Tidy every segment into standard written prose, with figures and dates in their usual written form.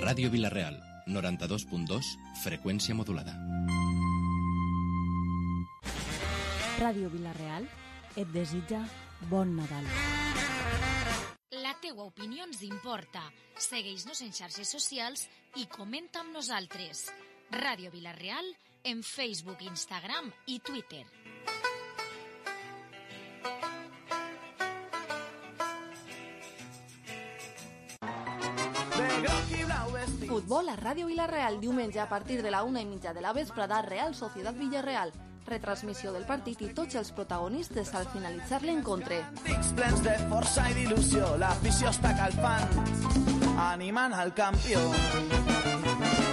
Ràdio Vila-real, 92.2, freqüència modulada. Ràdio Vila-real et desitja bon Nadal. La teua opinió ens importa. Segueix-nos en xarxes socials i comenta amb nosaltres. Ràdio Vila-real en Facebook, Instagram i Twitter. Futbol a Ràdio Vila-real, diumenge a partir de la 1:30 de la vesprada, Real Societat Villarreal. Retransmissió del partit i tots els protagonistes al finalitzar l'encontre. Dics plens de força i d'il·lusió, l'afició està calfant, animant al campió.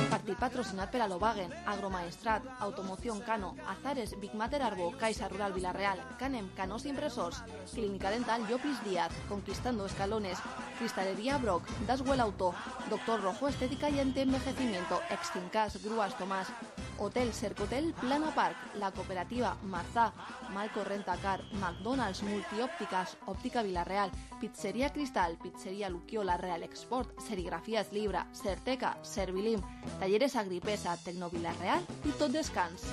Partit patrocinat per Alobagen, Agromaestrat, Automoción Cano, Azares, Big Mater Arbo, Caixa Rural Vila-real, Canem, Canos Impresors, Clínica Dental Llopis Díaz, Conquistando Escalones, Cristalería Brock, Daswell Auto, Doctor Rojo Estética y Antienvejecimiento, Extincas, Grúas Tomás, Hotel Cercotel, Plana Park, La Cooperativa, Marzá, Malco Rentacar, McDonald's, Multiópticas, Óptica Vila-real, Pizzería Cristal, Pizzería Luquiola, Real Export, Serigrafías Libra, Certeca, Servilim, Talleres Agripesa, Tecno Vila-real i Tot Descans.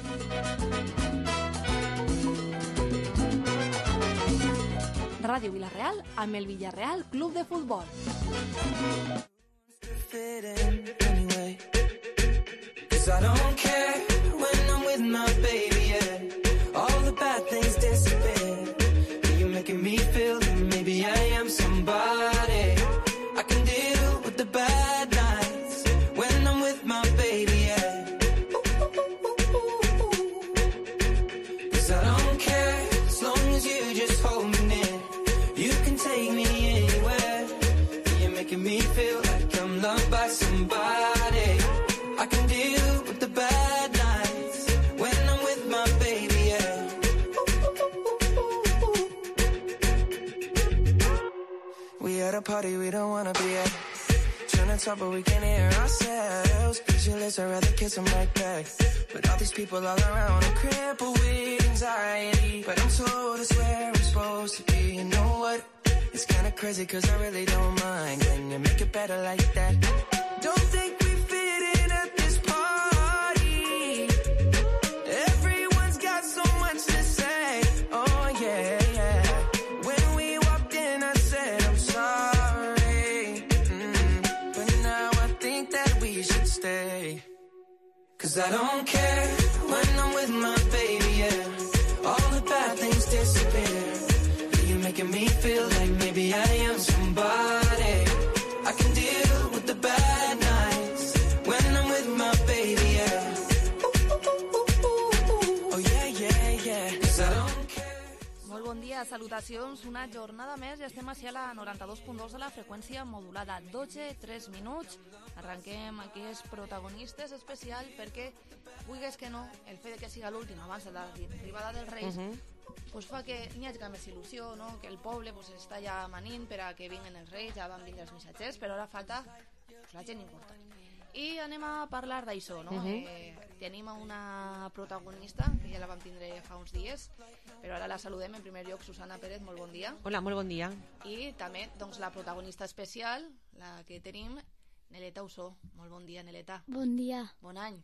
Ràdio Vila-real amb el Villarreal Club de Futbol. I don't care when I'm with my baby, yeah. All the bad things disappear. You're making me feel that maybe I am somebody. I can deal with the bad nights when I'm with my baby, yeah. 'Cause I don't care as long as you just hold me near. You can take me anywhere. You're making me feel like I'm loved by somebody. I can deal with the bad nights when I'm with my baby, yeah. We at a party we don't wanna be at. Trying to talk but we can't hear ourselves. Pictureless, I'd rather kiss them right back. But all these people all around are crippled with anxiety. But I'm told it's where I'm supposed to be. You know what? It's kinda crazy 'cause I really don't mind. Can you make it better like that? Don't think we fit in at this party. Everyone's got so much to say. Oh yeah, yeah. When we walked in I said I'm sorry. But now I think that we should stay. 'Cause I don't care when I'm with my baby, yeah. All the bad things disappear. You're making me feel like maybe I am somebody. I can deal with the bad nights when I'm with my baby, yeah. Oh yeah, yeah, yeah. 'Cause I don't care. Molt bon dia, salutacions. Una jornada més i estem així a la 92.2 de la freqüència modulada. 12-3 minuts. Arrenquem aquest protagonistes especial perquè, vulguis que no, el fet que siga l'últim abans de l'arribada dels Reis pues fa que n'hi hagi més il·lusió, no? Que el poble pues, està ja manint per a que vinguen els Reis, ja van vindre els missatgers, però ara falta pues, la gent important. I anem a parlar d'això, no? Tenim una protagonista, que ja la vam tindre fa uns dies, però ara la saludem en primer lloc. Susana Pérez, molt bon dia. Hola, molt bon dia. I també doncs, la protagonista especial, la que tenim, Neleta Usó. Molt bon dia, Neleta. Bon dia. Bon any.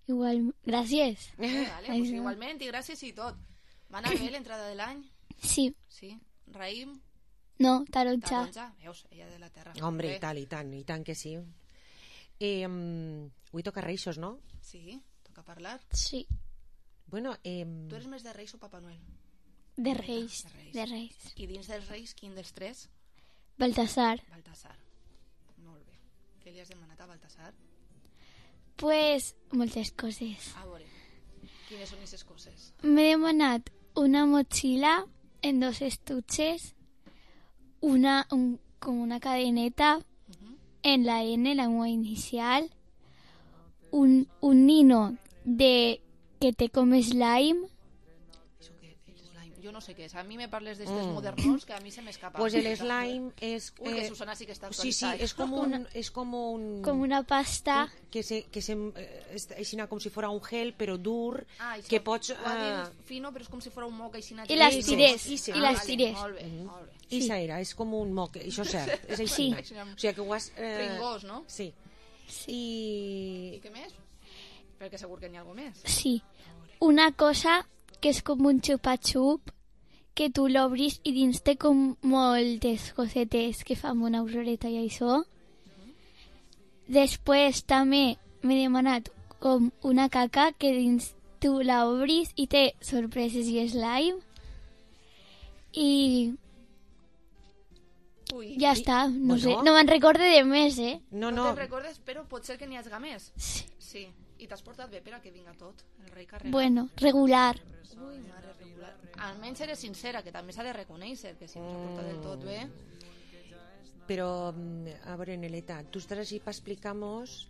Igual, gràcies. Vale, pues igualment, i gràcies i tot. Va anar bé l'entrada de l'any? Sí. Sí. Raïm? No, taronja. Taronja, veus, ella de la terra. Hombre, i tant que sí. Avui toca Reixos, no? Sí, toca parlar. Sí. Bueno, Tu eres més de Reis o Papa Noel? De Reis. De Reis. I dins dels Reis, quin dels tres? Baltasar. Baltasar. Molt bé. Què li has demanat a Baltasar? Pues, moltes coses. A veure, quines són aquestes coses? M'he demanat una motxilla en 2 estuches, com una cadeneta en la N, la meva inicial, un nino de que té com slime. Això què és slime? Jo no sé què és. A mi me parles d'estes modernos que a mi se m'escapa. Pues el slime és... Uy, que Susana sí que està Sí, actualitzada. es como un... Com una pasta. Que aixina com si fos un gel, però dur, Això, que pots... ho ha dit fino, però és com si fos un moc aixina. I les tirés. Molt bé, molt bé. Ixa era, és com un moc, això és cert, és així. Sí. O sigui que ho has... Pringós, no? Sí. Sí. I què més? Perquè segur que n'hi ha alguna més. Sí. Una cosa que és com un xupa-xup, que tu l'obris i dins té com moltes cosetes que fan una auroreta i això. Després també m'he demanat com una caca que dins tu la obris i té sorpreses i slime. I Ui. ja està, no Bueno. sé, no me'n recorde de més, No te'n recordes, però pot ser que n'hi hagi més. Sí. Sí. I t'has portat bé per a que vinga tot, el rei carregat. Bueno, regular. Ui, mare, regular. Almenys eres sincera, que també s'ha de reconèixer, que si no s'ha portat del tot bé... Però, a veure, Neleta, tu estàs així per explicar-nos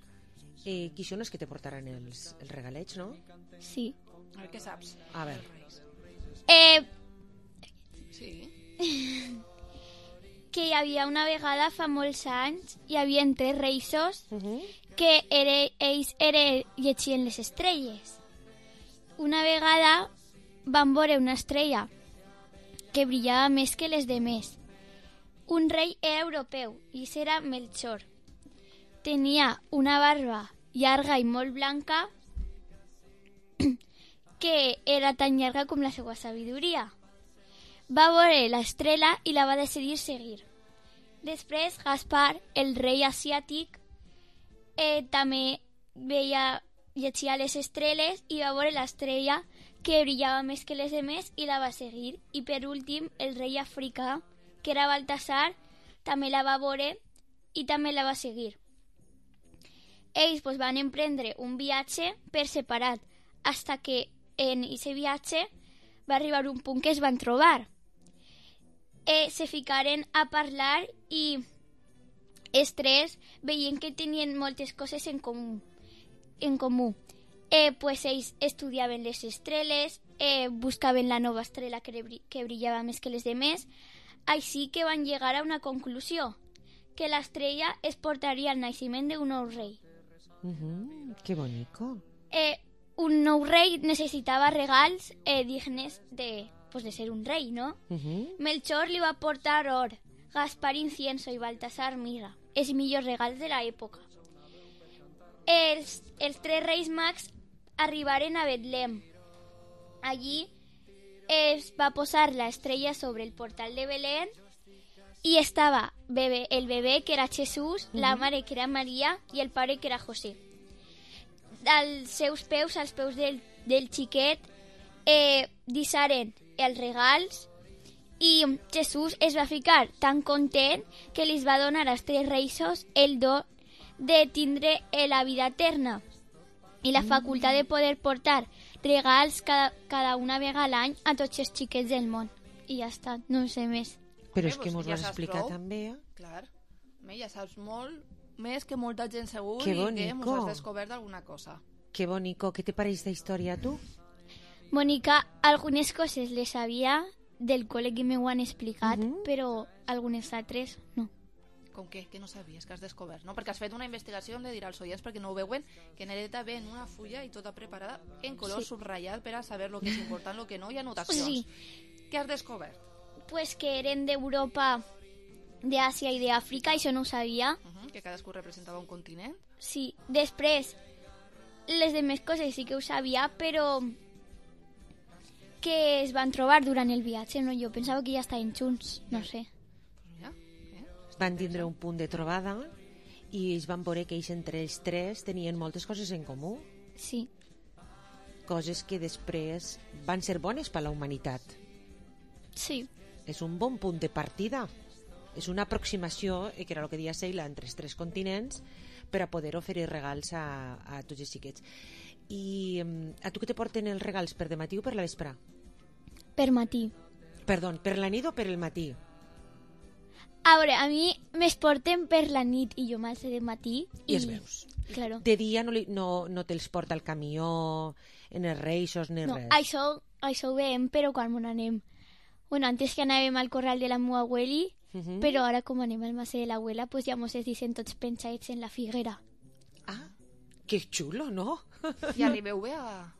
qui són els que te portaran els regalets, no? Sí. A veure què saps. A veure. Sí. Que hi havia una vegada fa molts anys, hi havia 3 reisos que ells llegien les estrelles. Una vegada van veure una estrella que brillava més que les demés. Un rei era europeu i era Melchor. Tenia una barba llarga i molt blanca que era tan llarga com la seva sabidoria. Va veure l'estrela i la va decidir seguir. Després, Gaspar, el rei asiàtic, també llegia les estrelles i va veure l'estrella que brillava més que les demés i la va seguir. I per últim, el rei africà, que era Baltasar, també la va veure i també la va seguir. Ells van emprendre un viatge per separat, fins que en aquest viatge va arribar un punt que es van trobar. Se ficaren a parlar i els 3 veien que tenien moltes coses en comú. Ells estudiaven les estrelles, buscaven la nova estrella que brillava més que les demés, així que van llegar a una conclusió, que l'estrella es portaria al naixement d'un nou rei. Que bonico. Un nou rei necessitava regals dignes de ser un rei, ¿no? Melchor li va portar or, Gaspar incienso i Baltasar mirra, els millors regals de l'època. Els 3 reis mags arribaren a Betlem. Allí es va posar l'estrella sobre el portal de Belén i estava el bebè, que era Jesús, la mare, que era Maria, i el pare, que era José. Als seus peus, als peus del xiquet, deixaren els regals i Jesús es va ficar tan content que li va donar als 3 reisos el do de tindre la vida eterna i la facultat de poder portar regals cada una vegada a l'any a tots els xiquets del món. I ja està, no sé més. Però és que mos vas explicar també. Clar, ja saps molt més que molta gent segur que i que mos has descobert alguna cosa. Que bonico. Què te pareix d'història, tu? Mònica, algunes coses les sabia del col·le que m'ho han explicat, però algunes altres no. Com què? Que no sabies, que has descobert, no? Perquè has fet una investigació, hem de dir als oients, perquè no ho veuen, que Nereta ve en una fulla i tota preparada en color subratllat per a saber el que és important, el que no, i anotacions. Sí. Què has descobert? Pues que eren d'Europa, d'Àsia i d'Àfrica, això no ho sabia. Que cadascú representava un continent. Sí, després les demés coses sí que ho sabia, però que es van trobar durant el viatge, no? Jo pensava que ja estaven junts, no sé. Van tindre un punt de trobada i ells van veure que ells entre els 3 tenien moltes coses en comú. Sí. Coses que després van ser bones per a la humanitat. Sí. És un bon punt de partida. És una aproximació, que era el que deia Seila, entre els 3 continents, per a poder oferir regals a tots els xiquets. I a tu que te porten els regals, per de matí o per la vespre? Per matí. Perdó, per la nit o per el matí? A veure, a mi me'ls porten per la nit i jo m'alço de matí. I els veus. Claro. De dia no te'ls porta el camió, en els reixos, ni res? No, això ho veiem, però quan anem... Bueno, antes que anàvem al corral de la meva abueli, però ara com anem al mas de l'abuela, pues ja mos es dicen tots penjats en la figuera. Ah, que xulo, no? I arribeu bé a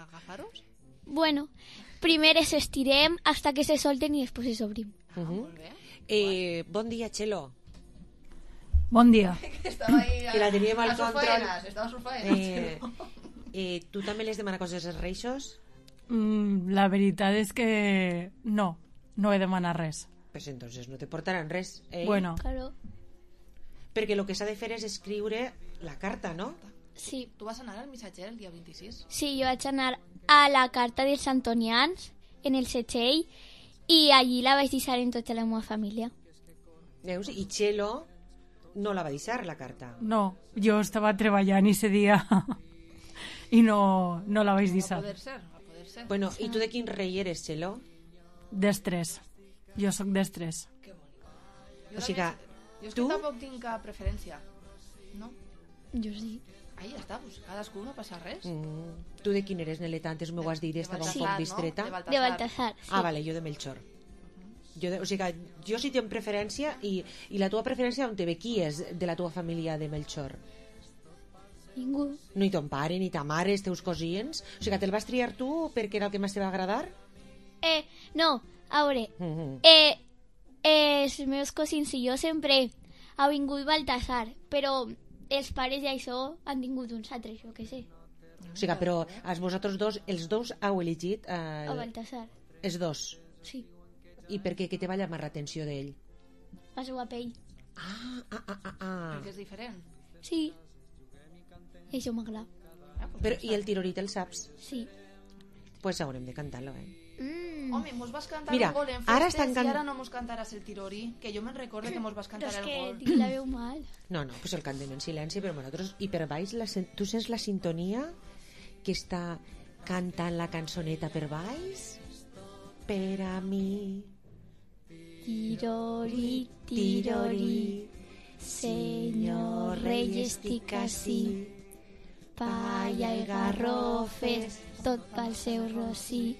agafar-los? Bueno, primer es estirem hasta que se solten i després es obrim. Molt bé. Bon dia, Txelo. Bon dia. Estava ahí Que la teníem al a sus control. faenas, estava a sus faenas. Tu també les demana coses als reixos? La veritat és que no he demanat res. Pues entonces no te portaran res. Bueno, Claro. Perquè el que s'ha de fer és escriure la carta, no? Sí. Tu vas anar al missatger el dia 26? Sí, jo vaig anar a la carta dels Antonians, en el Setxell, i allí la vaig deixar en tota la meva família. Veus? I Txelo no la va deixar, la carta. no, jo estava treballant ese dia i no la vaig Va deixar. poder ser, va poder ser. Bueno, i tu de quin rei eres, Txelo? D'estrès. Jo sóc d'estrès. O sigui que Jo és tu- que tampoc tinc cap preferència. No? Jo sí. Ahí ja està, pues, cadascú no passa res. Tu de quin eres, Neleta? Antes m'ho has dit, estava un Baltasar, poc no? distreta. De Baltasar. Sí. Ah, vale, jo de Melchor. O sigui que jo sí tinc preferència i la teva preferència on te ve? Qui és de la teva família de Melchor? Ningú. Ni ton pare, ni ta mare, els teus cosins? O sigui que te'l vas triar tu perquè era el que més te va agradar? No, a veure, els meus cosins i jo sempre ha vingut Baltasar, però els pares i això han tingut uns altres, jo què sé. O sigui que, però vosaltres dos, els dos heu elegit A Baltasar, els dos. sí. I per què? Què te va llamar l'atenció d'ell? La seva pell. Perquè és diferent. Sí. I això m'agrada. Però, i el tirorit el saps? Sí. Pues haurem de cantar-lo, Home, mos vas cantar Mira, un gol en ara festes estan i ara no mos cantaràs el tirorí, que jo me'n recordo que mos vas Però cantar és el que gol. tinc la veu mal. No, pues el cantem en silenci, però nosaltres... I per baix, tu sents la sintonia que està cantant la cançoneta per baix? Per a mi... Tirori, tirori, senyor rei, estic ací. Palla i garrofes, tot pel seu rossí.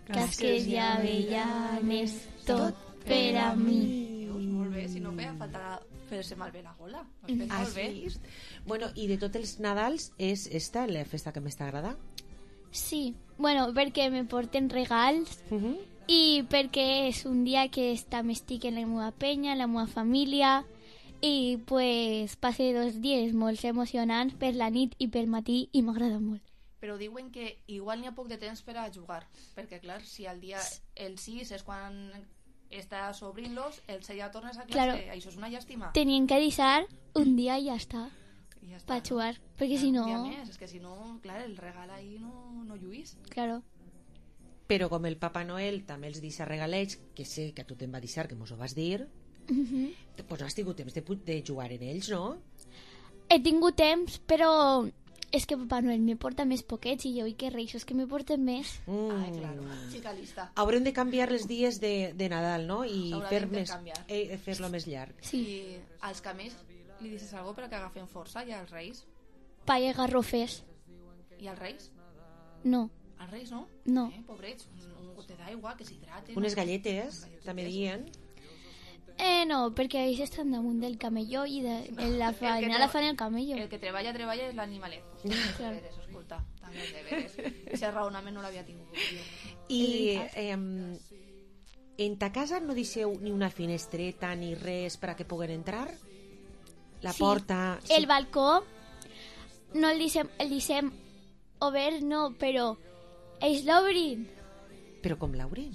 Casques i avellanes, tot per a mi. Veus, molt bé, si no feia falta fer-se malbé la gola. Ho has fet Has molt bé. vist? Bueno, i de tots els Nadals és esta la festa que més t'agrada? Sí, bueno, perquè me porten regals i perquè és un dia que també estic en la meva penya, en la meva família, i pues passe 2 dies molt emocionants per la nit i per matí i m'agrada molt. Però diuen que igual n'hi ha poc de temps per a jugar, perquè clar, si el 6 és quan estàs obrint-los, el 6 ja tornes a classe, Claro. això és una llàstima. Tenien que deixar un dia i ja està, I ja està, per jugar, perquè si no... I a més, és que si no, clar, el regal ahí no lluís. Claro. Però com el Papa Noel també els deixa regalets, que sé que a tu te'n va deixar, que mos ho vas dir, pues no has tingut temps de jugar en ells, no? He tingut temps, però és que Papa Noel me porta més poquets i jo i que reixos que me porten més. Ai, claro, xica lista. Haurem de canviar els dies de Nadal, no? I S'haurà d'intercanviar. fer-lo més llarg. Sí. I als camells li dices algo per a que agafen força, i als reis? Palla i garrofes. I als reis? No. Als reis no? No. Pobrets, un gotet d'aigua, que s'hidraten. Unes galletes, també dient. No, perquè ells estan damunt del camelló i en la feina la fan el camello. El que treballa és l'animalet. Claro. Deberes, escolta, també és deberes. Ese raonament no l'havia tingut jo. I en ta casa no deixeu ni una finestreta ni res per a que puguen entrar? La Sí. porta... El balcó no el deixem obert, no, però ells l'obrin. Però com l'obrin?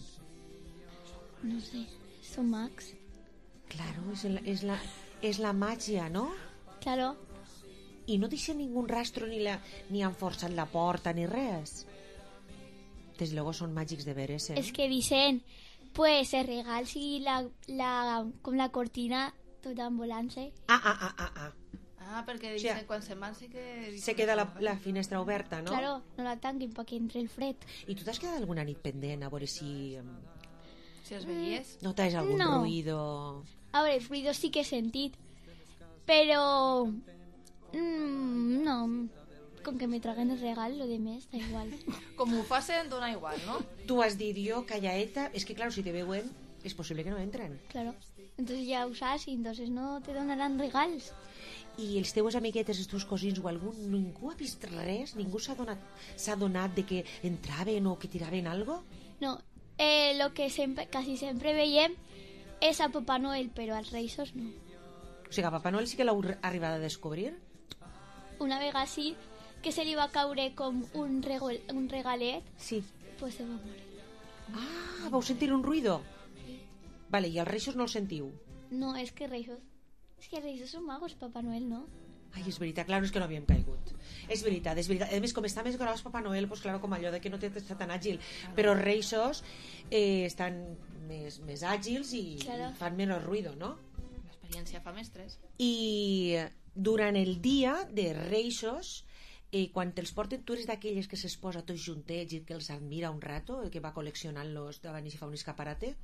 No sé, són mags. Claro, és la màgia, no? Claro. I no deixa ningú rastro ni han forçat la porta ni res. Des luego són màgics de veres, És que deixen pues els regals i com la cortina tot envolant-se. Ah, perquè O sigui, quan se'n van sí que... Se queda la finestra oberta, no? Claro, no la tanquin perquè entre el fred. I tu t'has quedat alguna nit pendent a veure si Si els veies? notes algun No. ruïdo? A veure, els ruïdos sí que he sentit, però no, com que me traguen el regal, lo de més, da igual. Com ho facen, dona igual, no? Tu has dit jo, callaeta, és que claro, si te veuen, és possible que no entren. Claro. Entonces ya usas y entonces no te donarán regals. I els teus amiguetes, els teus cosins o algú, ningú ha vist res? Ningú s'ha donat de que entraven o que tiraven algo? No, lo que casi siempre veiem és a Papá Noel, però als Reis no. O sigui, a Papa Noel sí que l'heu arribat a descobrir? Una vegada sí, que se li va caure com un regalet, Sí. pues se va morir. Ah, vau sentir un ruïdo? Vale, i els reixos no els sentiu? No, és que Reis són magos, Papa Noel, no? Ai, és veritat, clar, és que no havíem caigut. És veritat, és veritat. A més, com està més gros Papa Noel, pues, claro, com allò de que no està tan àgil. Però els reixos estan més àgils i fan menys ruïdo, no? L'experiència fa mestres. I durant el dia de reixos, quan te'ls porten, tu eres d'aquelles que s'exposa tots juntets i que els admira un rato, que va col·leccionant-los davant i s'hi fa un escaparate?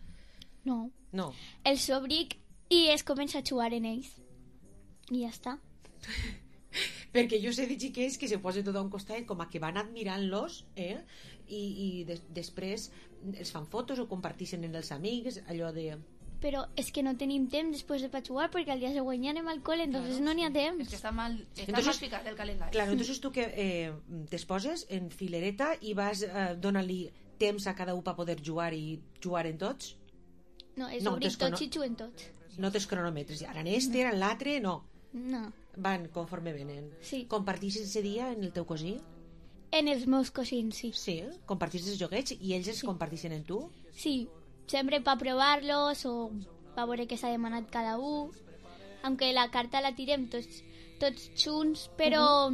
No. No. Els obric i es comença a jugar en ells. I ja està. Perquè jo sé de xiquets que se posen tot a un costat com a que van admirant-los i després els fan fotos o comparteixen amb els amics, allò de... Però és que no tenim temps després de jugar perquè al dia següent ja anem al col·le, entonces no n'hi ha temps. És que està mal ficat el calendari. Claro, entonces tu que t'exposes en filereta i vas donant-li temps a cada un per poder jugar i jugar en tots? No, és obrir tots i juguen tots. No tens cronòmetres. Ara en este, ara en l'altre, no. No. Van conforme venen. Sí. Compartixes ese dia en el teu cosí? En els meus cosins, sí. Sí, compartixes els joguets i ells els comparteixen en tu? Sí, sempre per provar-los o per veure què s'ha demanat cada un. Aunque la carta la tirem tots junts, però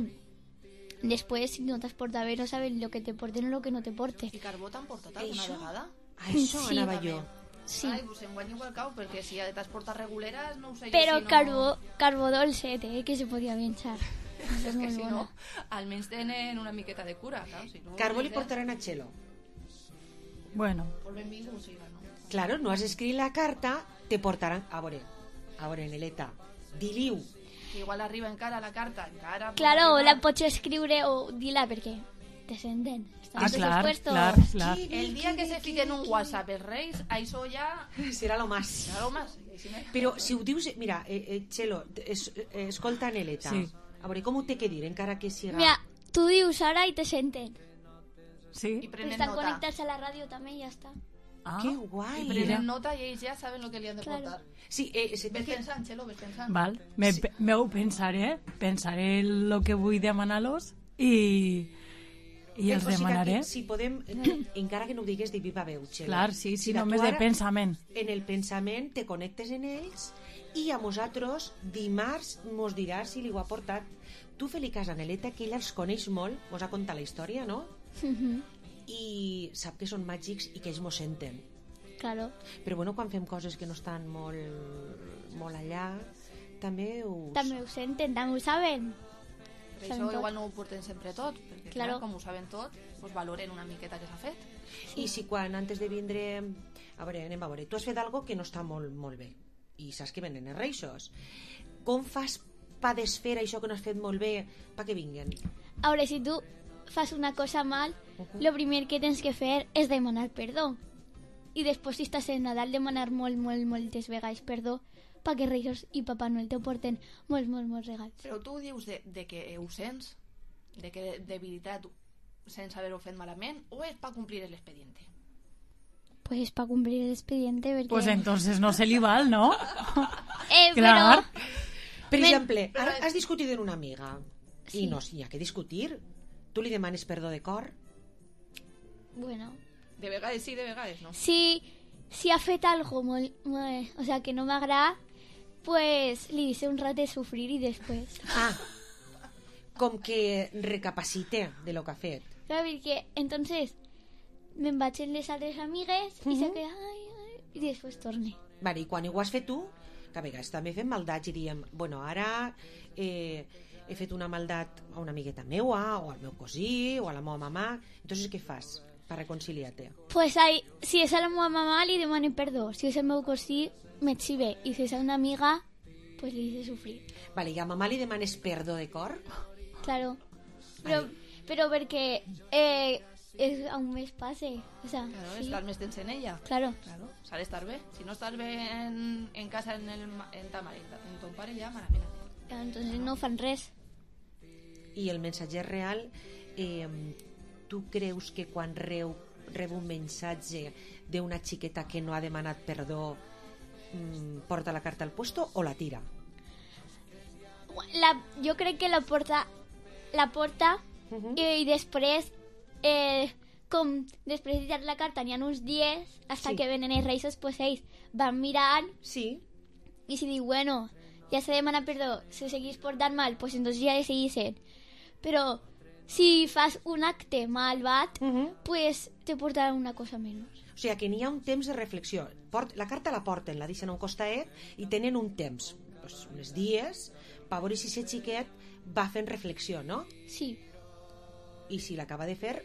després, si no t'has portat bé, no saben el que te porten o el que no te porten. I carbó t'han portat alguna vegada? Això anava jo. Sí. Ai, pues enguany igual cau, perquè si t'has portat reguleres, no ho sé però jo si no... carbó dolcet, que se podia menjar. És que si no, almenys tenen una miqueta de cura, clar. Si no, Carbó li portaran a Txelo. Bueno. Pues benvingut ho siga, no? Claro, no has escrit la carta, te portaran... A veure, Neleta, diliu. Que igual arriba encara la carta, encara... Claro, la pots escriure o dir-la perquè te senten. Clar. El dia que se fiquen un WhatsApp els Reis, això ja... Serà lo más. Però si ho dius... Mira, Txelo, escolta Neleta. Sí. A veure, com ho té que dir, encara que siga... Mira, tu dius ara i te senten. Sí. I prenen Estan nota. connectats a la ràdio també i ja està. Que guai. I prenen nota i ells ja saben el que li han de portar. Sí, ves pensant, Txelo, ves pensant. Val, m'ho pensaré el que vull demanar-los i els demanaré. Si podem, encara que no ho digues de viva veu, Txelo. Clar, sí, només de pensament. En el pensament te connectes en ells i a nosaltres dimarts mos diràs si li ho ha portat. Tu fes-li cas a Neleta, que ella els coneix molt, mos ha contat la història, no? I sap que són màgics i que ells mos senten. Claro. Però bueno, quan fem coses que no estan molt allà, també ho senten, també ho saben. Per això igual no ho porten sempre tot, perquè clar, com ho saben tot, pues valoren una miqueta que s'ha fet. I si quan antes de vindre... A veure, anem a veure. Tu has fet algo que no està molt bé i saps que venen els reixos. Com fas per desfer això que no has fet molt bé perquè vinguen? A veure, si tu fas una cosa mal, lo primer que tens que fer és demanar perdó. I després, si estàs en Nadal, demanar moltes vegades perdó perquè Reis i Papa Noel te porten molts regals. Però tu dius de que ho sents, de que de veritat sense haver-ho fet malament, o és per complir l'expediente? Pues para cumplir el expediente, perquè... Pues entonces no se li val, ¿no? Clar. Per exemple, has discutit amb una amiga i no hi ha que discutir. Tu li demanes perdó de cor? Bueno. De vegades sí, de vegades no. Si ha fet algo o sea, que no m'agrada, pues li dice un rato de sufrir y después... Com que recapacite de lo que ha fet. Claro, perquè entonces me'n vaig amb les altres amigues i se queda i després torne. Vale, i quan ho has fet tu, que a vegades també fem maldats i diem, bueno, ara he fet una maldat a una amigueta meua o al meu cosí o a la meva mamà, entonces què fas per reconciliar-te? Pues si és a la meva mamà li demanem perdó, si és el meu cosí m'etxive i si és a una amiga pues li dice sufrir. Vale, i a mamà li demanes perdó de cor? Claro, però perquè aún més passe, o sea, claro, estar més temps en ella. Claro. S'ha d'estar bé. Si no estàs bé en casa en ta mare, en ton pare ja malament. Entonces no fan res. I el mensatger real, tu creus que quan rep un mensatge d'una xiqueta que no ha demanat perdó porta la carta al puesto o la tira? jo crec que la porta i després com després de tirar la carta n'hi ha uns dies hasta que venen els reis, pues ells van mirant i si diu, bueno, ja s'ha demanat perdó, si seguís portant mal, pues entonces ja le seguissin. Però si fas un acte malvat, pues te portaran una cosa menys. O sigui, que n'hi ha un temps de reflexió. La carta la porten, la deixen a un costaet i tenen un temps, pues, uns dies, per veure si aquest xiquet va fent reflexió, no? Sí. I si l'acaba de fer,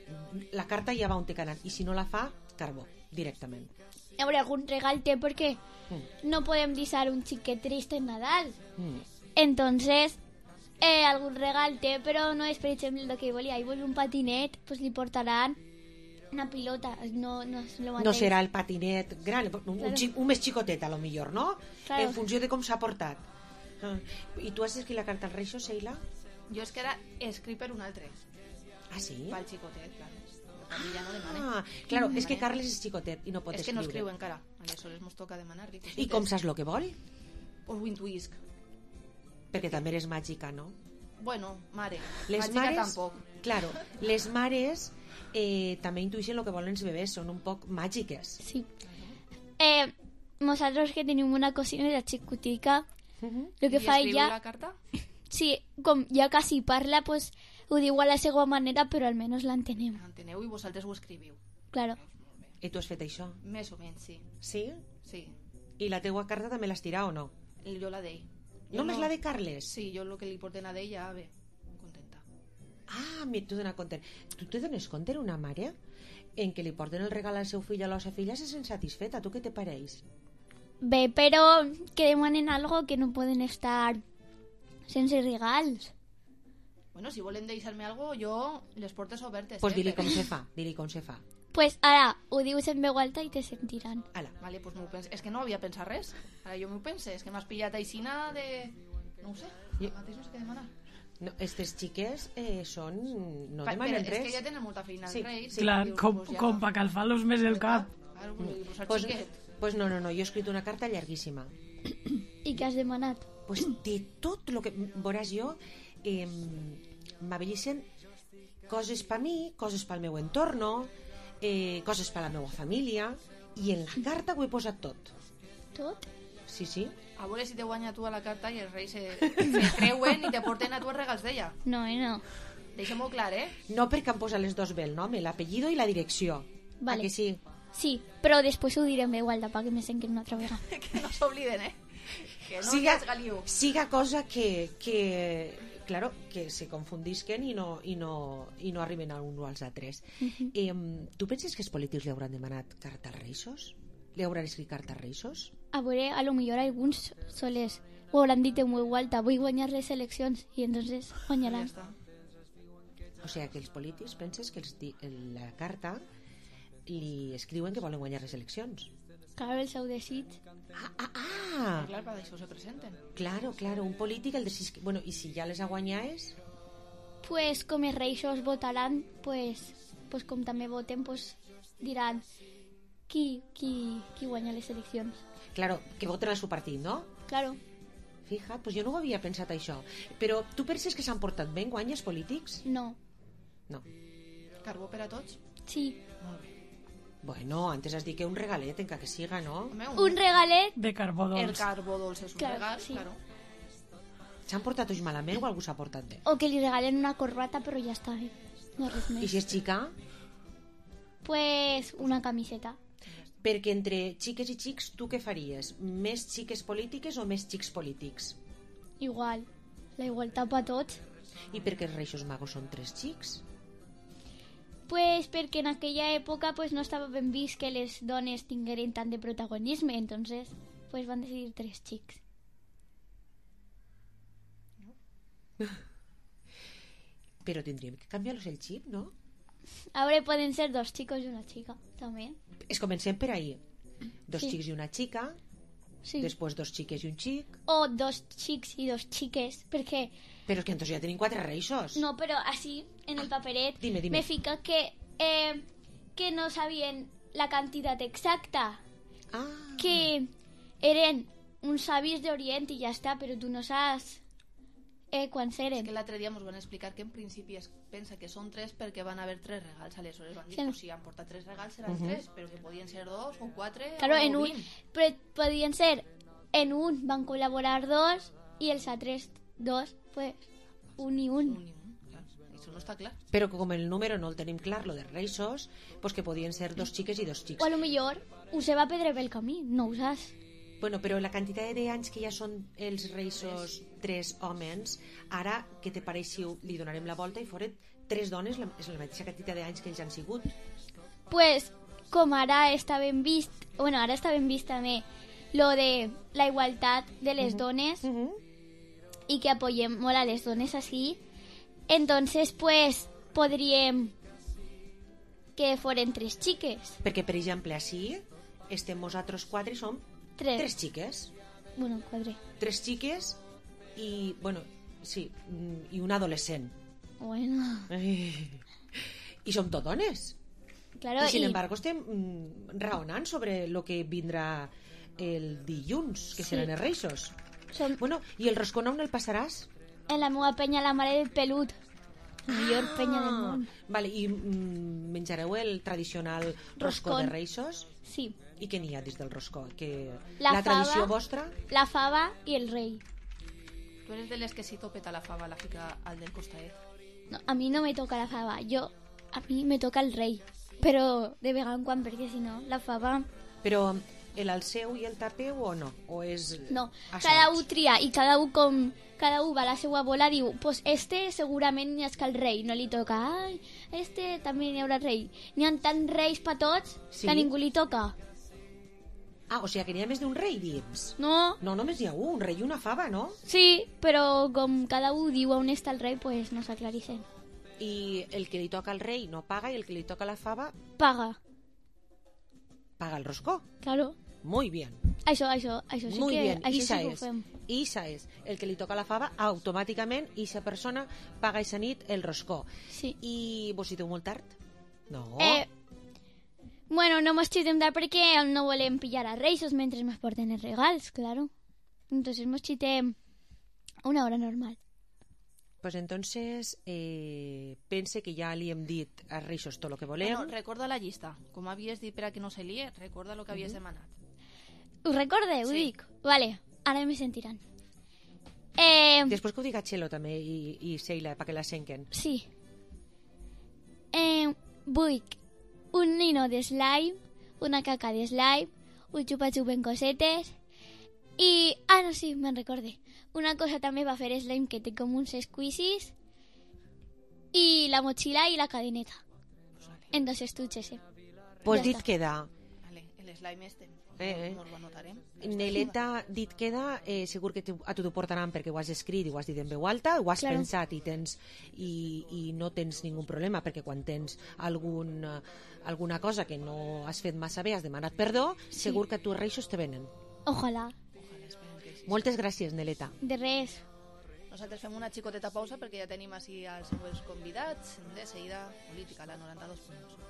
la carta ja va on té que anar. I si no la fa, carbó, directament. A veure, algun regal té perquè no podem deixar un xiquet trist en Nadal. Entonces, algun regal té, però no és, per exemple, el que volia. Ell vol un patinet, pues li portaran una pilota. No és lo mateix. No serà el patinet gran, un més xicotet, a lo millor, no? Claro. En funció de com s'ha portat. I tu has escrit la carta al Reixos, Sheila? Jo és que ara escric per un altre. Ah, sí? Pel xicotet, clar. Ja no demane. Claro, és que Carles és xicotet i no pot escriure. És que no escriu encara. Aleshores mos toca demanar-li. I com saps el que vol? Pues ho intuïsc. Perquè també eres màgica, no? Bueno, mare. Les màgica mares, tampoc. Claro, les mares també intuïxen el que volen els bebès, són un poc màgiques. Sí. Nosaltres que tenim una cosina de la xicotica, el que fa ella... la carta? Sí, com ja quasi parla, pues ho diu a la seva manera, però almenys l'entenem. L'enteneu i vosaltres ho escriviu. Claro. I tu has fet això? Més o menys, sí. Sí? Sí. I la teua carta també l'has tirat o no? Jo la d'ell. Només la de Carles? Sí, jo el que li porten a d'ell ja ve contenta. Ah, t'ho dona compte. Tu te dones compte, una mare, en què li porten el regal al seu fill o a la seva filla se sent satisfeta? Tu què te pareix? Bé, però que demanen algo que no poden estar sense regals. Bueno, si volen deixar-me algo, jo les portes obertes. Pues dili com se fa, Pues ara ho dius en veu alta i te sentiran. Vale, pues m'ho penso. És que no havia pensat res. Ara jo m'ho pense. És que m'has pillat aixina de... No ho sé, mateix no sé què demanar. No, estes xiques són... no demanen res. És que ja tenen molta feina els reis. Clar, com pa calfar-los més el cap. Pues no, jo he escrit una carta llarguíssima. I què has demanat? Pues de tot el que... Veuràs, jo m'avellicen coses per mi, coses pel meu entorno, coses per la meva família, i en la carta ho he posat tot. Tot? Sí, sí. A veure si te guanya tu a la carta i els reis se creuen i te porten a tu els regals d'ella. No, no. Deixem-ho clar, No, perquè han posat les dos bé el nom, l'apellido i la direcció. Vale. Que sí? Sí, però després ho direm igual perquè me sentin una altra vegada. Que no s'obliden, Que no siga cosa que claro, que se confundisquen i no arriben a un o als altres. Tu penses que els polítics li hauran demanat carta als Reixos? Li hauran escrit carta als Reixos? A veure, a lo millor alguns soles ho hauran dit en veu alta, vull guanyar les eleccions, i entonces guanyaran. O sigui que els polítics penses que la carta li escriuen que volen guanyar les eleccions. Claro, el seu desig. Clar, per això se presenten. Claro, un polític el desig... Bueno, i si ja les ha guanyat? Pues com els reixos votaran, pues com també voten, pues diran qui guanya les eleccions. Claro, que voten al seu partit, no? Claro. Fija, pues jo no ho havia pensat això. Però tu penses que s'han portat bé en guany els polítics? No. Carbó per a tots? Sí. Molt bé. Bueno, antes has dit que un regalet, encara que siga, ¿no? Un regalet de carbó dolç. El carbó dolç és un regal, sí. Claro. S'han portat tots malament o algú s'ha portat bé? O que li regalen una corbata, però ja està bé. No res més. I si és xica? Pues una camiseta. Perquè entre xiques i xics, tu què faries? Més xiques polítiques o més xics polítics? Igual. La igualtat per tots. I per què els Reixos Magos són 3 xics? Pues perquè en aquella època pues no estava ben vist que les dones tingueren tant de protagonisme, entonces pues van decidir 3 xics. Però tindríem que canviar-los el xip, no? A veure, poden ser 2 xicos i una xica, també. Es comencem per ahí. 2 xics i una xica, després 2 xiques i un xic. O 2 xics i 2 xiques, perquè... Però és que entonces ja tenim 4 reixos. No, però així, en el paperet, dime. me fica que no sabien la quantitat exacta. Que eren uns savis d'Orient i ja està, però tu no saps quants eren. És que l'altre dia ens van explicar que en principi es pensa que són 3 perquè van haver 3 regals. Aleshores van dir que si han portat 3 regals seran 3, però que podien ser 2 o 4 claro, o 20. Però podien ser, en un van col·laborar 2 i els altres 2, pues, un i un. Clar, això no està clar. Però com el número no el tenim clar, lo de Reixos, pues que podien ser 2 xiques i 2 xics. O a lo millor us se va perdre pel camí, no ho saps. Bueno, però la quantitat d'anys que ja són els Reixos 3 homes, ara, què te pareix si li donarem la volta i foren 3 dones, és la mateixa quantitat d'anys que ells han sigut? Pues, com ara està ben vist, bueno, ara està ben vist també lo de la igualtat de les dones i que apoyem molt a les dones així, entonces, pues, podríem que foren 3 xiques. Perquè, per exemple, així estem nosaltres 4 i som 3 xiques. Bueno, 4. 3 xiques i, bueno, sí, i un adolescent. Bueno. I som tot dones. Claro, I, sin embargo, estem raonant sobre lo que vindrà el dilluns, que seran els Reixos. Bueno, i el roscó on el passaràs? En la meva penya, la mare del pelut. La millor penya del món. Vale, i menjareu el tradicional roscó de Reixos? Sí. I què n'hi ha dins del roscó? La tradició fava, vostra? La fava i el rei. Tu eres de les que si topeta la fava la fica al del costadet. No, a mi no me toca la fava, a mi me toca el rei. Però de vegada en quan, perquè si no, la fava... Però el seu i el tapeu o no? O és... No, cada un tria i cada un va a la seva bola, diu, pues este segurament ni és que el rei no li toca. Ai, este també n'hi haurà rei. N'hi ha tants reis per tots que a ningú li toca. Ah, o sigui que n'hi ha més d'un rei dins? No. No, només hi ha un rei i una fava, no? Sí, però com cada un diu on està el rei, pues no s'aclareixen. I el que li toca al rei no paga i el que li toca a la fava... Paga. Paga el roscó. Claro. Muy bien. Això sí Muy que, bien. això sí que ho fem. Isa és el que li toca a la fava, automàticament aquesta persona paga aquesta nit el roscó. Sí. I vos hi teniu molt tard? No. Bueno, no mos xitem tard perquè no volem pillar a Reixos mentre ens porten els regals, claro. Entonces mos xitem una hora normal. Pues entonces pense que ja li hem dit a Reixos tot el que volem. Bueno, recorda la llista. Com havies dit per a que no se lie, recorda el que havies demanat. Us recorde? Ho dic? Vale, ara me sentiran. Després que ho diga Txelo també i Sheila, perquè la senquen. Sí. Vull un nino de slime, una caca de slime, un xupa-xup en cosetes i... Ah, no, sí, me'n recorde. Una cosa també va fer slime que té com uns squeezies i la motxilla i la cadeneta. En 2 estuches, Pues ja dit està. queda. Vale, el slime este. Nos ho anotarem. Neleta, dit queda, segur que a tu t'ho portaran perquè ho has escrit i ho has dit en veu alta, ho has pensat i no tens ningú problema, perquè quan tens alguna cosa que no has fet massa bé, has demanat perdó, segur que a tu els Reixos te venen. Ojalà. Moltes gràcies, Neleta. De res. Nosaltres fem una xicoteta pausa perquè ja tenim així els següents convidats. De seguida, política, la 92.2.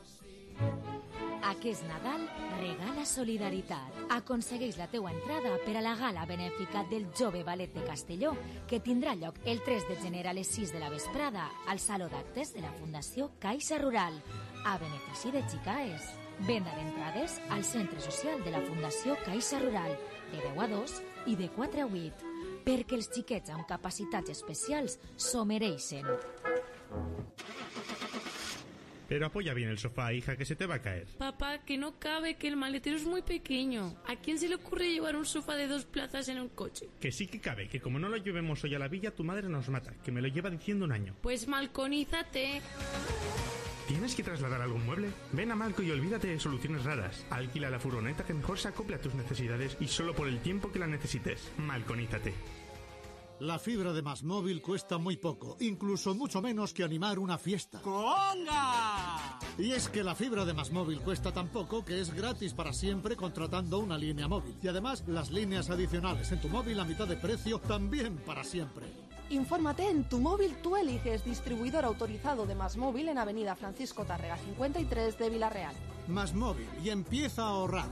Aquest Nadal regala solidaritat. Aconsegueix la teua entrada per a la gala benèfica del Jove Ballet de Castelló, que tindrà lloc el 3 de gener a les 6 de la vesprada al Saló d'Actes de la Fundació Caixa Rural, a benefici de Xicaes. Venda d'entrades al Centre Social de la Fundació Caixa Rural, de 10 a 2 i de 4 a 8, perquè els xiquets amb capacitats especials s'ho mereixen. Pero apoya bien el sofá, hija, que se te va a caer. Papá, que no cabe, que el maletero es muy pequeño. ¿A quién se le ocurre llevar un sofá de 2 plazas en un coche? Que sí que cabe, que como no lo llevemos hoy a la villa, tu madre nos mata, que me lo lleva diciendo un año. Pues malconízate. ¿Tienes que trasladar algún mueble? Ven a Malco y olvídate de soluciones raras. Alquila la furgoneta que mejor se acople a tus necesidades y solo por el tiempo que la necesites. Malconízate. La fibra de MásMóvil cuesta muy poco, incluso mucho menos que animar una fiesta. ¡Conga! Y es que la fibra de MásMóvil cuesta tan poco que es gratis para siempre contratando una línea móvil. Y además, las líneas adicionales en tu móvil a mitad de precio también para siempre. Infórmate en Tu Móvil Tú Eliges, distribuidor autorizado de MásMóvil en Avenida Francisco Tárrega 53 de Vila-real. MásMóvil, y empieza a ahorrar.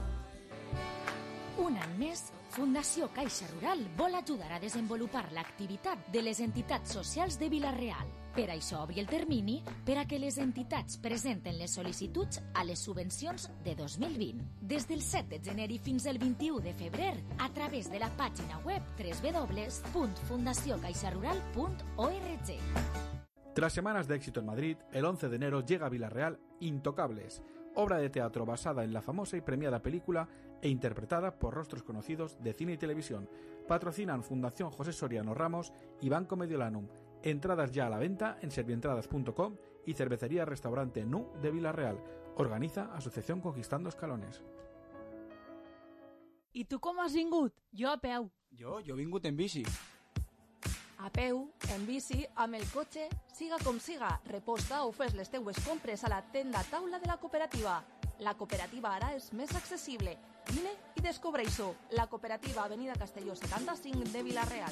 Un any més, Fundació Caixa Rural vol ajudar a desenvolupar l'activitat de les entitats socials de Vila-real. Per això obri el termini per a que les entitats presenten les sol·licituds a les subvencions de 2020. Des del 7 de gener i fins al 21 de febrer, a través de la pàgina web www.fundaciocaixarural.org. Tras semanas de éxito en Madrid, el 11 de enero llega a Vila-real Intocables, obra de teatro basada en la famosa y premiada película e interpretada por rostros conocidos de cine y televisión. Patrocinan Fundación José Soriano Ramos y Banco Mediolanum. Entradas ya a la venta en servientradas.com y Cervecería Restaurante Nu de Vila-real. Organiza Asociación Conquistando Escalones. I tu com has vingut? Jo a peu. Jo he vingut en bici. A peu, en bici, amb el cotxe, siga com siga, reposta o fes les teues compres a la tenda taula de la cooperativa. La cooperativa ara és més accessible. Vine i descobreix-ho. La cooperativa Avenida Castelló 75 de Vila-real.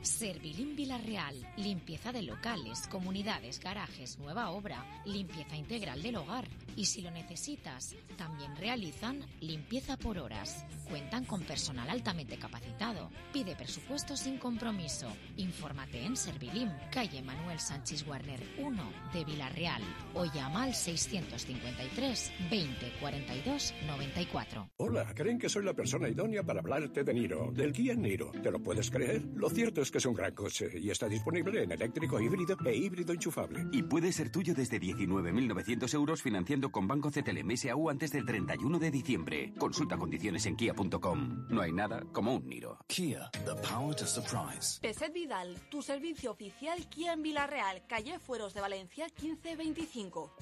Servilim Vila-real, limpieza de locales, comunidades, garajes, nueva obra, limpieza integral del hogar. Y si lo necesitas, también realizan limpieza por horas. Cuentan con personal altamente capacitado. Pide presupuesto sin compromiso. Infórmate en Servilim, calle Manuel Sánchez Warner 1 de Vila-real o llama al 653 20 42 94. Hola, creen que soy la persona idónea para hablarte de Niro, del Kia Niro. ¿Te lo puedes creer? Lo cierto es que es un gran coche y está disponible en eléctrico híbrido e híbrido enchufable. Y puede ser tuyo desde 19.900 euros financiando con Banco CTLM SAU antes del 31 de diciembre. Consulta condiciones en kia.com. No hay nada como un Niro. Kia, the power to surprise. Peset Vidal, tu servicio oficial Kia en Vila-real, calle Fueros de Valencia 1525.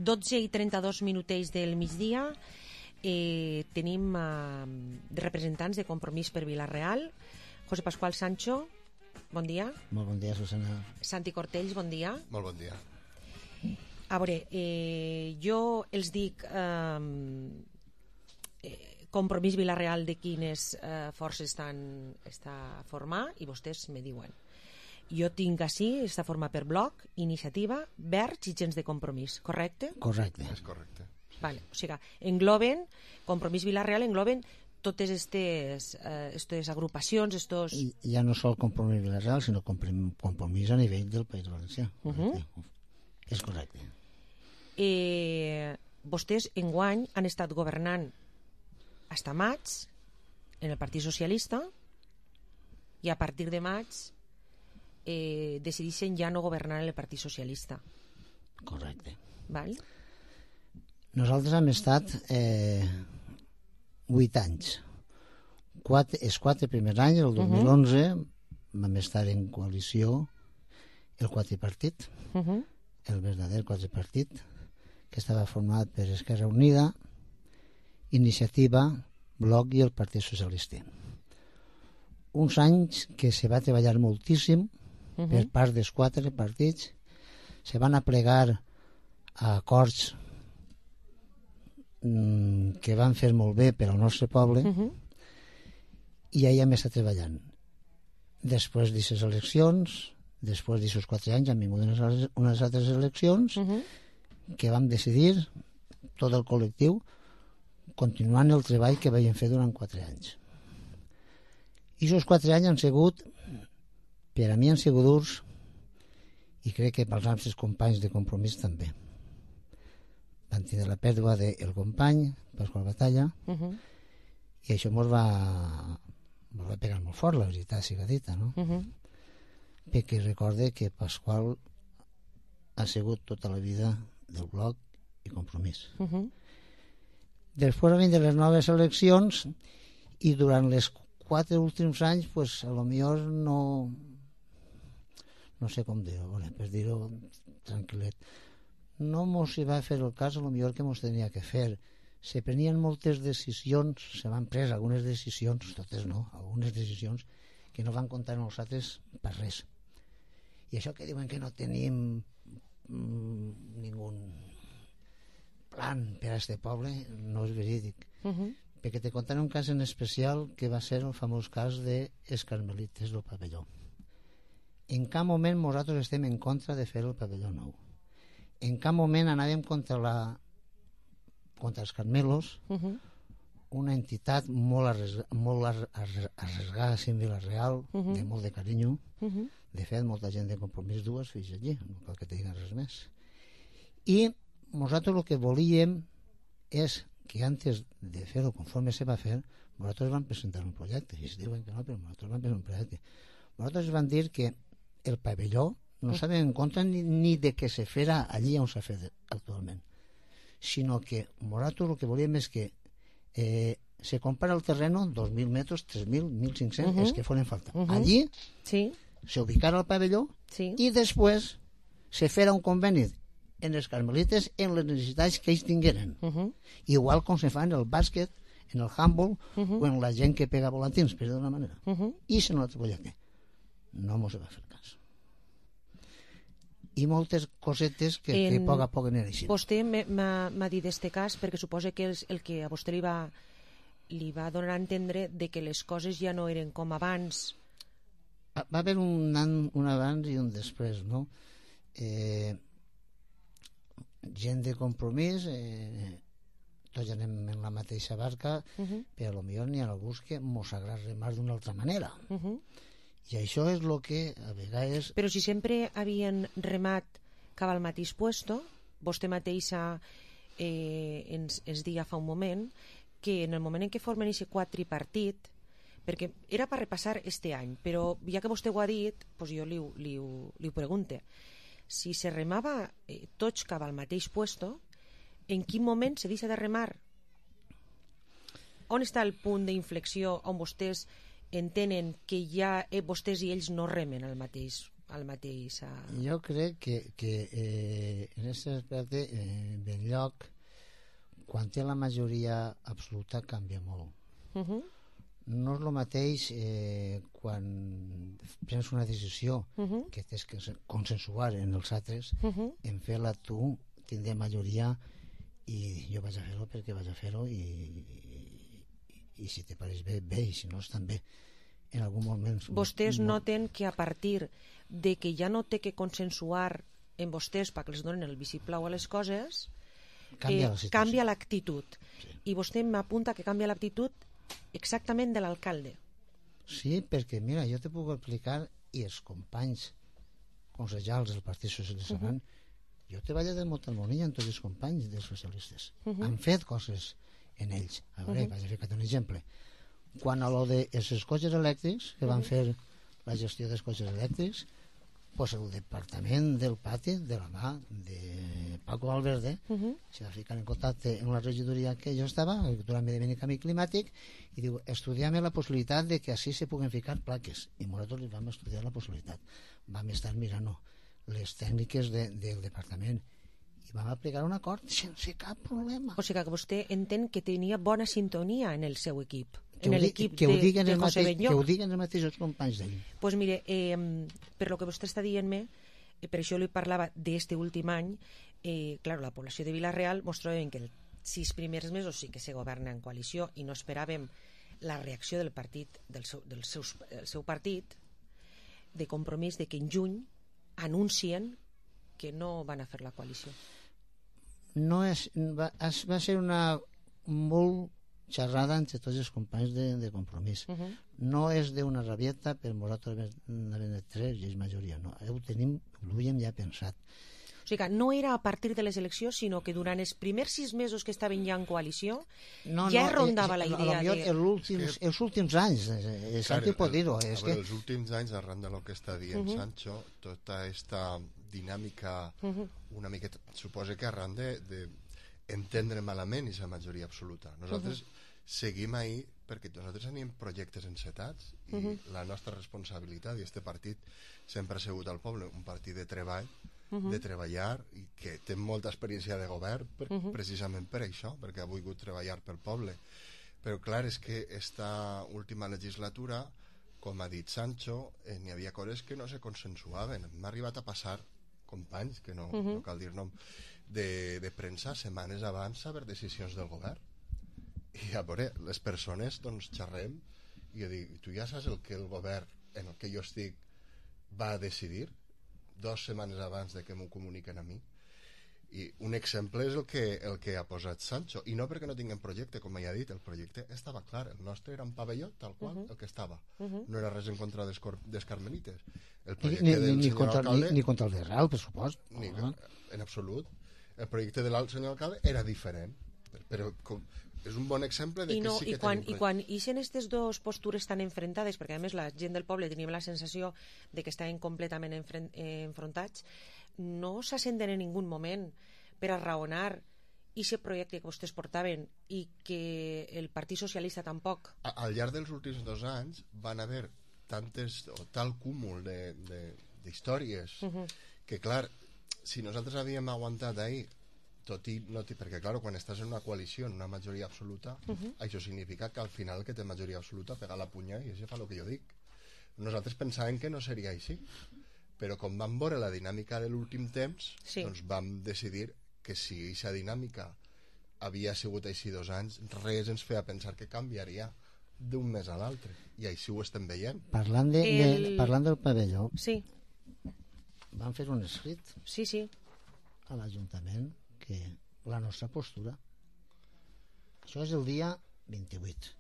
i 32 minutets del migdia. Tenim representants de Compromís per Vila-real. José Pascual Sancho, bon dia. Molt bon dia, Susana. Santi Cortells, bon dia. Molt bon dia. A veure, jo els dic Compromís Vila-real de quines forces està a formar i vostès me diuen. Jo tinc així, està format per Bloc, Iniciativa, Verds i Gens de Compromís, correcte? Correcte. És correcte. Vale, o sigui, engloben, Compromís Vila-real engloben totes aquestes agrupacions, estos... I ja no sol Compromís Vila-real, sinó Compromís a nivell del País Valencià. És correcte. Vostès enguany han estat governant fins a maig en el Partit Socialista i a partir de maig decideixen ja no governar en el Partit Socialista. Correcte. Val? Nosaltres hem estat 8 anys. Els 4 primers anys, el 2011, vam estar en coalició el quadripartit, el verdader quadripartit, que estava format per Esquerra Unida, Iniciativa, Bloc i el Partit Socialista. Uns anys que se va treballar moltíssim per part dels 4 partits, se van aplegar a acords que van fer molt bé per al nostre poble i ja hem estat treballant. Després d'aquestes eleccions, després d'aquests 4 anys han vingut unes altres eleccions que vam decidir, tot el col·lectiu, continuant el treball que vam fer durant 4 anys. I aquests 4 anys han sigut, per a mi han sigut durs, i crec que pels altres companys de Compromís també. Van tenir la pèrdua del company, Pasqual Batalla, i això ens va pegar molt fort, la veritat siga dita, no? Perquè recorde que Pasqual ha sigut tota la vida del Bloc i Compromís. Després van vindre les noves eleccions i durant les 4 últims anys, pues, a lo millor no sé com dir-ho, per dir-ho tranquil·let, no mos hi va fer el cas a lo millor que mos tenia que fer. Se prenien moltes decisions, se van pres algunes decisions, totes no, algunes decisions que no van comptar amb nosaltres per res. I això que diuen que no tenim ningú plan per a este poble, no és verídic. Perquè te contaré un cas en especial que va ser el famós cas de els carmelites del pavelló. En cap moment nosaltres estem en contra de fer el pavelló nou. En cap moment anàvem contra els carmelos, una entitat molt arresgada en Vila-real, de molt de carinyo. De fet, molta gent de Compromís dues fills allí, no cal que te diguin res més. I nosaltres el que volíem és que antes de fer-ho conforme se va fer, nosaltres vam presentar un projecte, i es diuen que no, però nosaltres vam presentar un projecte. Nosaltres vam dir que el pavelló no estàvem en contra ni de que se fera allí on s'ha fet actualment, sinó que nosaltres el que volíem és que se compara el terreno 2.000 metres, 3.000, 1.500, els que foren falta. Allí se ubicara el pavelló i després se fera un conveni en els carmelites en les necessitats que ells tingueren. Igual com se fa en el bàsquet, en el handball o en la gent que pega volantins, per d'una manera. I se no la projecte. No mos va fer cas. I moltes cosetes que a poc a poc aniran així. Vostè m'ha dit d'aquest cas perquè suposa que el que a vostè li va donar a entendre de que les coses ja no eren com abans. Va haver un abans i un després, no? Gent de Compromís, tots anem en la mateixa barca, però potser n'hi ha alguns que mos agrada remar d'una altra manera. I això és el que a vegades... Però si sempre havien remat cap al mateix puesto, vostè mateixa ens deia fa un moment que en el moment en què formen aquest quadripartit, perquè era per repassar este any, però ja que vostè ho ha dit, doncs jo li ho pregunte. Si se remava tots cap al mateix puesto, en quin moment se deixa de remar? On està el punt d'inflexió on vostès entenen que ja vostès i ells no remen al mateix? Jo crec que en aquest aspecte Benlloc, quan té la majoria absoluta, canvia molt. No és el mateix quan prens una decisió que tens que consensuar en els altres, en fer-la tu, tindré majoria i jo vaig a fer-ho perquè vaig a fer-ho i si te pareix bé, bé, i si no estan bé. En algun moment... Vostès noten que a partir de que ja no té que consensuar en vostès perquè els donen el vistiplau a les coses, canvia l'actitud. I vostè m'apunta que canvia l'actitud exactament de l'alcalde. Sí, perquè mira, jo te puc explicar, i els companys consellals del Partit Socialista jo treballo de molta harmonia amb tots els companys dels socialistes. Han fet coses en ells. A veure, vaig a ficar un exemple. Quan a lo dels cotxes elèctrics, que van fer la gestió dels cotxes elèctrics, pues el departament del pati, de la mà de Paco Valverde, se va ficar en contacte amb la regidoria que jo estava, Agricultura, Medi Ambient i Canvi Climàtic, i diu, estudiem la possibilitat de que així se puguen ficar plaques. I nosaltres li vam estudiar la possibilitat. Vam estar mirant les tècniques del departament i vam aplicar un acord sense cap problema. O sigui que vostè entén que tenia bona sintonia en el seu equip. Que ho diguen els mateixos companys d'ell. Doncs mire, per lo que vostè està dient-me, per això li parlava d'este últim any, clar, la població de Vila-real ens trobem que els 6 primers mesos sí que se governa en coalició i no esperàvem la reacció del partit, del seu partit, de Compromís, de que en juny anuncien que no van a fer la coalició. No va ser una molt xerrada entre tots els companys de Compromís. No és d'una rabieta, per nosaltres n'havem de 3 i és majoria. No, ho havíem ja pensat. O sigui que no era a partir de les eleccions, sinó que durant els primers 6 mesos que estaven ja en coalició ja rondava la idea de... Els últims anys, és que pot dir-ho. Els últims anys, arran de lo que està dient Sancho, tota aquesta dinàmica una miqueta, suposa que arran d'entendre malament aquesta majoria absoluta. Nosaltres seguim ahí perquè nosaltres tenim projectes encetats i la nostra responsabilitat, i este partit sempre ha sigut al poble, un partit de treball, de treballar, i que té molta experiència de govern precisament per això, perquè ha volgut treballar pel poble. Però clar, és que esta última legislatura, com ha dit Sancho, n'hi havia coses que no se consensuaven. M'ha arribat a passar companys, que no cal dir nom, de premsa setmanes abans saber decisions del govern. I a veure, les persones doncs xerrem i jo dic, tu ja saps el que el govern en el que jo estic va decidir 2 setmanes abans de que m'ho comuniquen a mi? I un exemple és el que ha posat Sancho, i no perquè no tinguem projecte, com ja he dit, el projecte estava clar, el nostre era un pavelló tal qual, el que estava, no era res en contra dels carmelites, el projecte del senyor alcalde ni contra el de Real, per supost, en absolut, el projecte del senyor alcalde era diferent, però és un bon exemple de que sí que tenim... I quan ixen aquestes dues postures tan enfrontades, perquè a més la gent del poble teníem la sensació de que estaven completament enfrontats, no s'assenten en ningú moment per a raonar aquest projecte que vostès portaven i que el Partit Socialista tampoc. Al llarg dels últims 2 anys van haver tal cúmul d'històries que, clar, si nosaltres havíem aguantat ahir, perquè, clar, quan estàs en una coalició, en una majoria absoluta, això significa que al final que té majoria absoluta pega la punya i això fa el que jo dic. Nosaltres pensàvem que no seria així, però com vam veure la dinàmica de l'últim temps, doncs vam decidir que si aquesta dinàmica havia sigut així 2 anys, res ens feia pensar que canviaria d'un mes a l'altre, i així ho estem veient. Parlant del pavelló, van fer un escrit a l'Ajuntament que la nostra postura, això és el dia 28,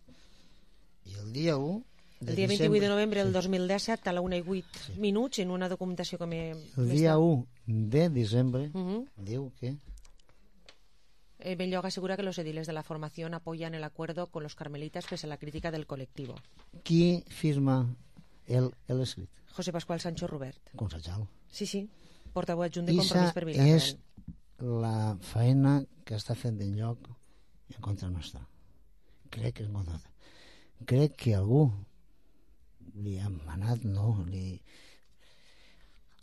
i el dia 1 el dia 28 de novembre del 2017 a la 1:08 minuts en una documentació que el dia 1 de desembre diu que Belloga asegura que los ediles de la formación apoyan el acuerdo con los carmelitas pese a la crítica del colectivo. Qui firma l'escrit? José Pascual Sancho Rubert. Concejal. Sí, portaveu adjunt de Compromís per Vilareal. És la feina que està fent Belloc en contra nostra. Crec que és molt nota. Crec que algú li ha manat,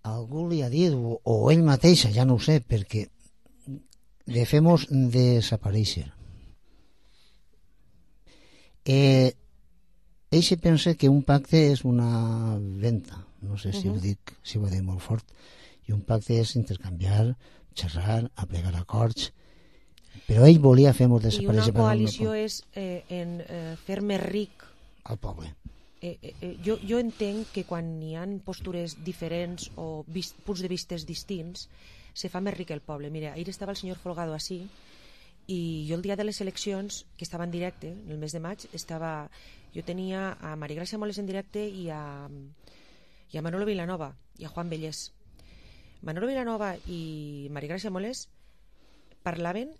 algú li ha dit, o ell mateixa, ja no ho sé, perquè de fem-nos desaparèixer. Ell se pensa que un pacte és una venta, no sé si ho dic molt fort, i un pacte és intercanviar, xerrar, aplegar acords, però ell volia fer-nos desaparèixer. I una coalició és fer més ric al poble. Jo entenc que quan hi ha postures diferents o punts de vistes distints se fa més ric el poble. Mira, ahir estava el senyor Folgado així i jo el dia de les eleccions, que estava en directe en el mes de maig, jo tenia a Maria Gràcia Moles en directe i a Manolo Vilanova i a Juan Bellés. Manolo Vilanova i Maria Gràcia Moles parlaven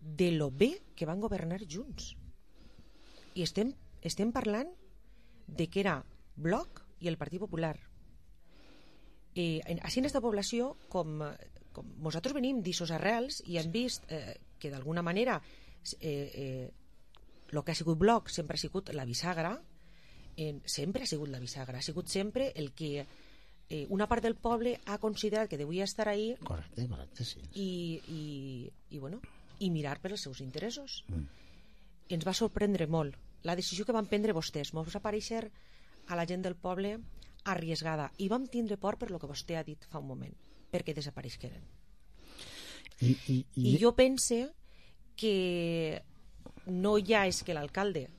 de lo bé que van governar junts i estem parlant de que era Bloc i el Partit Popular. Així en aquesta població, com nosaltres venim d'ixos arrels i hem vist que d'alguna manera el que ha sigut Bloc sempre ha sigut la bisagra, sempre ha sigut la bisagra, ha sigut sempre el que una part del poble ha considerat que devia estar ahí. Correcte, sí. I mirar per els seus interessos. Ens va sorprendre molt la decisió que van prendre vostès. Ens va aparèixer a la gent del poble arriesgada i vam tindre por per lo que vostè ha dit fa un moment, perquè desapareixeren. I jo pense que no ja és que l'alcalde,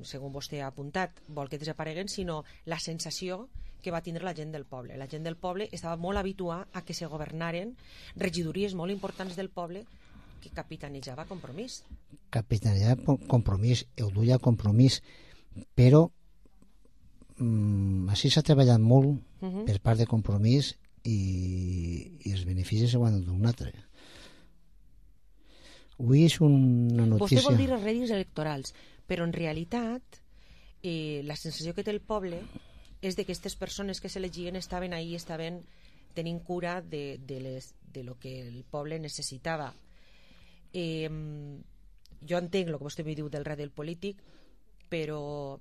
segons vostè ha apuntat, vol que desapareguen, sinó la sensació que va tindre la gent del poble. La gent del poble estava molt habituada a que se governaren regidories molt importants del poble que capitanejava Compromís. Capitanejava Compromís, ho duia Compromís, però així s'ha treballat molt per part de Compromís i els beneficis se ho han donat. Avui és una notícia... Vostè vol dir els rèdits electorals, però en realitat la sensació que té el poble és de que aquestes persones que s'elegien estaven ahí, estaven tenint cura de lo que el poble necessitava. Jo entenc el que vostè me diu del rèdit polític, però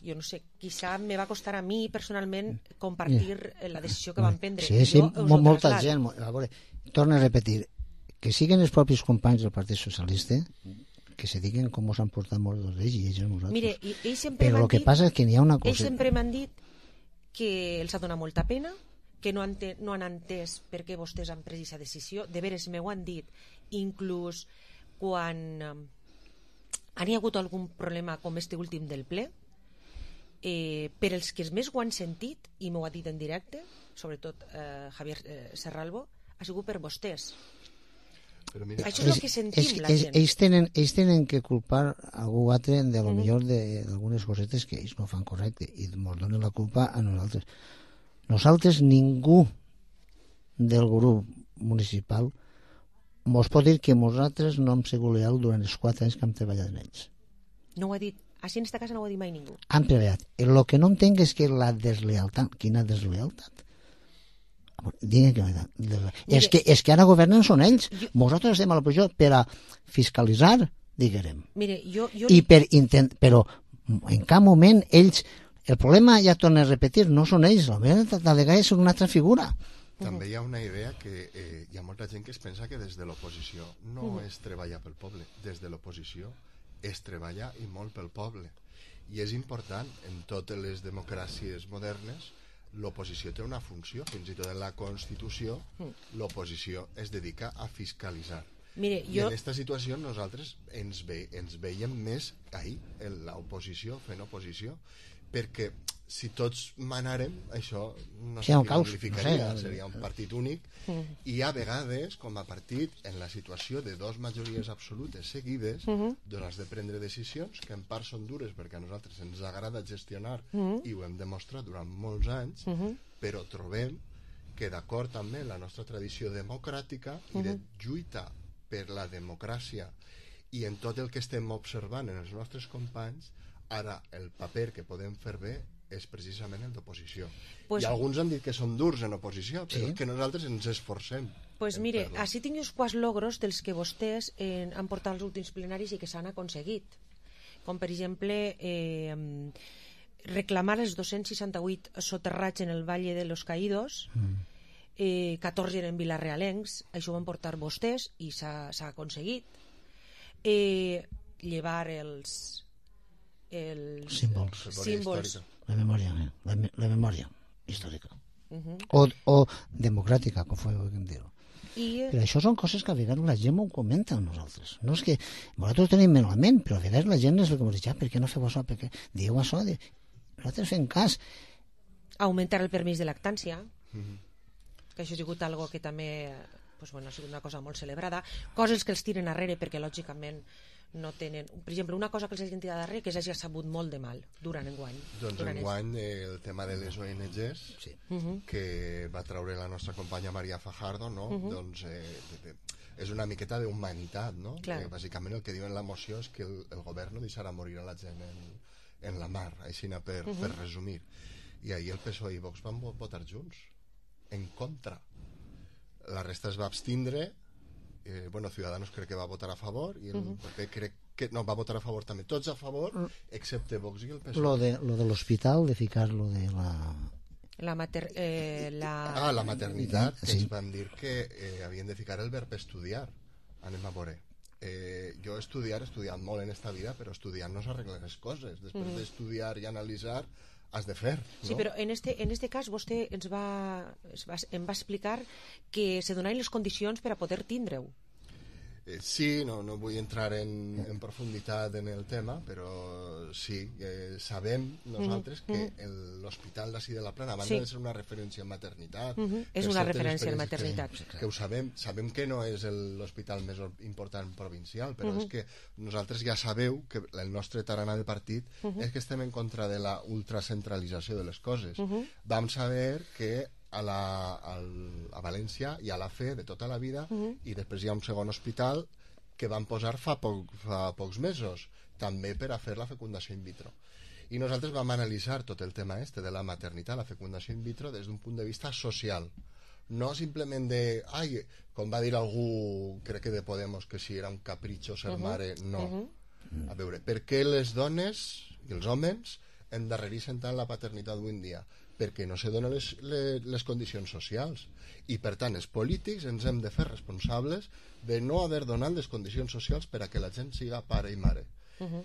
jo no sé, quizá me va costar a mi personalment compartir la decisió que van prendre. Sí, molta gent. A veure, torno a repetir, que siguin els propis companys del Partit Socialista que se diguen com s'han portat molts d'ells i ells a nosaltres. Mire, però el que passa és que n'hi ha una cosa... Ells sempre m'han dit que els ha donat molta pena, que no han entès per què vostès han pres aquesta decisió. De veres, m'ho han dit, inclús quan han hi hagut algun problema com este últim del ple, per els que més ho han sentit, i m'ho ha dit en directe, sobretot Javier Serralbo, ha sigut per vostès. Mira, això és el que sentim la gent. Ells tenen que culpar algú altre de lo millor d'algunes cosetes que ells no fan correcte i ens donen la culpa a nosaltres. Nosaltres, ningú del grup municipal mos pot dir que nosaltres no hem sigut leal durant els 4 anys que hem treballat en ells. No ho ha dit, així en esta casa no ho ha dit mai ningú. Han treballat. El que no entenc és que la deslealtat, quina deslealtat? És que ara governen són ells. Nosaltres estem a l'oposició per a fiscalitzar, diguem. Però en cap moment ells... El problema, ja torno a repetir, no són ells, la delegada és una altra figura. També hi ha una idea que hi ha molta gent que es pensa que des de l'oposició no es treballa pel poble. Des de l'oposició es treballa i molt pel poble. I és important, en totes les democràcies modernes, l'oposició té una funció, fins i tot en la Constitució l'oposició es dedica a fiscalitzar. I en aquesta situació nosaltres ens veiem més en l'oposició, fent oposició, perquè si tots manarem, això no significaria, seria un partit únic, i a vegades, com a partit, en la situació de 2 majories absolutes seguides, has de prendre decisions que en part són dures perquè a nosaltres ens agrada gestionar i ho hem demostrat durant molts anys, però trobem que d'acord també amb la nostra tradició democràtica i de lluita per la democràcia i en tot el que estem observant en els nostres companys, ara el paper que podem fer bé és precisament el d'oposició. I alguns han dit que són durs en oposició, però que nosaltres ens esforcem. Doncs mire, així tinc uns quants logros dels que vostès han portat als últims plenaris i que s'han aconseguit. Com per exemple, reclamar els 268 soterrats en el Valle de los Caídos, 14 eren vilarealencs, això ho van portar vostès i s'ha aconseguit. Llevar els símbols, la memòria històrica o democràtica, com podem dir-ho. Però això són coses que a vegades la gent ho comenta a nosaltres. No és que nosaltres ho tenim en la ment, però a vegades la gent és el que ens diu, per què no feu això, per què dieu això? Nosaltres fem cas. Augmentar el permís de lactància, que això ha sigut algo que també ha sigut una cosa molt celebrada. Coses que els tiren arrere perquè lògicament no tenen... Per exemple, una cosa que els hagin tirat darrere que s'hagi sabut molt de mal durant enguany. Doncs enguany el tema de les ONGs que va treure la nostra companya Maria Fajardo, no? Doncs és una miqueta d'humanitat, no? Bàsicament el que diu en la moció és que el govern no deixarà morir a la gent en la mar, així per resumir. I ahir el PSOE i Vox van votar junts en contra. La resta es va abstindre. Ciudadanos crec que va votar a favor i el PP crec que no, va votar a favor també, tots a favor excepte Vox i el PSOE. Lo de l'hospital, de ficar lo de la maternitat, que ens van dir que havien de ficar el verb estudiar. Anem a veure, jo he estudiat molt en esta vida, però estudiant no s'arreglen les coses. Després d'estudiar i analitzar has de fer, no? Sí, però en este cas vostè em va explicar que se donaven les condicions per a poder tindre-ho. Sí, no vull entrar en profunditat en el tema, però sí, sabem nosaltres que l'Hospital d'ací de la Plana, a banda de ser una referència en maternitat, és una referència en maternitat, que ho sabem que no és l'hospital més important provincial, però és que nosaltres ja sabeu que el nostre tarannà de partit és que estem en contra de la ultracentralització de les coses. Vam saber que a València hi ha la FE de tota la vida i després hi ha un segon hospital que van posar fa pocs mesos també per a fer la fecundació in vitro, i nosaltres vam analitzar tot el tema de la maternitat, la fecundació in vitro des d'un punt de vista social, no simplement com va dir algú, crec que de Podemos, que si era un capritxo ser mare, no. A veure, per què les dones i els homes endarrereixen tant la paternitat avui en dia? Perquè no se donen les condicions socials, i per tant els polítics ens hem de fer responsables de no haver donat les condicions socials per a que la gent siga pare i mare.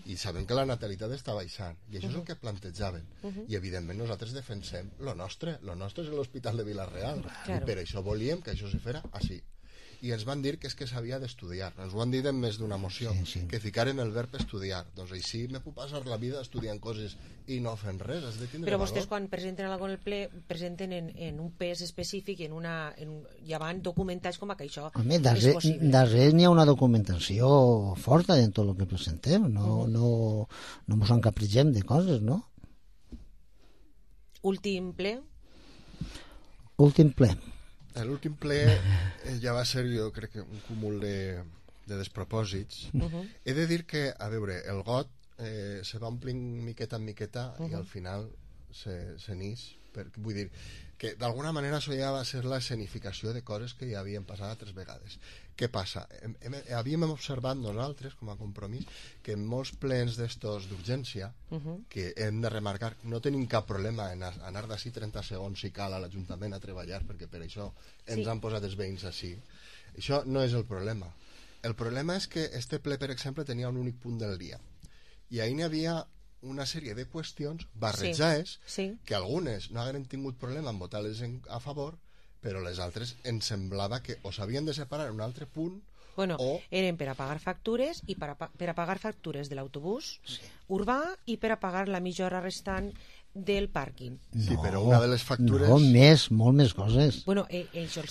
i sabem que la natalitat està baixant, i això és el que plantejaven, i evidentment nosaltres defensem lo nostre és l'Hospital de Vila-real, i per això volíem que això se fera així. I ens van dir que és que s'havia d'estudiar, ens ho han dit en més d'una moció, que ficaren el verb estudiar. Doncs així me puc passar la vida estudiant coses i no fent res, has de tindre Però valor. vostès quan presenten alguna cosa en el ple presenten en un pes específic ja van documentats com que això és possible. Darrere n'hi ha una documentació forta en tot el que presentem, no ens encapritgem de coses, no? Últim ple? Últim ple. L'últim ple ja va ser, jo crec que un cúmul de despropòsits. He de dir que, a veure, el got se va omplint miqueta en miqueta i al final se n'ix. Vull dir que d'alguna manera això ja va ser la escenificació de coses que ja havien passat 3 vegades. Què passa? Havíem observat nosaltres, com a compromís, que en molts plens d'estos d'urgència, que hem de remarcar, no tenim cap problema en anar d'ací 30 segons si cal a l'Ajuntament a treballar, perquè per això ens han posat els veïns així. Això no és el problema. El problema és que este ple, per exemple, tenia un únic punt del dia. I ahir n'hi havia una sèrie de qüestions barrejades que algunes no hagueren tingut problema en votar-les a favor, però les altres ens semblava que o s'havien de separar en un altre punt eren per a pagar factures i per a pagar factures de l'autobús urbà i per a pagar la mitja hora restant del pàrquing. Sí, però una de les factures... No, molt més coses.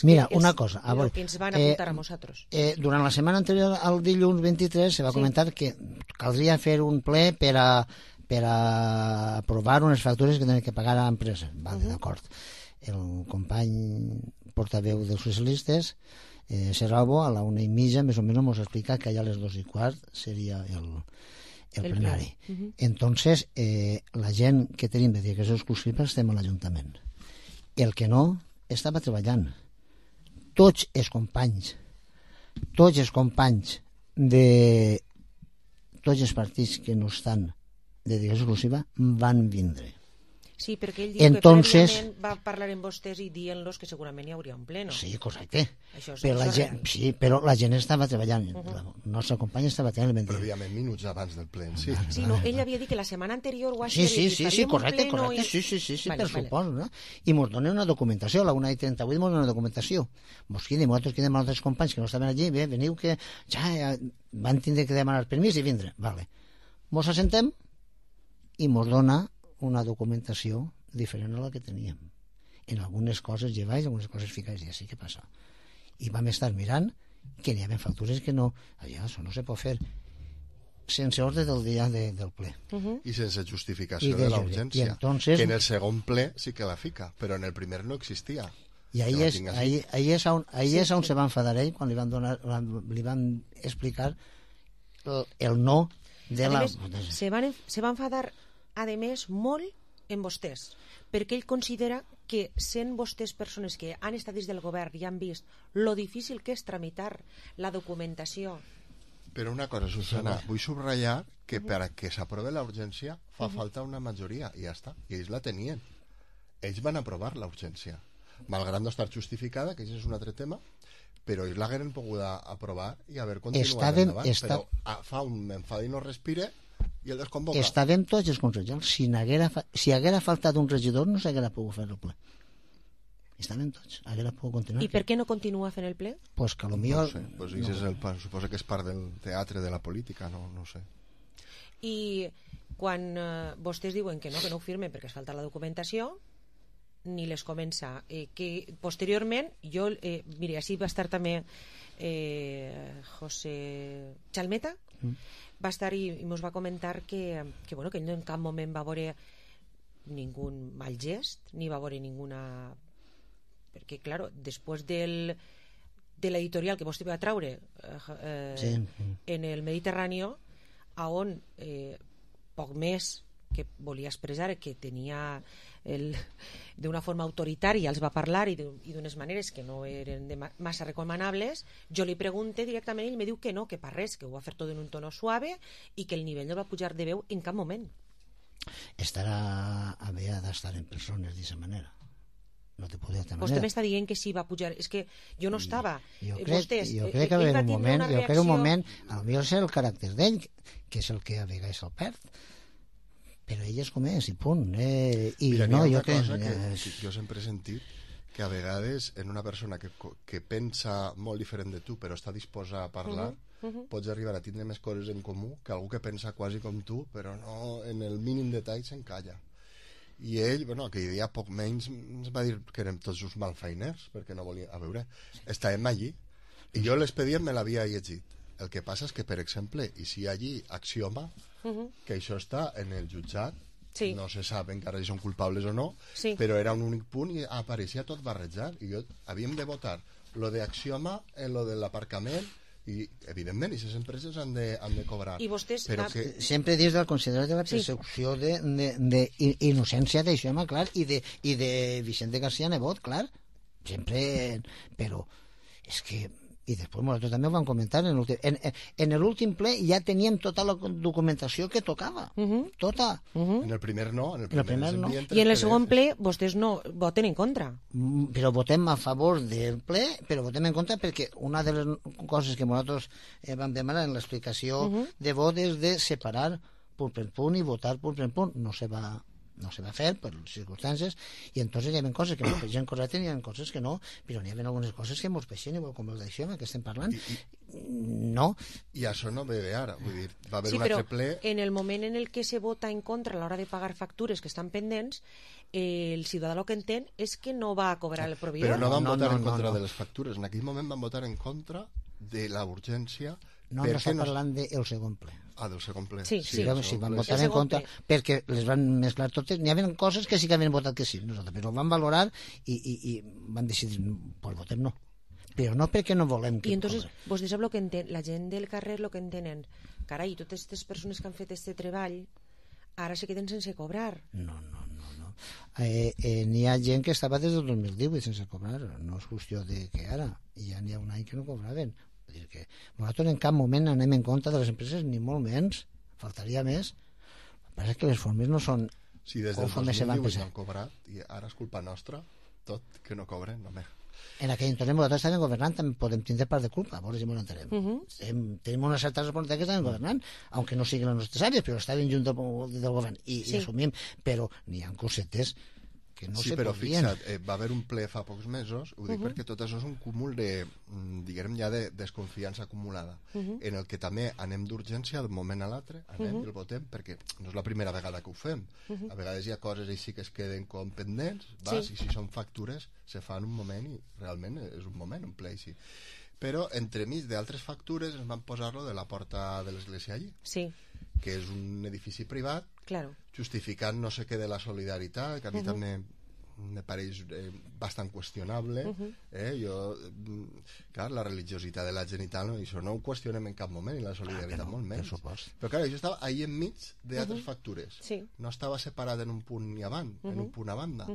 Mira, una cosa. El que ens van apuntar a nosaltres. Durant la setmana anterior al dilluns 23 se va comentar que caldria fer un ple per a aprovar unes factures que tenen que pagar a l'empresa. Vale, d'acord. El company portaveu dels socialistes, Serralbo, a la 1:30 més o menys ens explica que allà a les 2:15 seria el plenari. Entonces, la gent que tenim de direcció exclusiva estem a l'Ajuntament. El que no, estava treballant. Tots els companys de tots els partits que no estan de direcció exclusiva van vindre. Sí, perquè ell diu que prèviament va parlar amb vostès i dient-los que segurament hi hauria un pleno. Sí, correcte. Però la gent estava treballant. La nostra companya estava treballant. Prèviament, minuts abans del ple. Sí, no, ell havia dit que la setmana anterior ho Sí, correcte. Sí, per suposo, no? I ens donen una documentació, a la 1:38 ens donen una documentació. Nosaltres quedem amb altres companys que no estaven allí, bé, veniu que ja van tindre que demanar permís i vindre. Vale. Ens assentem i ens dona una documentació diferent a la que teníem. En algunes coses lleváis, en algunes coses ficáis, i així què passa? I vam estar mirant que n'hi havia factures que no, això no se pot fer sense ordre del dia del ple. I sense justificació de la urgència. Que en el segon ple sí que la fica, però en el primer no existia. I ahí és on se va enfadar ell quan li van explicar el no de la... Se va enfadar a més molt en vostès, perquè ell considera que sent vostès persones que han estat dins del govern i han vist lo difícil que és tramitar la documentació. Però una cosa, Susana, vull subratllar que per a que s'aprove la urgència fa falta una majoria i ja està, i ells la tenien. Ells van aprovar la urgència, malgrat no estar justificada, que això és un altre tema, però ells l'hagueren pogut aprovar i haver continuat endavant. Però fa un enfada i no respire i el desconvoca. Estàvem tots els consellers. Si haguera faltat un regidor no s'haguera pogut fer el ple. Estàvem tots, haguera pogut continuar. I per què no continua fent el ple? Pues que potser... Suposo que és part del teatre de la política, no sé. I quan vostès diuen que no ho firmen perquè es falta la documentació, ni les comença. Que posteriorment, mira, així va estar també José Chalmeta, va estar i ens va comentar que ell en cap moment va veure ningú mal gest, ni va veure ninguna... Perquè, clar, després de l'editorial que vostè va traure en el Mediterrani, on poc més que volia expressar que tenia d'una forma autoritària els va parlar i d'unes maneres que no eren massa recomanables, jo li pregunte directament i ell me diu que no, que per res, que ho va fer tot en un tono suave i que el nivell no va pujar de veu en cap moment. Havia d'estar en persones d'aquesta manera. No te puc dir d'altra Vostè manera. m'està dient que sí va pujar. És que jo no estava. Jo crec que va haver un moment, potser és el caràcter d'ell, que és el que a vegades el perd. Però ell és com és, i punt. I mira, no, jo crec... que jo sempre he sentit que a vegades en una persona que pensa molt diferent de tu però està disposa a parlar, pots arribar a tindre més coses en comú que algú que pensa quasi com tu però no en el mínim detall s'encalla. I ell, bueno, aquell dia poc menys ens va dir que érem tots uns malfeiners perquè no volia, a veure, estàvem allí i jo l'expedient me l'havia llegit. El que passa és que, per exemple, i si allí Axioma, que això està en el jutjat, no se sap encara si són culpables o no, però era un únic punt i apareixia tot barrejat i havíem de votar lo de Axioma en lo de l'aparcament i, evidentment, aquestes empreses han de cobrar. I vostès... Sempre dins del considerat de la percepció d'innocència d'Axioma, clar, i de Vicente García Nebot, clar, sempre... Però és que... I després nosaltres també ho vam comentar en l'últim ple ja teníem tota la documentació que tocava, tota. En el primer no, en el primer no. I en el segon ple vostès no voten en contra. Però votem a favor del ple, però votem en contra perquè una de les coses que nosaltres vam demanar en l'explicació de vot és de separar punt per punt i votar punt per punt. No se va fer per les circumstàncies i entonces hi havia coses que ens peixen correctes i hi havia coses que no, però n'hi havia algunes coses que ens peixen igual com el d'això que estem parlant no. I això no ve d'ara, vull dir, va haver un altre ple... en el moment en el que se vota en contra a l'hora de pagar factures que estan pendents, el ciutadà el que entén és que no va a cobrar el proveïdor. Però no van votar en contra de les factures, en aquell moment van votar en contra de la urgència. No està parlant del segon ple. Del segon ple. Sí, van votar en contra perquè les van mesclar totes. N'hi havia coses que sí que havien votat que sí, nosaltres, però ho van valorar i van decidir, pues votem no. Però no perquè no volem que... I entonces, vostès sap que entén, la gent del carrer el que entenen, carai, totes aquestes persones que han fet este treball ara se queden sense cobrar. No. N'hi ha gent que estava des del 2018 sense cobrar, no és qüestió de que ara, ja n'hi ha un any que no cobraven. Vull dir que nosaltres en cap moment anem en compte de les empreses, ni molt menys, faltaria més. El que passa és que les formes no són... Si des del 2018 han cobrat i ara és culpa nostra, tot que no cobren, no me... En aquell entorn nosaltres estàvem governant, també podem tindre part de culpa, a veure si m'ho entenem. Tenim una certa responsabilitat que estàvem governant, aunque no siguin les nostres àrees, però estàvem junt del govern i assumim, però n'hi ha cosetes que no se però podrien. Fixa't, va haver un ple fa pocs mesos, ho dic perquè tot això és un cúmul de, diguem ja, de desconfiança acumulada, en el que també anem d'urgència d'un moment a l'altre, anem i el votem, perquè no és la primera vegada que ho fem. A vegades hi ha coses així que es queden com pendents, i si són factures se fa en un moment i realment és un moment, un ple així. Però entremig d'altres factures ens van posar-lo de la porta de l'església allí, que és un edifici privat, justificant no sé què de la solidaritat, que a mi també me pareix bastant qüestionable. Clar, la religiositat de la gent i tal, això no ho qüestionem en cap moment, i la solidaritat molt menys. Però clar, això estava ahí enmig d'altres factures. No estava separat en un punt ni avant, en un punt a banda.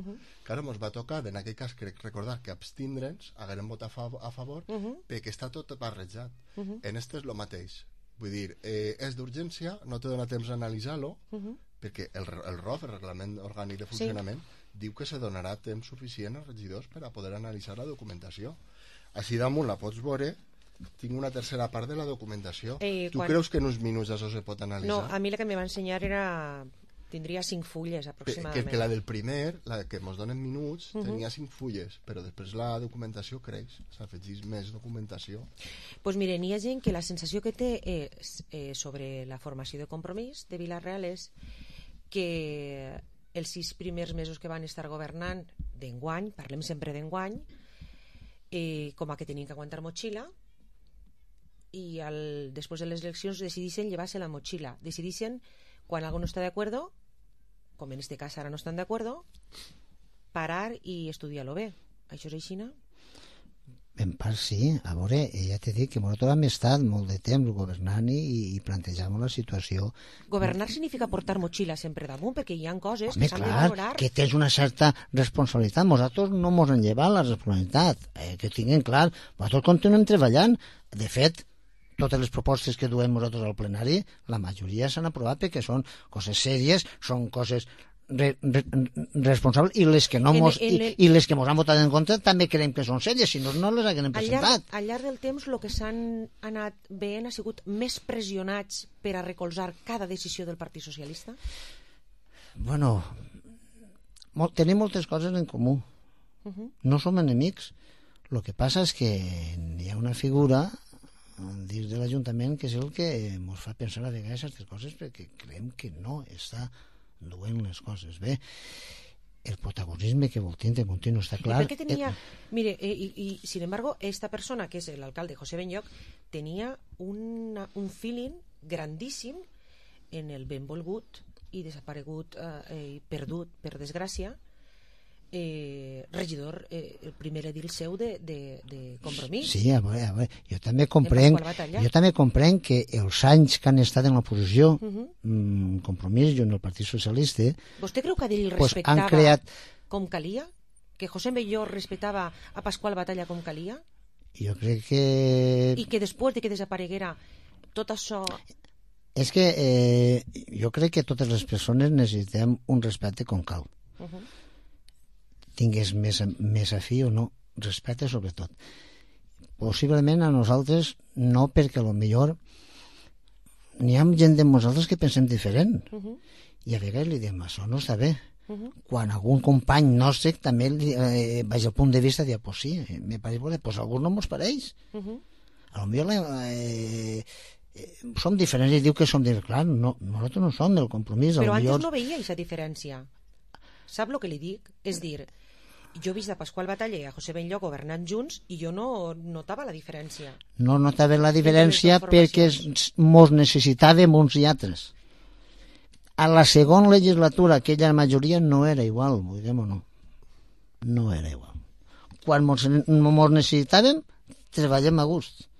Clar, ens va tocar, en aquell cas, crec recordar que abstindre'ns, haguem votat a favor, perquè està tot barrejat. En este és el mateix. Vull dir, és d'urgència, no te dona temps a analitzar-lo, perquè el ROF, el Reglament Orgànic de Funcionament, diu que se donarà temps suficient als regidors per a poder analitzar la documentació. Així damunt la pots veure, tinc una tercera part de la documentació. Tu creus que en uns minuts això se pot analitzar? No, a mi la que me va ensenyar tindria 5 fulles aproximadament. Que la del primer, la que ens donen minuts, tenia 5 fulles, però després la documentació creix, s'afegeix més documentació. Doncs mire, n'hi ha gent que la sensació que té sobre la formació de Compromís de Vila-real és que els 6 primers mesos que van estar governant d'enguany, parlem sempre d'enguany, com a que tenien que aguantar motxilla, i després de les eleccions decidixen llevar-se la motxilla, decidixen quan algú no està d'acord, com en este cas ara no estan d'acord, parar i estudiar-lo bé. Això és així, no? En part sí, a veure, ja t'he dit que nosaltres hem estat molt de temps governant i plantejant la situació. Governar significa portar motxilla sempre damunt, perquè hi ha coses que s'han de valorar. valorar. Que tens una certa responsabilitat. Nosaltres no ens han llevat la responsabilitat, que tinguin clar. Nosaltres continuem treballant. De fet, totes les propostes que duem nosaltres al plenari, la majoria s'han aprovat perquè són coses sèries, són coses responsables, i les que no i les que mos han votat en contra també creiem que són serioses, si no les haguem presentat. Al llarg del temps el que s'han anat veient ha sigut més pressionats per a recolzar cada decisió del Partit Socialista? Bueno, tenim moltes coses en comú. No som enemics. El que passa és que hi ha una figura dins de l'Ajuntament que és el que ens fa pensar a vegades aquestes coses, perquè creiem que no està duent les coses bé. El protagonisme que vol tindre continu està clar. Perquè tenia, mire, y sin embargo, esta persona, que es el alcalde José Benlloch, tenía un feeling grandíssim en el benvolgut i desaparegut i perdut, per desgràcia, regidor, el primer edil seu de Compromís. Sí, a veure, jo també comprenc que els anys que han estat en l'oposició, Compromís i en el Partit Socialista, ¿Vostè creu que ell respectava com calia? Que José Benlloch respectava a Pasqual Batalla com calia? Jo crec que... I que després de que desapareguera tot això... És que jo crec que totes les persones necessitem un respecte com cal. Tingués més afí o no, respecte sobretot. Possiblement a nosaltres no, perquè potser n'hi ha gent de nosaltres que pensem diferent, i a vegades li diem, això no està bé. Quan algun company nostre també vaig al punt de vista de dir, pues sí, me pareix bo, pues a algú no mos pareix. A lo millor som diferents, i diu que som diferents. Clar, nosaltres no som del Compromís. Però antes no veia aquesta diferència. Sap el que li dic? És dir, jo he vist a Pasqual Batalla i a José Benlloch governant junts i jo no notava la diferència. No notava la diferència perquè mos necessitàvem uns i altres. A la segona legislatura aquella majoria no era igual, vull dir o no? No era igual. Quan mos necessitàvem, treballem a gust.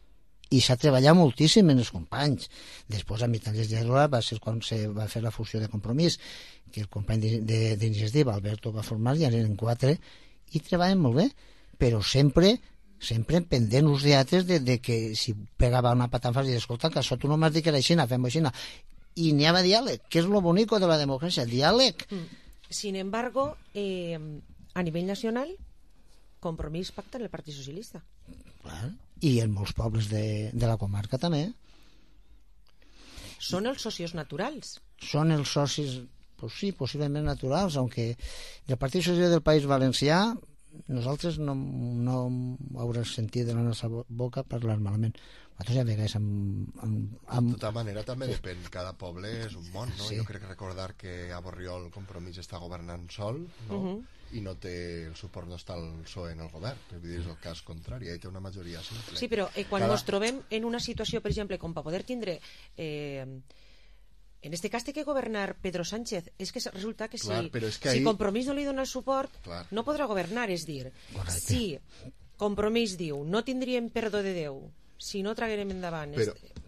I s'ha treballat moltíssim en els companys. Després, a mitjans de legislatura, va ser quan se va fer la fusió de Compromís, que el company d'iniciativa, Alberto, va formar, ja eren 4, i treballen molt bé, però sempre pendent uns d'altres de que si pegava una patanfa i dir, escolta, que això tu no m'has dit que era així, fem-ho així. I n'hi havia diàleg, que és lo bonico de la democràcia, diàleg. Sin embargo, a nivell nacional, Compromís pacta en el Partit Socialista. Clar, i en molts pobles de la comarca també. Són els socis naturals. Són els socis, pues sí, possiblement naturals, aunque el Partit Socialista del País Valencià nosaltres no haurem sentit de la nostra boca parlar malament. Nosaltres ja vegades De tota manera també depèn, cada poble és un món, no? Sí. Jo crec que recordar que a Borriol el Compromís està governant sol, no? I no té el suport, no està el PSOE en el govern, vull dir, és el cas contrari, ell té una majoria simple. Sí, però quan ens trobem en una situació, per exemple, com per poder tindre en este cas té que governar Pedro Sánchez, és que resulta que si Compromís no li dona el suport, no podrà governar, és dir, si Compromís diu no tindríem perdó de Déu si no traguem endavant...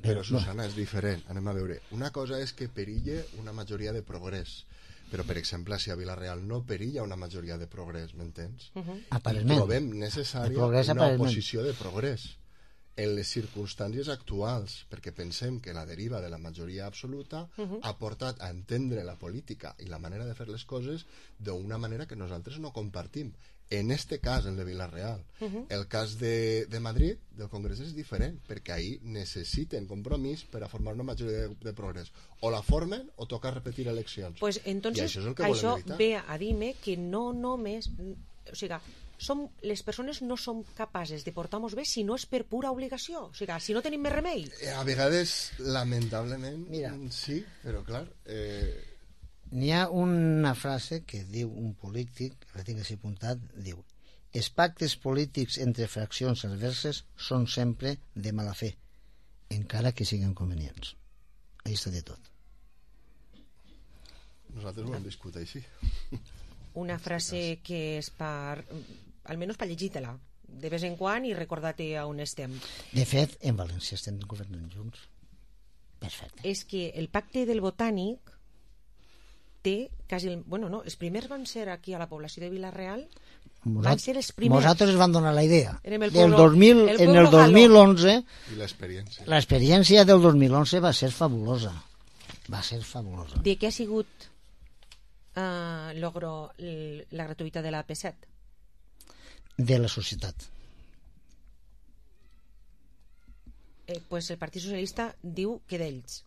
Però Susana, és diferent, anem a veure, una cosa és que perille una majoria de progrés, però per exemple si a Vila-real no perilla una majoria de progrés, m'entens? Trobem necessària una oposició de progrés en les circumstàncies actuals, perquè pensem que la deriva de la majoria absoluta ha portat a entendre la política i la manera de fer les coses d'una manera que nosaltres no compartim. En este cas, el de Vila-real. El cas de Madrid, del Congrés, és diferent, perquè ahí necessiten Compromís per a formar una majoria de progrés. O la formen o toca repetir eleccions. Pues entonces, això ve a dir-me que no només... O sigui, les persones no som capaces de portar-nos bé si no és per pura obligació. O sigui, si no tenim més remei. A vegades, lamentablement, sí, però clar... N'hi ha una frase que diu un polític, que la tinc així apuntat, diu: els pactes polítics entre fraccions adverses són sempre de mala fe, encara que siguin convenients. Ahí està de tot. Nosaltres ho hem viscut així. Una frase que és per... almenys per llegir-te-la de vez en quan i recordar-te on estem. De fet, en València estem governant junts. Perfecte. És que el pacte del Botànic té quasi... Bueno, no, els primers van ser aquí a la població de Vila-real, van ser els primers. Nosaltres van donar la idea. En el 2011... I l'experiència. L'experiència del 2011 va ser fabulosa. Va ser fabulosa. De què ha sigut logro la gratuïtat de la AP7? De la societat. Pues el Partit Socialista diu que d'ells.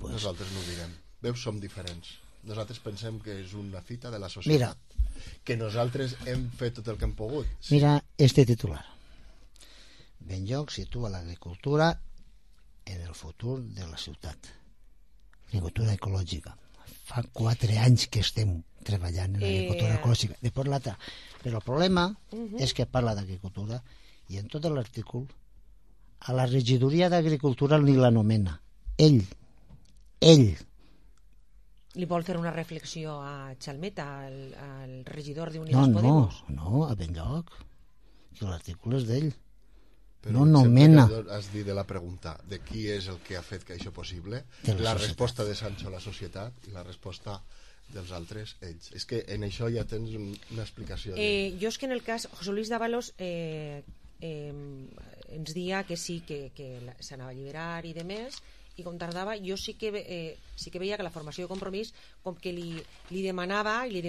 Nosaltres no ho direm. Veus, som diferents. Nosaltres pensem que és una fita de la societat. Que nosaltres hem fet tot el que hem pogut. Sí. Mira este titular. Benlloc situa l'agricultura en el futur de la ciutat. Agricultura ecològica. Fa 4 anys que estem treballant en l'agricultura ecològica. Després l'altra. Però el problema és que parla d'agricultura i en tot l'artícul a la regidoria d'agricultura ni l'anomena. Ell. Li vol fer una reflexió a Chalmeta, al regidor d'Unides Podemos? No, a Benlloc. Que l'artícul és d'ell. Però no nomena. Has dit de la pregunta de qui és el que ha fet que això possible, la resposta de Sancho, la societat, i la resposta dels altres, ells. És que en això ja tens una explicació. Jo és que en el cas, José Luis Dávalos ens dia que sí, que s'anava a alliberar i demés, i com tardava, jo sí que veia que la formació de Compromís com que li demanava i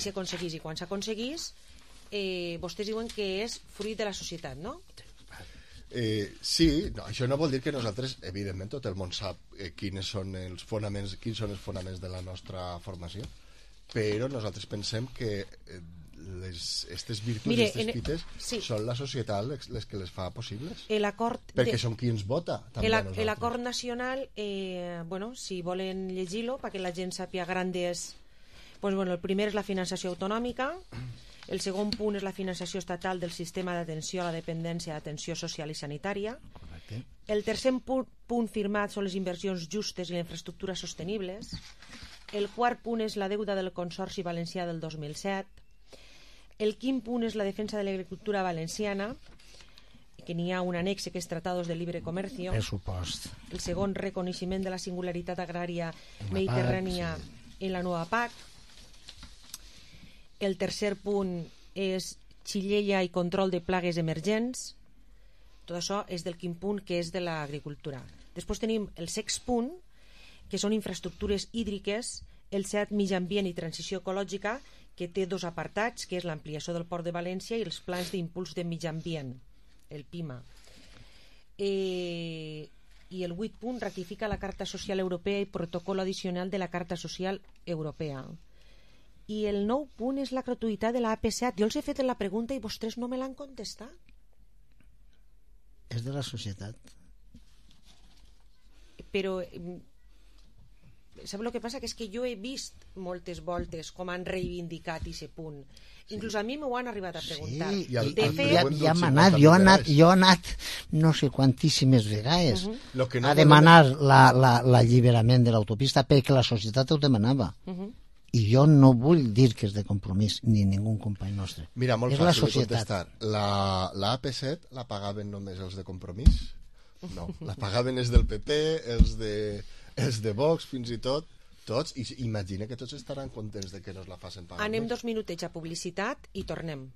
s'aconseguís, i quan s'aconseguís vostès diuen que és fruit de la societat, no? Sí, no, això no vol dir que nosaltres, evidentment tot el món sap quins són els fonaments de la nostra formació, però nosaltres pensem que aquestes virtuts, aquestes fites són la societat les que les fa possibles, perquè som qui ens vota també a nosaltres. L'acord nacional, si volen llegir-lo perquè la gent sàpiga grandes, el primer és la finançació autonòmica, el segon punt és la finançació estatal del sistema d'atenció a la dependència d'atenció social i sanitària. El tercer punt firmat són les inversions justes i les infraestructures sostenibles. El quart punt és la deuda del Consorci Valencià del 2007. El quint punt és la defensa de l'agricultura valenciana, que n'hi ha un annex que és Tratados de Libre Comercio. Pressupost. El segon, reconeixement de la singularitat agrària mediterrània en la nova PAC. El tercer punt és xillella i control de plagues emergents. Tot això és del quint punt, que és de l'agricultura. Després tenim el sext punt, que són infraestructures hídriques, el 7, mitjà ambient i transició ecològica, que té 2 apartats, que és l'ampliació del Port de València i els plans d'impuls de mitjà ambient, el PIMA. I el 8 punt ratifica la Carta Social Europea i protocol addicional de la Carta Social Europea. I el 9 punt és la gratuïtat de la AP7. Jo els he fet la pregunta i vostès no me l'han contestat. És de la societat. Però sap el que passa? Que és que jo he vist moltes voltes com han reivindicat aquest punt. Inclús a mi m'ho han arribat a preguntar. Sí, ja hem anat, jo he anat no sé quantíssimes vegades a demanar l'alliberament de l'autopista perquè la societat ho demanava. I jo no vull dir que és de Compromís ni ningú company nostre. Mira, molt fàcil de contestar. La AP7 la pagaven només els de Compromís? No, la pagaven els del PP, els de Vox, fins i tot, tots, i imagina que tots estaran contents de que no es la facin pagar. Anem 2 minutets a publicitat i tornem.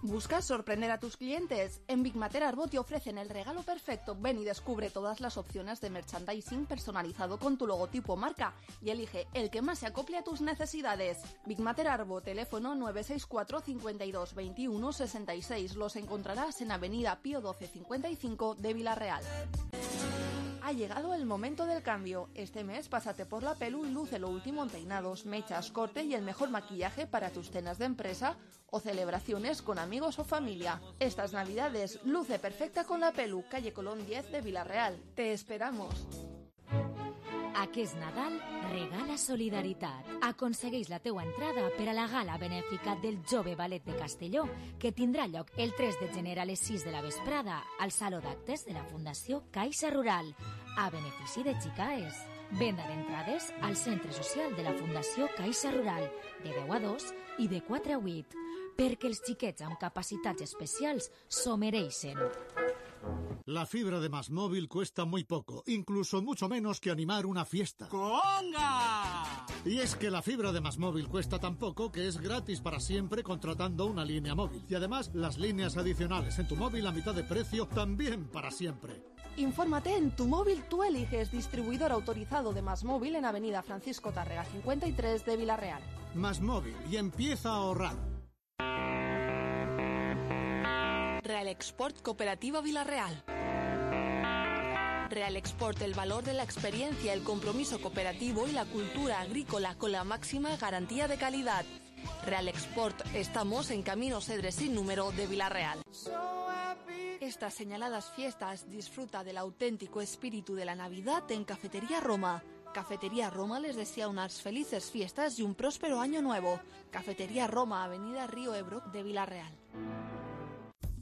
¿Buscas sorprender a tus clientes? En Big Mater Arbo te ofrecen el regalo perfecto. Ven y descubre todas las opciones de merchandising personalizado con tu logotipo marca y elige el que más se acople a tus necesidades. Big Mater Arbo, teléfono 964 52 21 66. Los encontrarás en Avenida Pío 12 55 de Vila-real. Ha llegado el momento del cambio. Este mes pásate por la Pelu y luce lo último en peinados, mechas, corte y el mejor maquillaje para tus cenas de empresa o celebraciones con amigos o familia. Estas navidades luce perfecta con la Pelu, calle Colón 10 de Vila-real. Te esperamos. Aquest Nadal regala solidaritat. Aconsegueix la teua entrada per a la gala benèfica del Jove Ballet de Castelló, que tindrà lloc el 3 de gener a les 6 de la vesprada al Saló d'Actes de la Fundació Caixa Rural, a benefici de Xicaes. Venda d'entrades al Centre Social de la Fundació Caixa Rural, de 10 a 2 i de 4 a 8, perquè els xiquets amb capacitats especials s'ho mereixen. La fibra de Más Móvil cuesta muy poco, incluso mucho menos que animar una fiesta. ¡Conga! Y es que la fibra de MásMóvil cuesta tan poco que es gratis para siempre contratando una línea móvil. Y además, las líneas adicionales en tu móvil a mitad de precio también para siempre. Infórmate en Tu Móvil Tú Eliges, distribuidor autorizado de MásMóvil en Avenida Francisco Tárrega 53 de Vila-real. MásMóvil, y empieza a ahorrar. Real Export Cooperativa Vila-real. Real Export, el valor de la experiencia, el compromiso cooperativo y la cultura agrícola con la máxima garantía de calidad. Real Export, estamos en Camino Cedre sin número de Vila-real. Estas señaladas fiestas disfruta del auténtico espíritu de la Navidad en Cafetería Roma. Cafetería Roma les desea unas felices fiestas y un próspero año nuevo. Cafetería Roma, Avenida Río Ebro de Vila-real.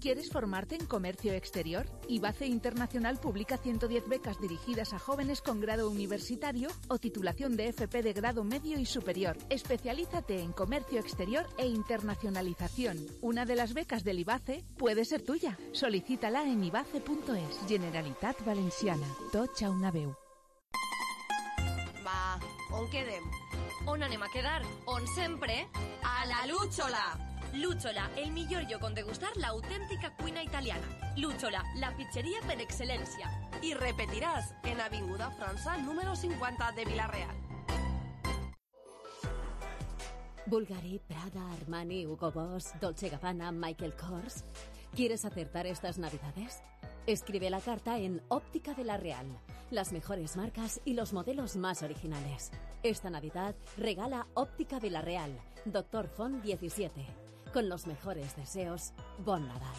¿Quieres formarte en comercio exterior? IBACE Internacional publica 110 becas dirigidas a jóvenes con grado universitario o titulación de FP de grado medio y superior. Especialízate en comercio exterior e internacionalización. Una de las becas del IBACE puede ser tuya. Solicítala en ibace.es. Generalitat Valenciana. Tots a una veu. Va, on quedem? On anem a quedar? On sempre? A la Lúchola! Lúchola, el millor lloc on degustar l'autèntica cuina italiana. Lúchola, la pizzeria per excel·lència. I repetiràs en Avinguda França, número 50 de Vila-real. Bulgari, Prada, Armani, Hugo Boss, Dolce Gabbana, Michael Kors. ¿Quieres acertar estas navidades? Escribe la carta en Óptica de la Real. Las mejores marcas y los modelos más originales. Esta Navidad regala Óptica de la Real, Doctor Font 17. Con los mejores deseos, bon Nadal.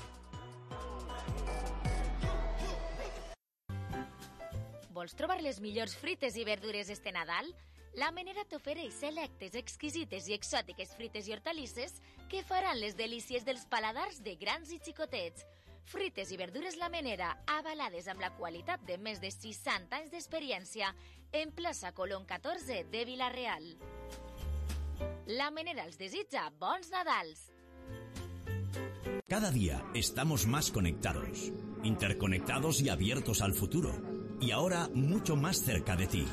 Vols trobar les millors frites i verdures este Nadal? La Menera t'ofereix selectes, exquisites i exòtiques frites i hortalisses que faran les delícies dels paladars de grans i xicotets. Frites i verdures La Menera, avalades amb la qualitat de més de 60 anys d'experiència, en plaça Colón 14 de Vila-real. La Menera els desitja bons Nadals. Cada día estamos más conectados, interconectados y abiertos al futuro. Y ahora mucho más cerca de ti.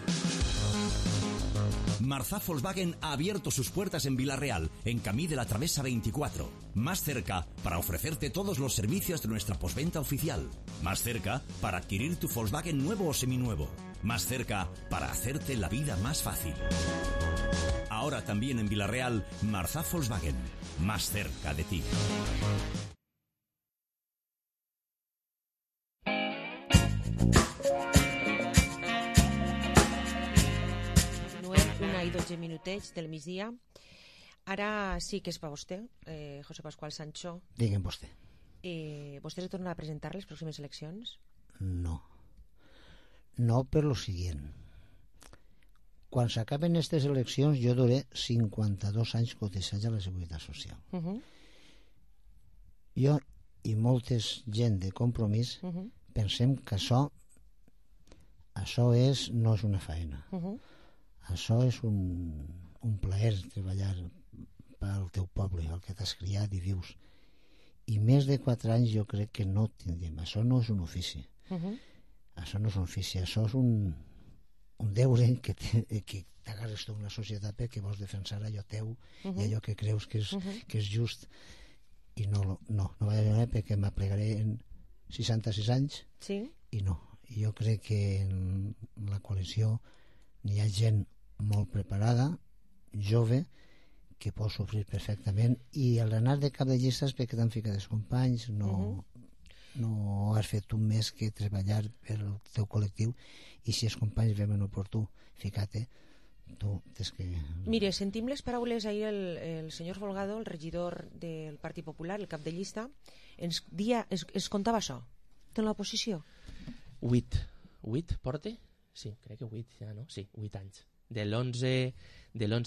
Marzá Volkswagen ha abierto sus puertas en Vila-real, en Camí de la Travesa 24. Más cerca para ofrecerte todos los servicios de nuestra postventa oficial. Más cerca para adquirir tu Volkswagen nuevo o seminuevo. Más cerca para hacerte la vida más fácil. Ahora también en Vila-real, Marzá Volkswagen. Más cerca de ti. 1 i 12 minutets del migdia. Ara sí que és per vostè, José Pascual Sancho. Digue'm vostè. ¿Vostè se torna a presentar les pròximes eleccions? No. No per lo siguiente. Quan s'acaben aquestes eleccions jo duré 52 anys cotitzats a la Seguretat Social. Jo i moltes gent de Compromís pensem que això no és una feina. Això és un plaer treballar pel teu poble, el que t'has criat i vius. I més de 4 anys jo crec que no tindrem. Això no és un ofici. Això no és un ofici, això és un deure que t'agarres tu en la societat perquè vols defensar allò teu i allò que creus que és just. I no vaig a veure perquè m'aplegaré en 66 anys i no. Jo crec que en la coalició n'hi ha gent molt preparada, jove, que pot sofrir perfectament, i al anar de cap de llistes perquè t'han ficat els companys no has fet un mes que treballar pel teu col·lectiu, i si els companys veuen oportú ficar-te, tu tens que... Mire, sentim les paraules ahir el senyor Folgado, el regidor del Partit Popular, el cap de llista, ens contava això de l'oposició. 8 porte? Sí, crec que 8 ja, no? Sí, 8 anys. De l'11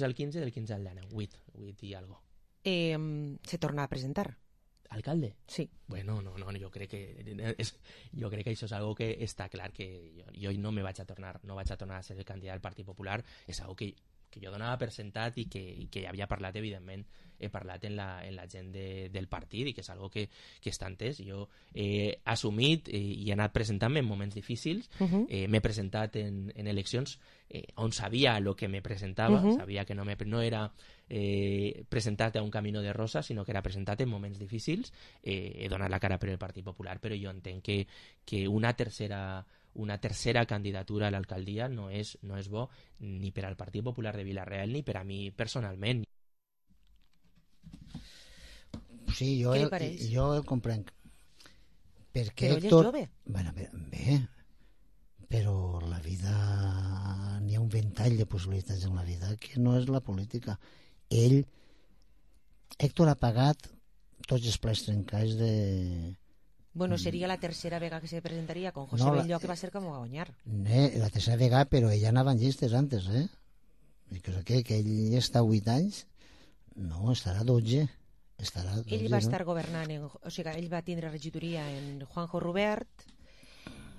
al 15, del 15 al 19. 8 i algo. Se torna a presentar? ¿Alcalde? Sí. Bueno, no, jo crec que això és algo que està clar, que jo no vaig a tornar a ser el candidat del Partit Popular, és algo que jo donava per sentat i que havia parlat, evidentment, he parlat en la gent del partit i que és algo que està entès. Jo he assumit i he anat presentant-me en moments difícils. M'he presentat en eleccions on sabia el que me presentava, sabia que no era presentat a un camino de rosa, sinó que era presentat en moments difícils. He donat la cara per el Partit Popular, però jo entenc que una tercera candidatura a l'alcaldia no és bo ni per al Partit Popular de Vila-real ni per a mi personalment. Sí, jo el comprenc. Perquè però ell és jove. Bueno, bé, però la vida, n'hi ha un ventall de possibilitats en la vida que no és la política. Héctor ha pagat tots els plats trencats de... Bueno, seria la tercera vegada que se presentaria con José Belló, que va ser com va guanyar. La tercera vegada, però ella anava en llistes antes, I crec que ell està 8 anys, no, estarà 12. Ell va estar governant, o sigui, ell va tindre regidoria en Juanjo Rubert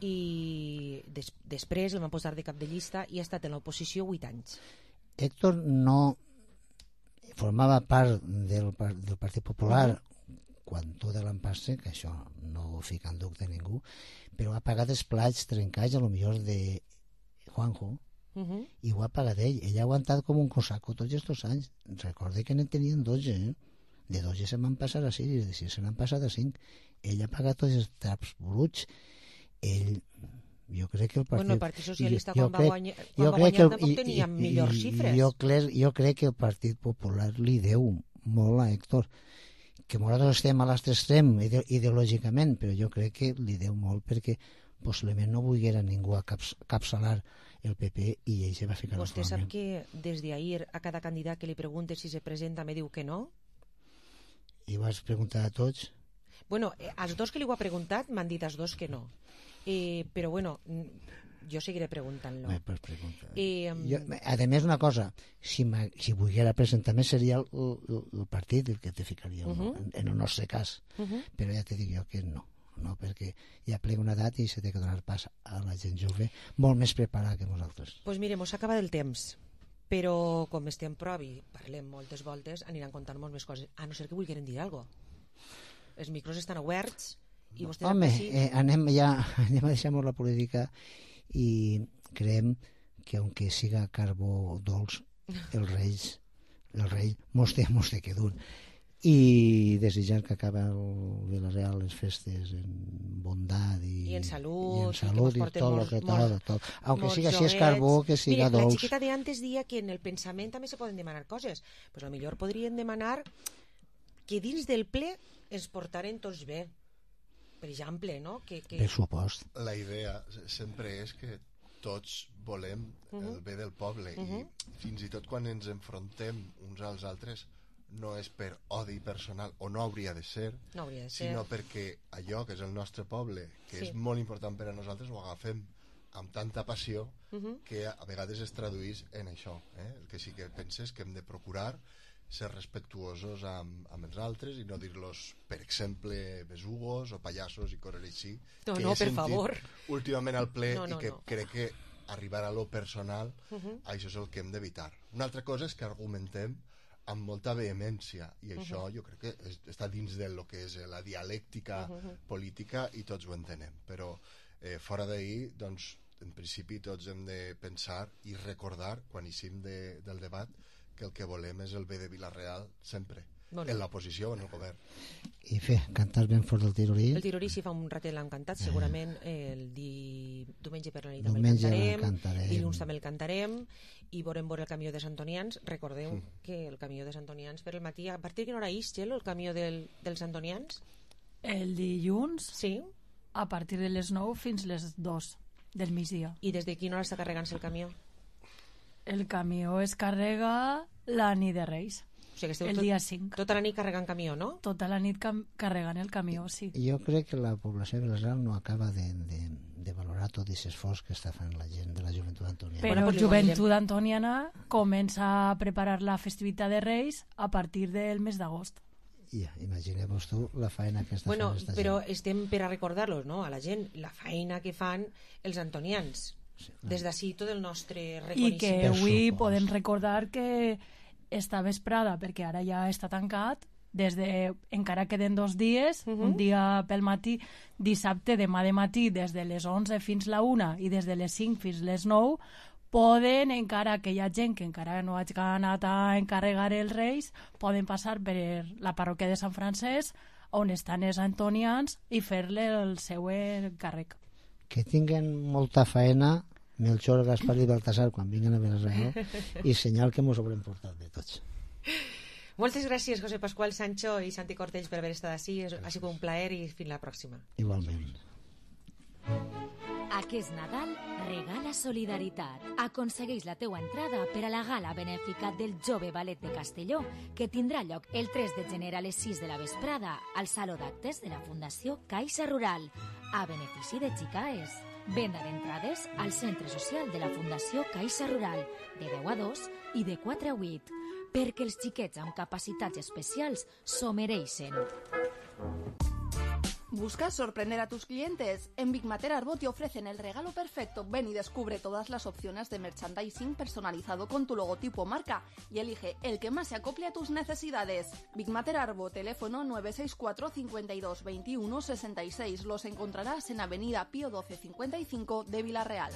i després el van posar de cap de llista i ha estat en l'oposició 8 anys. Héctor no formava part del Partit Popular quan tot l'han passat, que això no ho fica en dubte ningú, però ha pagat els plats trencats a lo millor de Juanjo i ho ha pagat ell. Ell ha aguantat com un cosaco tots aquests anys. Recorde que n'en tenien 12, de 12 se m'han passat a 6 i de 6 se n'han passat a 5. Ell ha pagat tots els traps bruts. Jo crec que el Partit... Bueno, el Partit Socialista quan va guanyar tampoc tenia millors xifres. Jo crec que el Partit Popular li deu molt a Héctor, que nosaltres estem a l'altre extrem ideològicament, però jo crec que li deu molt perquè possiblement no volguera ningú capçalar el PP i ell se va ficar al Vostè sap que des d'ahir a cada candidat que li pregunte si se presenta me diu que no? I vas preguntar a tots? Bueno, als dos que li ho ha preguntat m'han dit als dos que no. Però bueno, jo seguiré preguntant-lo. A més, una cosa, si volguera presentar-me seria el partit el que te ficaria en el nostre cas, però ja te dic jo que no, perquè ja plega una edat i se té que donar pas a la gent jove molt més preparada que nosaltres. Doncs mire, mos acaba el temps, però com estem prop i parlem moltes voltes aniran contant molt més coses, a no ser que vulguin dir alguna cosa. Els micros estan oberts i vostès... Home, anem a deixar la política i creiem que aunque siga carbó dolç, el rei mos té que dur. I desitjar que acaba el Vila-real les festes en bondat i en salut i tot. Aunque siga així és carbó, que siga dolç. La xiqueta d'antes dia que en el pensament també se poden demanar coses. Pues potser podrien demanar que dins del ple ens portaren tots bé. Per exemple, no? Per supost. La idea sempre és que tots volem el bé del poble i fins i tot quan ens enfrontem uns als altres no és per odi personal, o no hauria de ser, sinó perquè allò que és el nostre poble, que és molt important per a nosaltres, ho agafem amb tanta passió que a vegades es traduís en això. El que sí que penses que hem de procurar ser respectuosos amb els altres i no dir-los, per exemple, besugos o pallassos i coses així. No, per favor. Últimament al ple i que crec que arribar a lo personal, això és el que hem d'evitar. Una altra cosa és que argumentem amb molta vehemència i això jo crec que està dins del que és la dialèctica política i tots ho entenem, però fora d'ahir, doncs, en principi tots hem de pensar i recordar quan eixim del debat que el que volem és el bé de Vila-real sempre, en l'oposició o en el govern. I cantar ben fort el Tirorí. El Tirorí si fa un ratet l'hem cantat, segurament el diumenge per la nit també el cantarem, dilluns també el cantarem i veurem el camió de Santonians. Recordeu que el camió de Santonians per el matí, a partir de quina hora és, Txelo, el camió dels Santonians? El dilluns? Sí. A partir de les 9 fins les 2 del migdia. I des de quina hora està carregant-se el camió? El camió es carrega la nit de Reis. O sigui que el dia 5. Tota la nit carregant camió, no? Tota la nit carregant el camió, sí. Jo crec que la població de Vila-real no acaba de valorar tot aquest esforç que està fent la gent de la joventut antoniana. Però la joventut antoniana comença a preparar la festivitat de Reis a partir del mes d'agost. Ja, imagineu-vos tu la feina que està fent esta gent. Però estem per a recordar-los, no?, a la gent, la feina que fan els antonians. Des d'ací tot el nostre i que reconeixement. avui podem recordar que esta vesprada, perquè ara ja està tancat, encara queden 2 dies, un dia pel matí, dissabte, demà de matí, des de les 11 fins la 1 i des de les 5 fins les 9, poden, encara que hi ha gent que encara no hagi anat a encarregar els Reis, poden passar per la parròquia de Sant Francesc, on estan els antonians, i fer-le el seu càrrec. Que tinguen molta faena Melchor, Gaspar i Baltasar quan vinguen a Vilareal i senyal que mos haurem portat de tots. Moltes gràcies, José Pascual Sancho i Santi Cortells, per haver estat ací. Ha sigut un plaer i fins la pròxima. Igualment. Aquest Nadal regala solidaritat. Aconsegueix la teua entrada per a la gala benèfica del Jove Ballet de Castelló, que tindrà lloc el 3 de gener a les 6 de la vesprada al Saló d'Actes de la Fundació Caixa Rural, a benefici de Xicaes. Venda d'entrades al Centre Social de la Fundació Caixa Rural, de 10 a 2 i de 4 a 8, perquè els xiquets amb capacitats especials s'ho mereixen. ¿Buscas sorprender a tus clientes? En Big Mater Arbo te ofrecen el regalo perfecto. Ven y descubre todas las opciones de merchandising personalizado con tu logotipo o marca y elige el que más se acople a tus necesidades. Big Mater Arbo, teléfono 964 52 21 66. Los encontrarás en Avenida Pío 12 55 de Vila-real.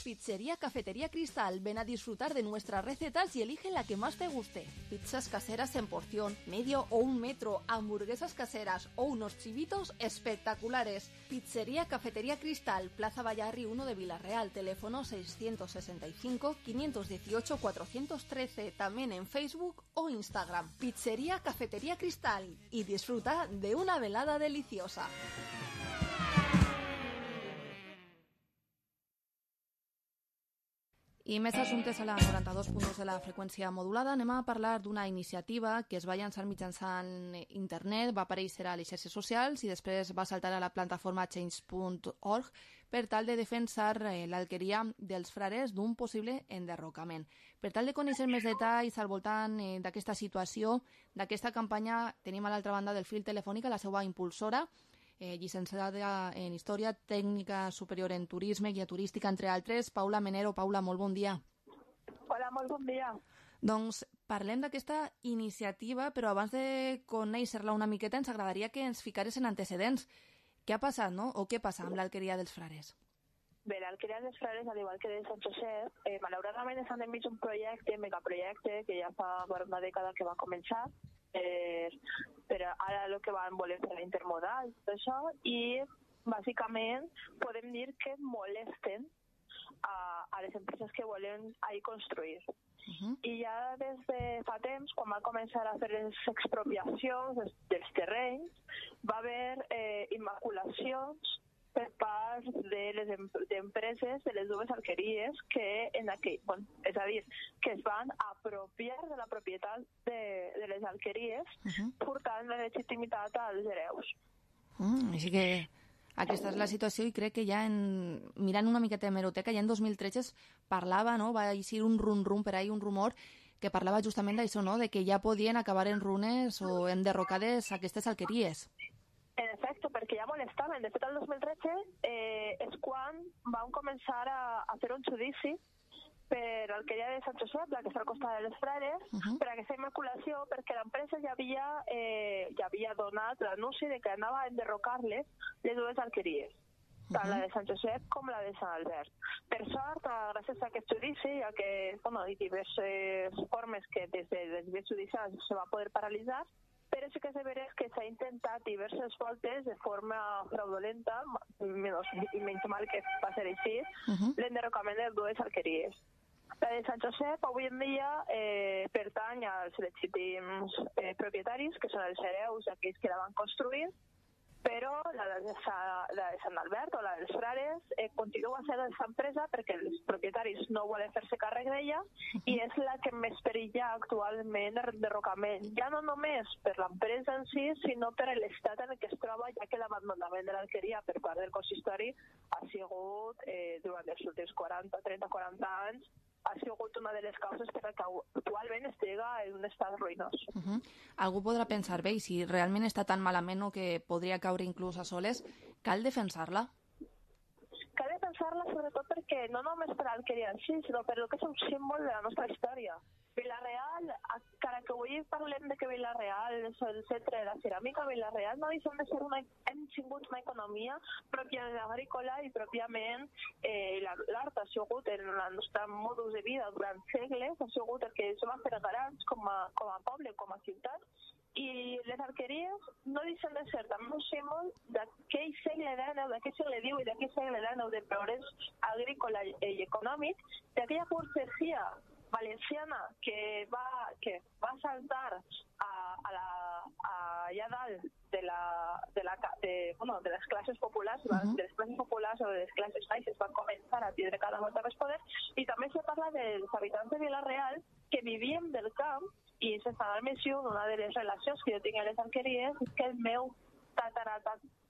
Pizzería Cafetería Cristal. Ven a disfrutar de nuestras recetas y elige la que más te guste. Pizzas caseras en porción, medio o 1 metro, hamburguesas caseras o unos chivitos espectaculares. Pizzería Cafetería Cristal, Plaza Vallarri 1 de Vila-real, teléfono 665 518 413, también en Facebook o Instagram. Pizzería Cafetería Cristal, y disfruta de una velada deliciosa. I més assumptes a la 92 punts de la freqüència modulada. Anem a parlar d'una iniciativa que es va llançar mitjançant internet, va aparèixer a les xarxes socials i després va saltar a la plataforma change.org per tal de defensar l'alqueria dels frares d'un possible enderrocament. Per tal de conèixer més detalls al voltant d'aquesta situació, d'aquesta campanya, tenim a l'altra banda del fil telefònic a la seva impulsora, llicenciada en Història, tècnica superior en Turisme, guia turística, entre altres, Paula Menero. Paula, molt bon dia. Hola, molt bon dia. Doncs parlem d'aquesta iniciativa, però abans de conèixer-la una miqueta ens agradaria que ens ficares en antecedents. Què ha passat, no? O què passa amb l'alqueria dels frares? Bé, l'alqueria dels frares, al igual que de Sant Josep, malauradament estan enmig d'un projecte, megaprojecte, que ja fa una dècada que va començar, però ara el que van voler fer la intermodal, tot això, i bàsicament podem dir que molesten a les empreses que volen ahir construir. I ja des de fa temps, quan van començar a fer les expropiacions dels terrenys, va haver immaculacions per part de les empreses de les dues alqueries que és a dir, que es van apropiar de la propietat de les alqueries, portant la legitimitat als hereus. Així que aquesta és la situació, i crec que ja mirant una miqueta d'hemeroteca, ja en 2013 es parlava, no? Va eixir un rum-rum per ahí, un rumor que parlava justament d'això, no? De que ja podien acabar en runes o enderrocades aquestes alqueries. En efecte, perquè ja molestaven. De fet, el 2013 és quan van començar a fer un judici per l'alqueria de Sant Josep, la que està al costat de les frares, per aquesta immaculació, perquè l'empresa ja havia donat l'anunci de que anava a enderrocar-les les dues alqueries, tant la de Sant Josep com la de Sant Albert. Per sort, gràcies a aquest judici, ja que hi diverses formes que des dels vies judicials se va poder paralitzar, però sí que és veure que s'ha intentat diverses voltes de forma fraudulenta, i menys mal que va ser així, l'enderrocament de les dues alqueries. La de Sant Josep avui en dia pertany als legítims propietaris, que són els hereus d'aquells que la van construir, però la de Sant Albert o la dels frares continua sent aquesta empresa perquè els propietaris no volen fer-se càrrec d'ella i és la que més perilla actualment d'enderrocament, ja no només per l'empresa en si, sinó per l'estat en què es troba, ja que l'abandonament de l'alqueria per part del consistori ha sigut, durant els últims 30-40 anys, ha sigut una de les causes per la que actualment estigui en un estat ruïnós. Algú podrà pensar, bé, si realment està tan malament o que podria caure inclús a soles, cal defensar-la? Cal defensar defensar-la sobretot perquè no només per l'Alqueria en si, sinó per el que és un símbol de la nostra història. Vila-real, encara que avui parlem de que Vila-real és el centre de la ceràmica, Vila-real no deixem de ser hem tingut una economia pròpiament agrícola i pròpiament l'art ha sigut el nostre modus de vida durant segles, ha sigut el que ens va fer grans com a poble, com a ciutat, i les alqueries no deixen de ser també un símbol d'aquell segle XIX, d'aquell segle XIX i d'aquell segle XIX de progrés agrícola i econòmic, d'aquella burgesia valenciana que va saltar allà dalt de les classes populars, de les classes populars o de les classes baixes van començar a tindre cada volta més poder, i també se parla dels habitants de Vila-real que vivien del camp, i sense anar-me una de les relacions que jo tinc a les alqueries és que el meu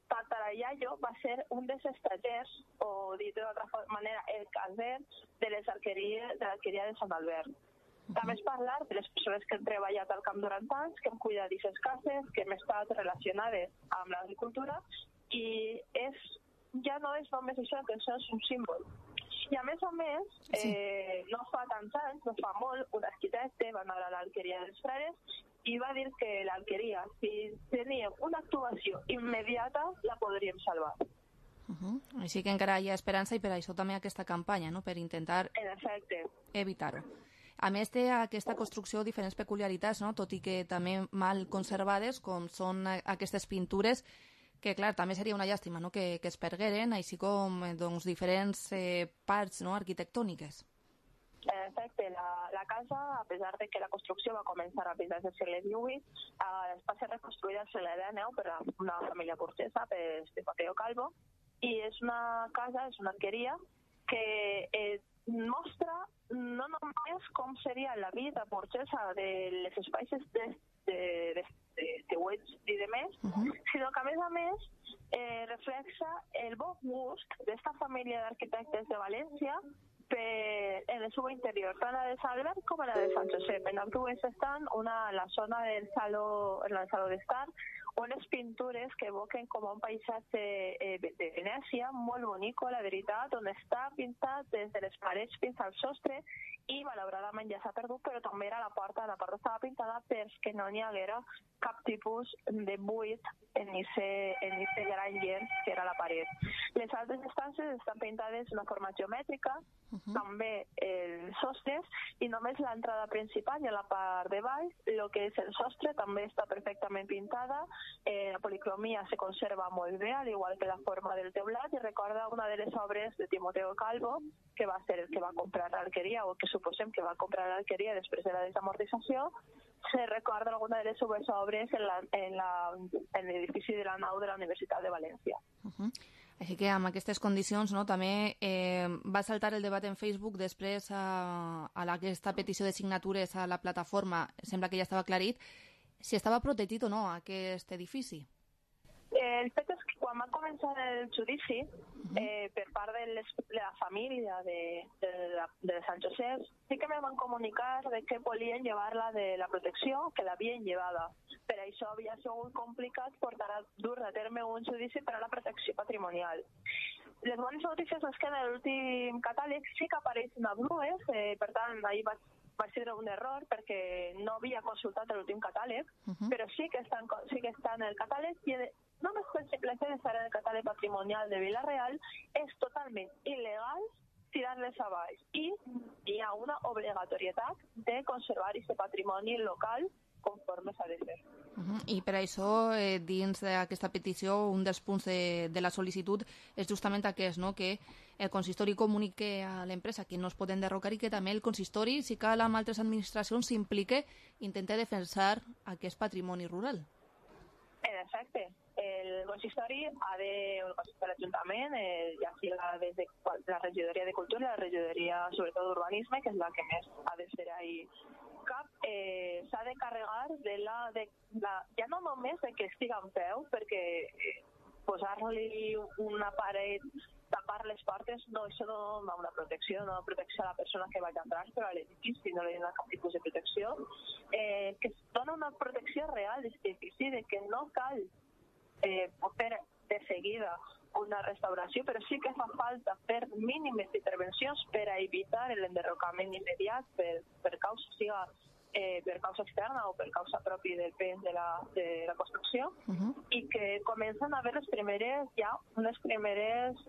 tatarayayo va ser un dels estatgers, o dit d'altra manera, el caser de l'alqueria de Sant Albert. També és parlar de les persones que han treballat al camp durant anys, que han cuidat d'aquestes cases, que hem estat relacionades amb l'agricultura, i ja no és només això, que això és un símbol. I a més, no fa tants anys, no fa molt, un arquitecte va anar a l'alqueria dels Frares i va dir que l'alqueria, si teníem una actuació immediata, la podríem salvar. Així que encara hi ha esperança i per això també aquesta campanya, no? Per intentar evitar-ho. A més, té aquesta construcció diferents peculiaritats, no? Tot i que també mal conservades, com són aquestes pintures, que clar, també seria una llàstima, no? Que es pergueren, així com diferents parts, no? Arquitectòniques. En efecte, la casa, a pesar de que la construcció va començar a finals del segle XVIII, va ser reconstruïda al segle XIX per una família burgesa, per Mateo Calvo, i és una casa, és una alqueria que mostra no només com seria la vida burgesa de les espais de webs i de més, sinó que a més reflexa el bon gust d'esta família d'arquitectes de València en el seu interior, tant la de Sant Albert com la de Sant Josep. En ambdues estan una a la zona del saló d'estar, unes pintures que evoquen com un paisatge de Venècia, molt bonic, la veritat, on està pintat des de les parets fins al sostre, i malauradament ja s'ha perdut, però també era la porta estava pintada perquè no n'hi haguera cap tipus de buit en aquest gran llenç que era la paret. Les altres estances estan pintades d'una forma geomètrica, també els sostres, i només l'entrada principal i a la part de baix, el que és el sostre també està perfectament pintada, la policromia se conserva molt bé, al igual que la forma del teulat, i recorda una de les obres de Timoteo Calvo, que va ser el que va comprar l'alqueria, o que suposem que va comprar l'alqueria després de la desamortització. Se recorda alguna de les seves obres en l'edifici de la nau de la Universitat de València. Així que amb aquestes condicions, no, també va saltar el debat en Facebook després a aquesta petició de signatures a la plataforma. Sembla que ja estava aclarit si estava protegit o no aquest edifici. El fet és que quan va començar el judici, per part de la família de Sant Josep, sí que me van comunicar de que volien llevar-la de la protecció, que l'havien llevada. Per això havia sigut complicat dur a terme un judici per a la protecció patrimonial. Les bones notícies és que en l'últim catàleg sí que apareixen ablues, per tant, ahir va ser un error perquè no havia consultat l'últim catàleg, però sí que està en el catàleg, i només per simple fet d'estar en el catàleg patrimonial de Vila-real és totalment il·legal tirar-les a baix, i hi ha una obligatorietat de conservar aquest patrimoni local conforme s'ha de fer. I per això, dins d'aquesta petició, un dels punts de la sol·licitud és justament aquest, no? Que el consistori comunique a l'empresa que no es poden derrocar i que també el consistori, si cal amb altres administracions, s'implique i intente defensar aquest patrimoni rural. En efecte, el consistori el consistori de l'Ajuntament, ja siga des de la regidoria de Cultura i la regidoria, sobretot d'Urbanisme, que és la que més ha de ser ahí cap, s'ha de carregar ja no només de que estiga en peu, perquè posar-li una paret, tapar les portes, no, això no dona una protecció, no protecció a la persona que vagi a entrar, però a l'edifici no li dona cap tipus de protecció, que es dona una protecció real d'aquest edifici, de que no cal fer de seguida una restauració, però sí que fa falta fer mínimes intervencions per a evitar l'enderrocament immediat per causa, siga per causa externa o per causa propi del pes de la construcció, i que comencen a haver unes primeres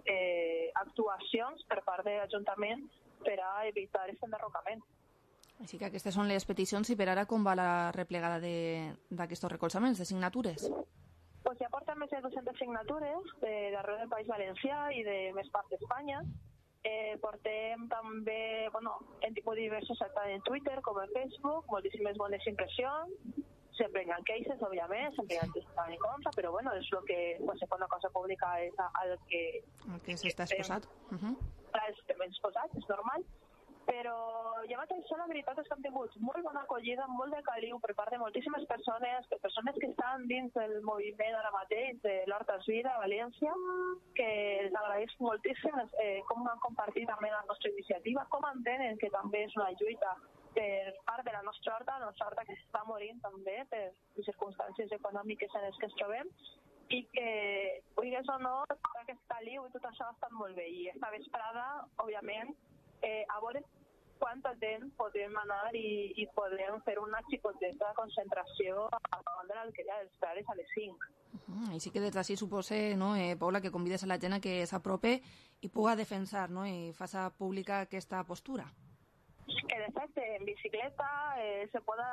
actuacions per part de l'Ajuntament per a evitar aquest enderrocament. Així que aquestes són les peticions, i per ara com va la replegada d'aquests recolzaments, de signatures? Pues ja porten més de 200 signatures d'arreu del País Valencià i de més part d'Espanya. Portem també, hem tingut diversos actes en Twitter com en Facebook, moltíssimes bones impressions, sempre hi ha queixes, òbviament, sempre hi ha que estan en contra, però és el que, quan se fa una cosa pública, és el que s'està exposat. Estem exposats, és normal. Però ja mateix, la veritat és que hem tingut molt bona acollida, molt de caliu per part de moltíssimes persones que estan dins del moviment ara mateix de l'Horta és Vida a València, que els agraeix moltíssim com han compartit també la nostra iniciativa, com entenen que també és una lluita per part de la nostra horta que s'està morint també per les circumstàncies econòmiques en les que ens trobem, i que, vulguis o no, tot aquest caliu i tot això ha estat molt bé. I esta vesprada, òbviament, a veure quanta temps podem anar i podem fer una xicoteta concentració davant de l'Alqueria dels Frares a les 5. Així que des d'ací supose, Paula, que convides a la gent a que s'aprope i puga defensar i faça pública aquesta postura. En efecte, en bicicleta se puede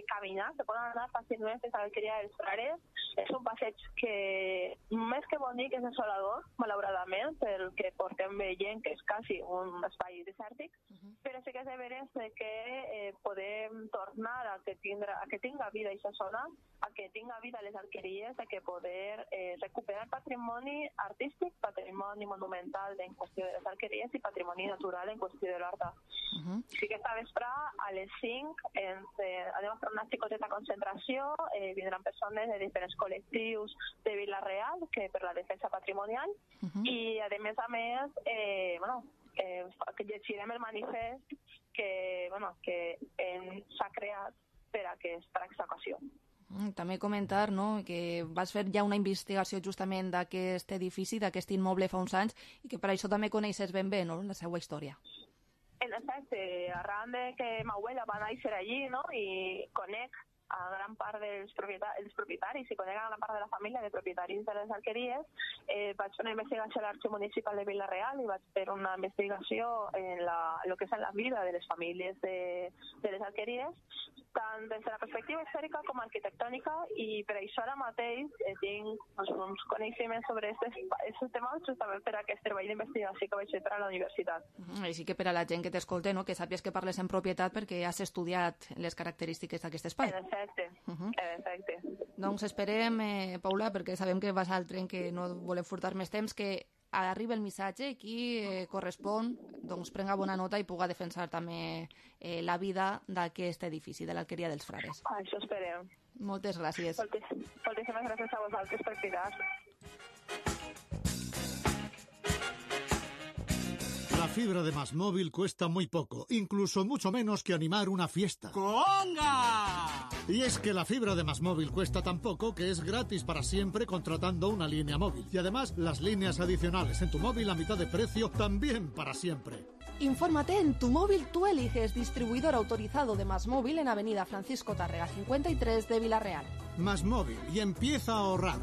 caminar, se puede andar fàcilment fins a l'Alqueria dels Frares. És un passeig que, més que bonic, és desolador, malauradament, perquè portem veient que és quasi un espai desèrtic, però sí que és de veres que podem tornar a que tinga vida aquesta zona, a que tinga vida les alqueries, a que poder recuperar patrimoni artístic, patrimoni monumental en qüestió de les alqueries i patrimoni natural en qüestió de l'horta. Sí que esta vespre a les 5 anem a fer una xicoteta concentració, vindran persones de diferents col·lectius de Vila-real que per la defensa patrimonial, i a més que llegirem el manifest que s'ha creat per a aquesta ocasió. També comentar que vas fer ja una investigació justament d'aquest edifici, d'aquest immoble fa uns anys, i que per això també coneixes ben bé la seva història. En efecte, arran de que ma abuela va néixer allí, i conec a gran part dels propietaris i conec a gran part de la família de propietaris de les alqueries, vaig fer una investigació a l'Arxiu Municipal de Vila-real i vaig fer una investigació en el que és la vida de les famílies de les alqueries, tant des de la perspectiva històrica com arquitectònica, i per això ara mateix tinc uns coneixements sobre aquests temes justament per aquest treball d'investigació que vaig fer per a la universitat. Així que per a la gent que t'escolte, que sàpies que parles en propietat perquè has estudiat les característiques d'aquest espai. En efecte. Doncs esperem, Paula, perquè sabem que vas al tren, que no volem furtar més temps, que arriba el missatge, qui correspon, doncs prenga bona nota i puga defensar també la vida d'aquest edifici, de l'Alqueria dels Frares. Això esperem. Moltes gràcies. Moltíssimes gràcies a vosaltres per cridar. La fibra de MásMóvil cuesta muy poco, incluso mucho menos que animar una fiesta. ¡Conga! Y es que la fibra de MásMóvil cuesta tan poco que es gratis para siempre contratando una línea móvil. Y además, las líneas adicionales en tu móvil a mitad de precio también para siempre. Infórmate en Tu Móvil Tú Eliges, distribuidor autorizado de MásMóvil en Avenida Francisco Tárrega 53 de Vila-real. MásMóvil, y empieza a ahorrar.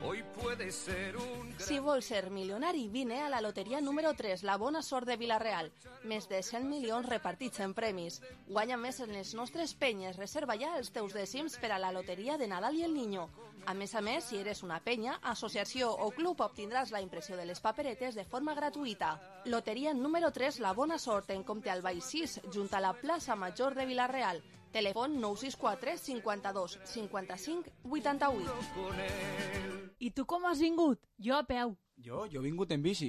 Hoy puede ser un... Si vols ser milionari, vine a la loteria número 3, la bona sort de Vila-real. Més de 100 milions repartits en premis. Guanya més en les nostres penyes. Reserva ja els teus dècims per a la loteria de Nadal i el Niño. A més, si eres una penya, associació o club, obtindràs la impressió de les paperetes de forma gratuïta. Loteria número 3, la bona sort, en compte al Baix 6, junt a la plaça Major de Vila-real. Telèfon 964 52 55 88. I tu com has vingut? Jo a peu. Jo he vingut en bici.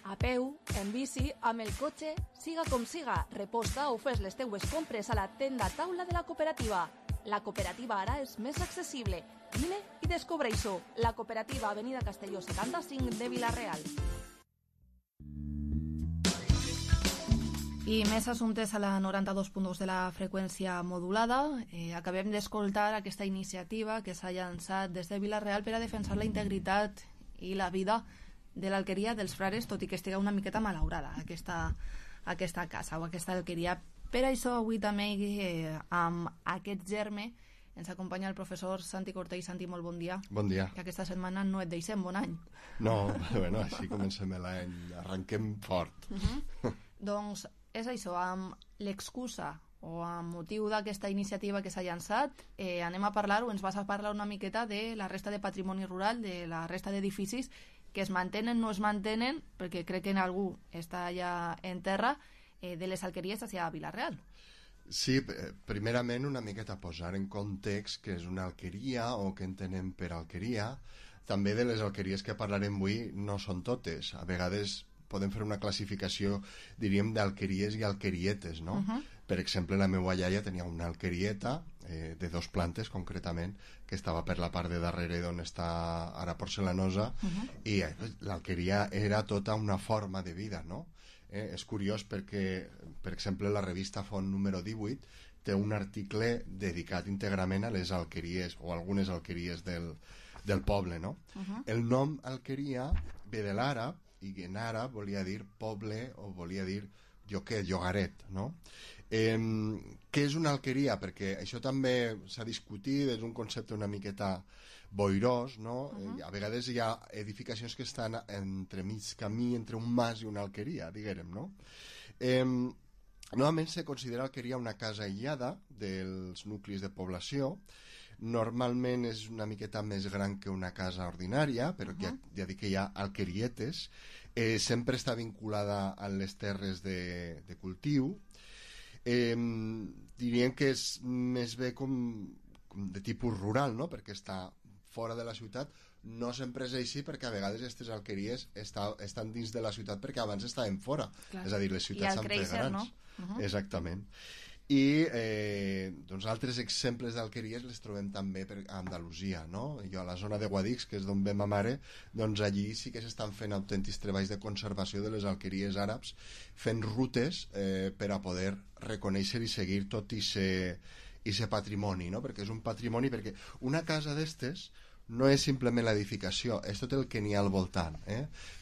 A peu, en bici, amb el cotxe, siga com siga, reposta o fes les teues compres a la tenda taula de la cooperativa. La cooperativa ara és més accessible. Vine i descobreix-ho. La cooperativa Avenida Castelló 75 de Vila-real. I més assumptes a la 92.2 de la freqüència modulada. Acabem d'escoltar aquesta iniciativa que s'ha llançat des de Vila-real per a defensar la integritat i la vida de l'alqueria dels frares, tot i que estigui una miqueta malaurada aquesta casa o aquesta alqueria. Per això avui també amb aquest germe ens acompanya el professor Santi Cortell. Santi, molt bon dia. Bon dia. Que aquesta setmana no et deixem, bon any. No, bueno, així comencem l'any, arrenquem fort. Doncs és això, amb l'excusa o amb motiu d'aquesta iniciativa que s'ha llançat, anem a parlar, o ens vas a parlar una miqueta de la resta de patrimoni rural, de la resta d'edificis que es mantenen, no es mantenen, perquè crec que en algú està ja en terra, de les alqueries hacia Vila-real. Sí, primerament una miqueta posar en context què és una alqueria o què entenem per alqueria. També de les alqueries que parlarem avui no són totes. A vegades podem fer una classificació, diríem, d'alqueries i alquerietes, no? Per exemple, la meva iaia tenia una alquerieta de 2 plantes, concretament, que estava per la part de darrere d'on està ara Porcelanosa, i l'alqueria era tota una forma de vida, no? És curiós perquè, per exemple, la revista Font número 18 té un article dedicat íntegrament a les alqueries, o algunes alqueries del poble, no? El nom alqueria ve de l'àrab, i en àrab volia dir poble o volia dir llogaret, no? Què és una alqueria? Perquè això també s'ha discutit, és un concepte una miqueta boirós, no? A vegades hi ha edificacions que estan entre mig camí, entre un mas i una alqueria, diguem, no? Normalment se considera alqueria una casa aïllada dels nuclis de població. Normalment és una miqueta més gran que una casa ordinària, però ja dic que hi ha alquerietes. Sempre està vinculada a les terres de cultiu. Diríem que és més bé com de tipus rural, no? Perquè està fora de la ciutat. No sempre és així, perquè a vegades aquestes alqueries estan dins de la ciutat perquè abans estaven fora. Clar. És a dir, les ciutats són grans. No? Exactament. I doncs altres exemples d'alqueries les trobem també a Andalusia, no? Jo a la zona de Guadix, que és d'on ve ma mare, doncs allí sí que s'estan fent autèntics treballs de conservació de les alqueries àrabs, fent rutes per a poder reconèixer i seguir tot i ser patrimoni, no? Perquè és un patrimoni, perquè una casa d'estes no és simplement l'edificació, és tot el que n'hi ha al voltant.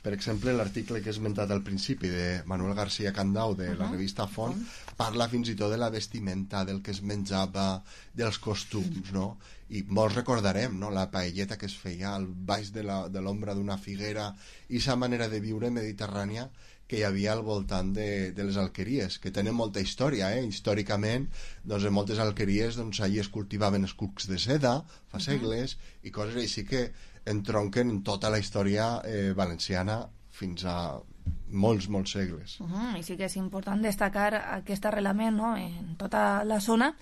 Per exemple, l'article que he esmentat al principi de Manuel García Candau de la revista Font parla fins i tot de la vestimenta, del que es menjava, dels costums, no? I molts recordarem, no?, la paelleta que es feia al baix de l'ombra d'una figuera i sa manera de viure mediterrània que hi havia al voltant de les alqueries, que tenen molta història, històricament, doncs en moltes alqueries doncs allí es cultivaven els cucs de seda fa segles i coses així que entronquen en tota la història valenciana fins a molts segles. I sí que és important destacar aquest arrelament, no?, en tota la zona.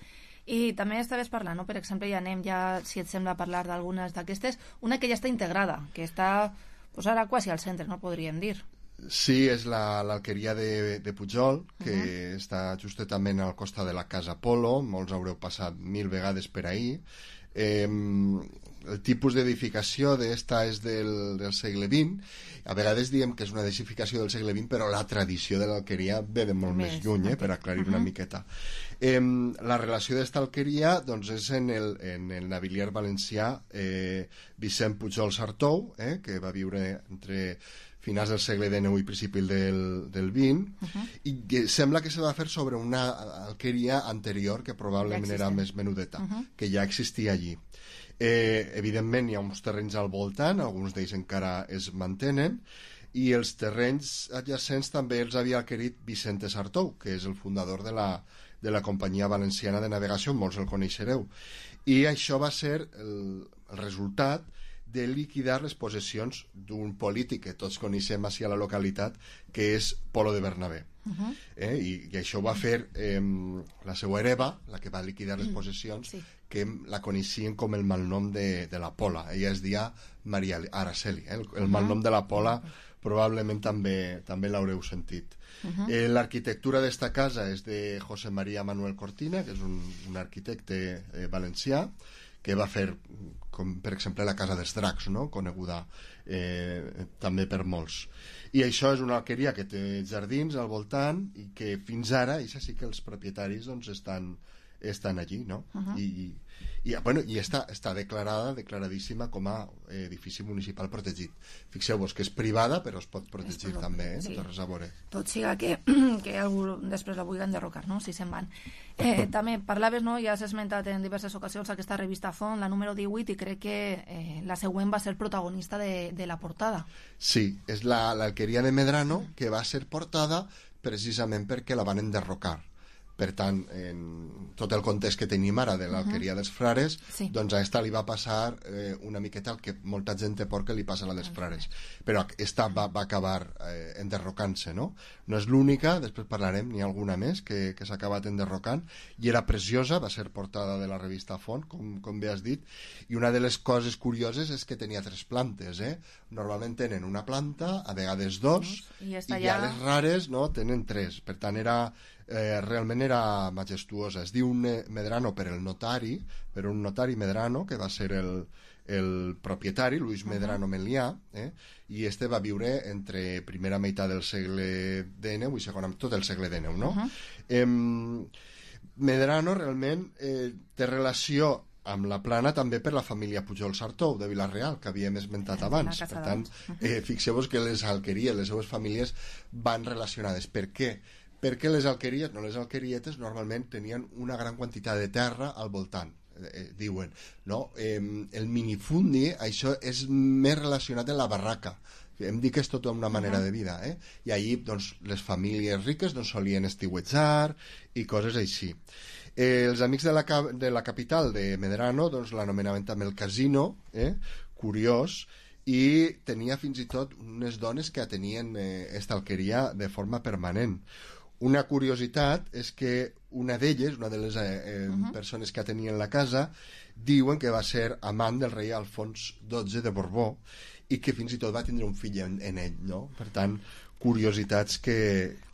I també estaves parlant, no?, per exemple, ja anem si et sembla, a parlar d'algunes d'aquestes, una que ja està integrada, que està pues, ara quasi al centre, no podríem dir. Sí, és l'alqueria de Pujol, que està justament al costat de la Casa Polo, molts haureu passat 1000 vegades per ahir. El tipus d'edificació d'esta és del segle XX. A vegades diem que és una edificació del segle XX, però la tradició de l'alqueria ve de molt més lluny, per aclarir una miqueta. La relació d'esta alqueria doncs, és en el navilier valencià Vicent Pujol Sartou, que va viure entre finals del segle XIX i principi del XX, i que sembla que se va fer sobre una alqueria anterior que probablement era més menudeta, que ja existia allí. Evidentment hi ha uns terrenys al voltant, alguns d'ells encara es mantenen, i els terrenys adjacents també els havia adquirit Vicente Sartou, que és el fundador de la Companyia Valenciana de Navegació, molts el coneixereu. I això va ser el resultat de liquidar les possessions d'un polític que tots coneixem així a la localitat, que és Polo de Bernabé. I això va fer la seva hereva, la que va liquidar les possessions, que la coneixien com el malnom de la Pola. Ella es deia Maria Araceli. El malnom de la Pola probablement també l'haureu sentit. L'arquitectura d'esta casa és de José María Manuel Cortina, que és un arquitecte valencià, que va fer, com per exemple, la Casa dels Dracs, no?, coneguda també per molts. I això és una alqueria que té jardins al voltant i que fins ara, això sí que els propietaris doncs, estan estan allí, no? I està declaradíssima com a edifici municipal protegit. Fixeu-vos que és privada, però es pot protegir també, no té res a veure. Tot siga que algú després la vulgui enderrocar, no? Si se'n van. També parlaves, no? Ja has esmentat en diverses ocasions aquesta revista Font, la número 18, i crec que la següent va ser protagonista de la portada. Sí, és l'alqueria de Medrano, que va ser portada precisament perquè la van enderrocar. Per tant, en tot el context que tenim ara de l'alqueria dels frares, doncs a esta li va passar una miqueta el que molta gent té por que li passa a la dels frares. Però esta va acabar enderrocant-se, no? No és l'única, després parlarem, n'hi ha alguna més que s'ha acabat enderrocant, i era preciosa, va ser portada de la revista Font, com bé has dit, i una de les coses curioses és que tenia 3 plantes, Normalment tenen una planta, a vegades 2, i ja les rares tenen 3, per tant realment era majestuosa. Es diu Medrano per un notari Medrano, que va ser el propietari, Luis Medrano Melià, i este va viure entre primera meitat del segle XIX i segona, tot el segle XIX, no? Medrano realment té relació amb la Plana també per la família Pujol-Sartou de Vila-real, que havíem esmentat abans. Per tant, fixeu-vos que les alqueries, les seues famílies van relacionades. Per què? Perquè les alqueries, no les alquerietes, normalment tenien una gran quantitat de terra al voltant, diuen, no? El minifundi, això és més relacionat amb la barraca. Hem dit que és tota una manera de vida, i allí doncs, les famílies riques solien estiuejar i coses així. Els amics de la capital de Medrano l'anomenaven també el casino, curiós, i tenia fins i tot unes dones que atenien esta alqueria de forma permanent. Una curiositat és que una d'elles, una de les persones que atenien la casa, diuen que va ser amant del rei Alfons XII de Borbó i que fins i tot va tindre un fill en ell, no? Per tant, curiositats que...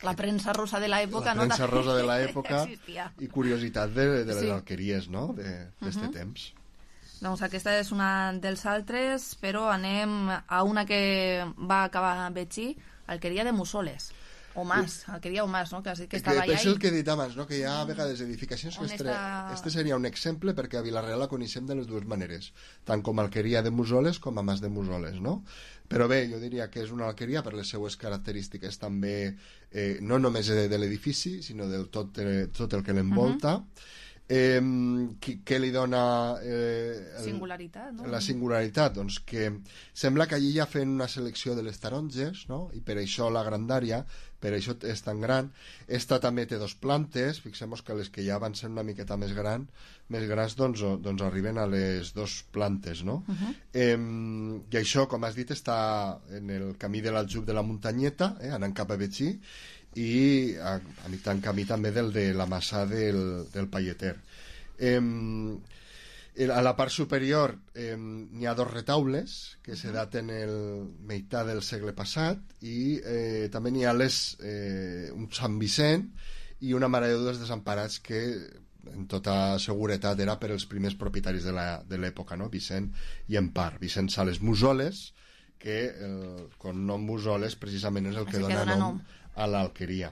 La premsa rosa de l'època, no? La premsa rosa de l'època i curiositat de les alqueries, no? D'aquest temps. Doncs aquesta és una dels altres, però anem a una que va acabar Betxí, alqueria de Mussoles. O Mas, alqueria o Mas, no? Que estava allà. És el que he dit abans, no? Que hi ha a vegades edificacions que este seria un exemple perquè a Vila-real la coneixem de les dues maneres, tant com alqueria de Mussoles com a Mas de Mussoles, no? Però bé, jo diria que és una alqueria per les seues característiques també, no només de l'edifici, sinó de tot el que l'envolta. Què li dona singularitat, no? La singularitat? Doncs que sembla que allí ja feien una selecció de les taronges, no? I per això la grandària, per això és tan gran. Esta també té 2 plantes, fixem-nos que les que ja van ser una miqueta més grans doncs arriben a les 2 plantes, no? I això, com has dit, està en el camí de l'aljub de la muntanyeta, anant cap a Betxí, i a mitjan camí també del de la Massà del Palleter. A la part superior n'hi ha 2 retaules que se daten el meitat del segle passat i també n'hi ha un Sant Vicent i una Mare de Déu dels Desemparats que en tota seguretat era per als primers propietaris de l'època, no? Vicent i Empar, Vicent Sales Mussoles, que el cognom Mussoles precisament és el que dona nom a l'alqueria.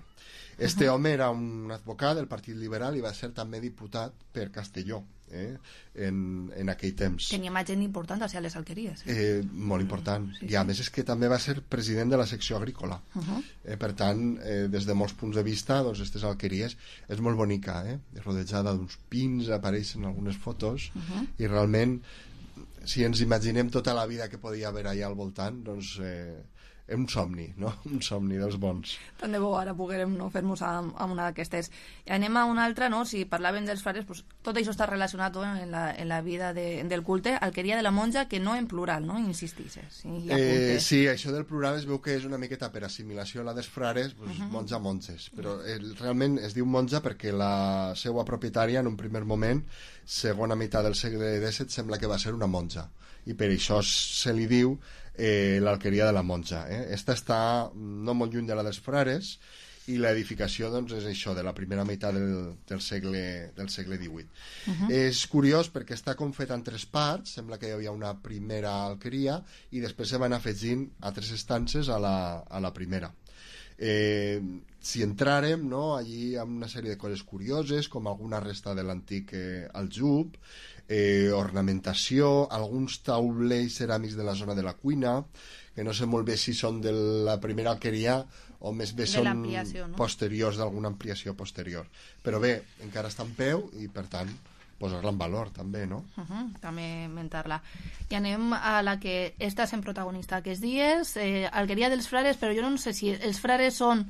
Este home era un advocat del Partit Liberal i va ser també diputat per Castelló en aquell temps. Tenia més gent important a les alqueries. Molt important. I a més és que també va ser president de la secció agrícola. Per tant, des de molts punts de vista, doncs, aquestes alqueries és molt bonica, rodejada d'uns pins, apareixen algunes fotos, i realment, si ens imaginem tota la vida que podia haver allà al voltant, doncs és un somni, no? Un somni dels bons. Tant de bo ara poguérem fer-nos amb una d'aquestes. Anem a una altra, no? Si parlàvem dels frares, pues, tot això està relacionat en la vida del culte. Alqueria de la monja, que no en plural, no? Insistixes. Sí, això del plural es veu que és una miqueta per assimilació a la dels frares, pues, monja-monges. Però realment es diu monja perquè la seva propietària, en un primer moment, segona meitat del segle XVII, sembla que va ser una monja. I per això se li diu l'alqueria de la monja. Esta està no molt lluny de la dels frares i l'edificació doncs, és això, de la primera meitat del segle XVIII. És curiós perquè està com fet en 3 parts, sembla que hi havia una primera alqueria i després se van afegint altres estances a la primera. Si entràrem, no, allí amb una sèrie de coses curioses, com alguna resta de l'antic aljub, ornamentació, alguns taulells ceràmics de la zona de la cuina, que no sé molt bé si són de la primera alqueria o més bé són posteriors, d'alguna ampliació posterior. Però bé, encara està en peu i, per tant, posar-la en valor, també, no? També mentar-la. I anem a la que està sent protagonista aquests dies, Alqueria dels Frares, però jo no sé si els frares són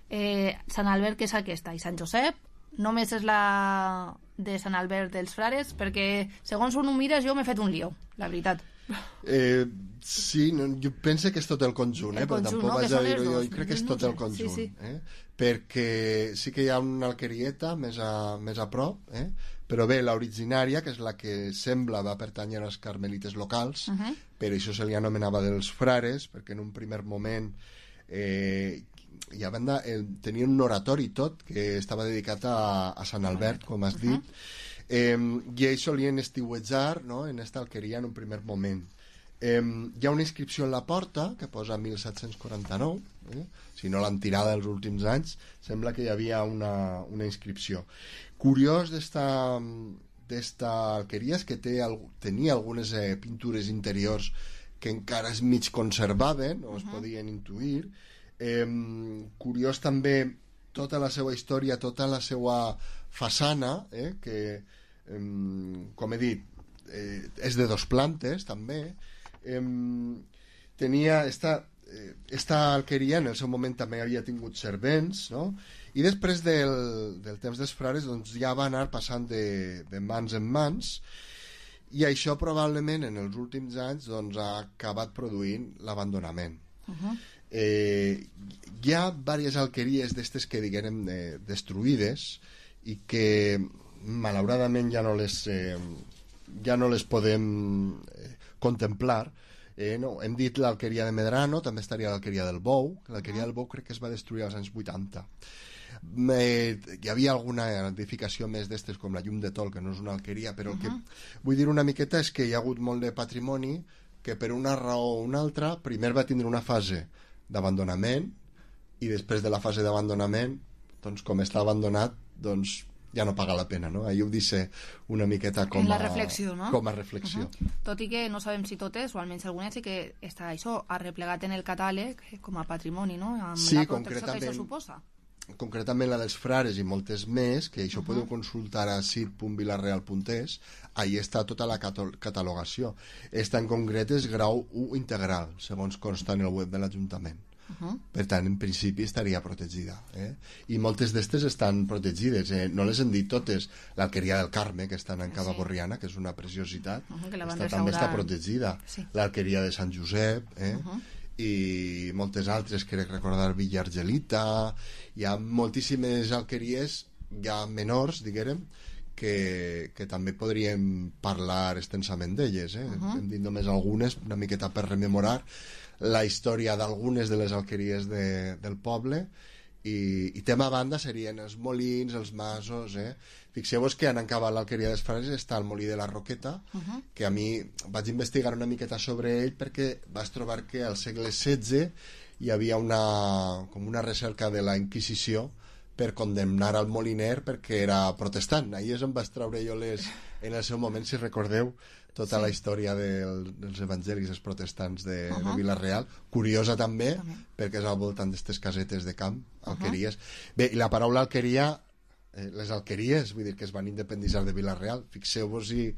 Sant Albert, que és aquesta, i Sant Josep. Només és la de Sant Albert dels Frares, perquè segons on ho mires jo m'he fet un lío, la veritat. Sí, no, jo penso que és tot el conjunt, però tampoc vaig a dir-ho jo, crec que és tot el conjunt, perquè sí que hi ha una alquerieta més a prop, però bé, l'originària, que és la que sembla va pertànyer als carmelites locals, per això se li anomenava dels frares, perquè en un primer moment i a banda tenia un oratori tot que estava dedicat a Sant Albert, com has dit, i ells solien estiuejar, no?, en esta alqueria en un primer moment. Hi ha una inscripció en la porta que posa 1749, si no l'han tirada els últims anys, sembla que hi havia una inscripció. Curiós d'esta alqueria és que tenia algunes pintures interiors que encara es mig conservaven o es podien intuir. Curiós també tota la seva història, tota la seva façana, que, com he dit, és de 2 plantes també. Tenia esta alqueria en el seu moment també havia tingut servents, no? I després del temps dels frares doncs ja va anar passant de mans en mans, i això probablement en els últims anys doncs ha acabat produint l'abandonament. Hi ha diverses alqueries d'estes que diguem destruïdes i que malauradament ja no les podem contemplar. Hem dit l'alqueria de Medrano, també estaria l'alqueria del Bou. L'alqueria del Bou crec que es va destruir als anys 80. Hi havia alguna edificació més d'estes com la Llum de Tol, que no és una alqueria, però el que vull dir una miqueta és que hi ha hagut molt de patrimoni que per una raó o una altra primer va tindre una fase d'abandonament i després de la fase d'abandonament, doncs com està abandonat, doncs ja no paga la pena, no? Ahir ho dice una miqueta com a reflexió, no? Com a reflexió. Tot i que no sabem si totes, o almenys algunes, sí que està això arreplegat en el catàleg com a patrimoni, no? Amb la protecció que això suposa. Concretament la dels frares i moltes més, que això podeu consultar a sit.vilareal.es, ahí està tota la catalogació. Esta en concret és grau 1 integral, segons consta en el web de l'Ajuntament. Per tant, en principi estaria protegida, i moltes d'estes estan protegides, no les hem dit totes. L'alqueria del Carme, que està en Cava Borriana, que és una preciositat, també està protegida. L'alqueria de Sant Josep, i moltes altres, crec recordar Villa Argelita. Hi ha moltíssimes alqueries ja menors, diguem, que també podríem parlar extensament d'elles. Hem dit només algunes, una miqueta per rememorar la història d'algunes de les alqueries del poble, i tema a banda serien els molins, els masos. Fixeu-vos que en acabar l'alqueria dels Frares està el molí de la Roqueta, que a mi vaig investigar una miqueta sobre ell perquè vaig trobar que al segle XVI hi havia com una recerca de la Inquisició per condemnar al moliner perquè era protestant. Ahir em vaig treure jo en el seu moment, si recordeu, tota la història dels evangelis, els protestants de Vila-real. Curiosa també, perquè és al voltant d'aquestes casetes de camp, alqueries. Bé, i la paraula alqueria, les alqueries, vull dir que es van independitzar de Vila-real. Fixeu-vos-hi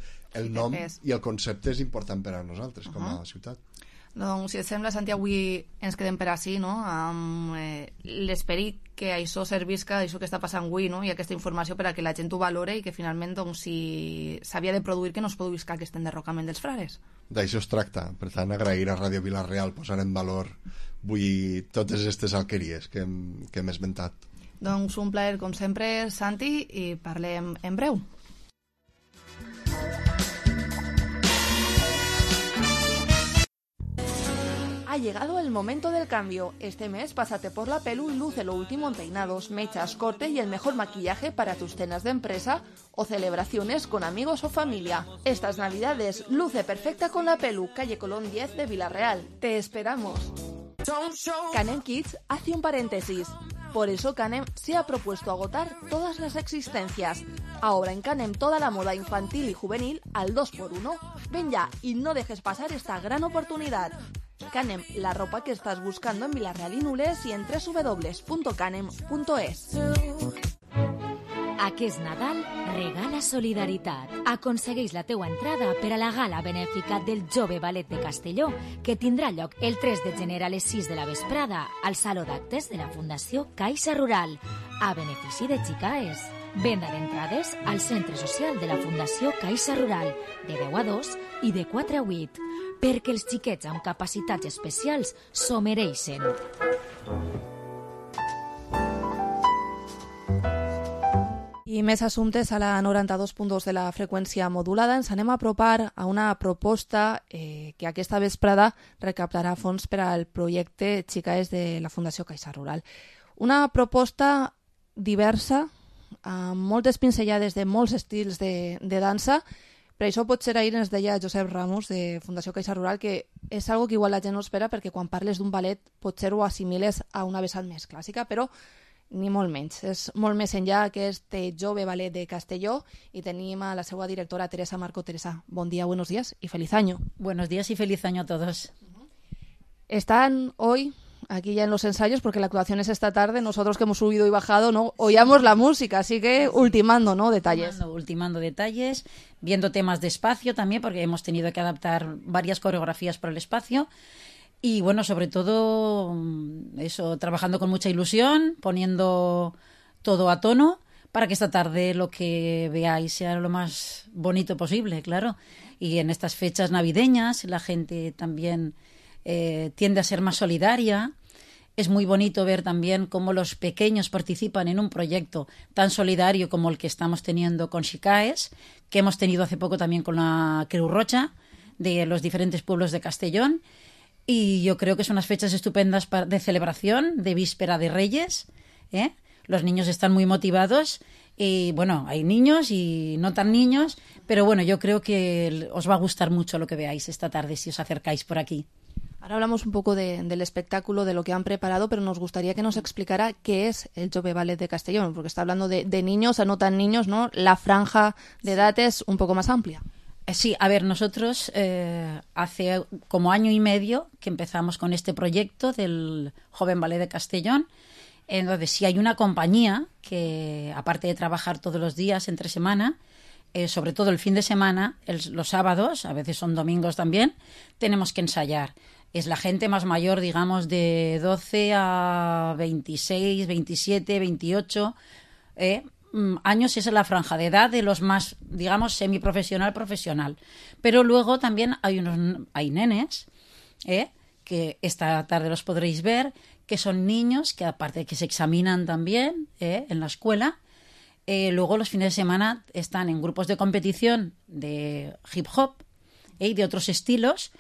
el nom i el concepte és important per a nosaltres com a ciutat. Doncs, si et sembla, Santi, avui ens quedem per així, no?, amb l'esperit que això servisca, això que està passant avui, no?, i aquesta informació per a que la gent ho valore i que finalment, doncs, si s'havia de produir, que no es produïsca aquest enderrocament dels frares. D'això es tracta. Per tant, agrair a Ràdio Vila-real posar en valor avui totes aquestes alqueries que hem esmentat. Doncs un plaer, com sempre, Santi, i parlem en breu. Ha llegado el momento del cambio. Este mes pásate por la Pelu y luce lo último en peinados, mechas, corte y el mejor maquillaje para tus cenas de empresa o celebraciones con amigos o familia. Estas navidades luce perfecta con la Pelu, calle Colón 10 de Vila-real. ¡Te esperamos! Canem Kids hace un paréntesis. Por eso Canem se ha propuesto agotar todas las existencias. Ahora en Canem toda la moda infantil y juvenil al 2x1. Ven ya y no dejes pasar esta gran oportunidad. Canem, la ropa que estás buscando en Vilareal i Nules i en www.canem.es. Aquest Nadal regala solidaritat. Aconsegueix la teua entrada per a la gala benèfica del Jove Ballet de Castelló, que tindrà lloc el 3 de gener a les 6 de la vesprada al Saló d'Actes de la Fundació Caixa Rural, a benefici de Xicaes. Venda d'entrades al Centre Social de la Fundació Caixa Rural, de 10 a 2 i de 4 a 8, perquè els xiquets amb capacitats especials s'ho mereixen. I més assumptes a la 92.2 de la freqüència modulada. Ens anem a apropar a una proposta que aquesta vesprada recaptarà fons per al projecte Xicaes de la Fundació Caixa Rural. Una proposta diversa, amb moltes pinzellades de molts estils de dansa. Per això potser ahir ens deia Josep Ramos de Fundació Caixa Rural que és algo que igual la gent no espera, perquè quan parles d'un ballet potser ho assimiles a una vessant més clàssica, però ni molt menys. És molt més enllà aquest Jove Ballet de Castelló i tenim a la seva directora Teresa Marco. Teresa, bon día, buenos días y feliz año. Buenos días y feliz año a todos. Están hoy aquí ya en los ensayos, porque la actuación es esta tarde. Nosotros que hemos subido y bajado no oíamos la música, así que ultimando, ¿no? Detalles. Ultimando detalles, viendo temas de espacio también, porque hemos tenido que adaptar varias coreografías para el espacio. Y bueno, sobre todo eso, trabajando con mucha ilusión, poniendo todo a tono para que esta tarde lo que veáis sea lo más bonito posible, claro. Y en estas fechas navideñas la gente también tiende a ser más solidaria. Es muy bonito ver también cómo los pequeños participan en un proyecto tan solidario como el que estamos teniendo con Xicaes, que hemos tenido hace poco también con la Creu Roja de los diferentes pueblos de Castellón. Y yo creo que son unas fechas estupendas de celebración, de víspera de Reyes. Los niños están muy motivados. Y bueno, hay niños y no tan niños, pero bueno, yo creo que os va a gustar mucho lo que veáis esta tarde si os acercáis por aquí. Ahora hablamos un poco del espectáculo, de lo que han preparado, pero nos gustaría que nos explicara qué es el Jove Ballet de Castellón, porque está hablando de niños a no tan niños, ¿no? La franja de edad es un poco más amplia. Sí, a ver, nosotros hace como año y medio que empezamos con este proyecto del Joven Ballet de Castellón. Entonces, si hay una compañía que, aparte de trabajar todos los días entre semana, sobre todo el fin de semana, los sábados, a veces son domingos también, tenemos que ensayar. Es la gente más mayor, digamos, de 12 a 26, 27, 28 años. Esa es la franja de edad de los más, digamos, semiprofesional, profesional. Pero luego también hay nenes, que esta tarde los podréis ver, que son niños que aparte de que se examinan también en la escuela, luego los fines de semana están en grupos de competición de hip hop y de otros estilos,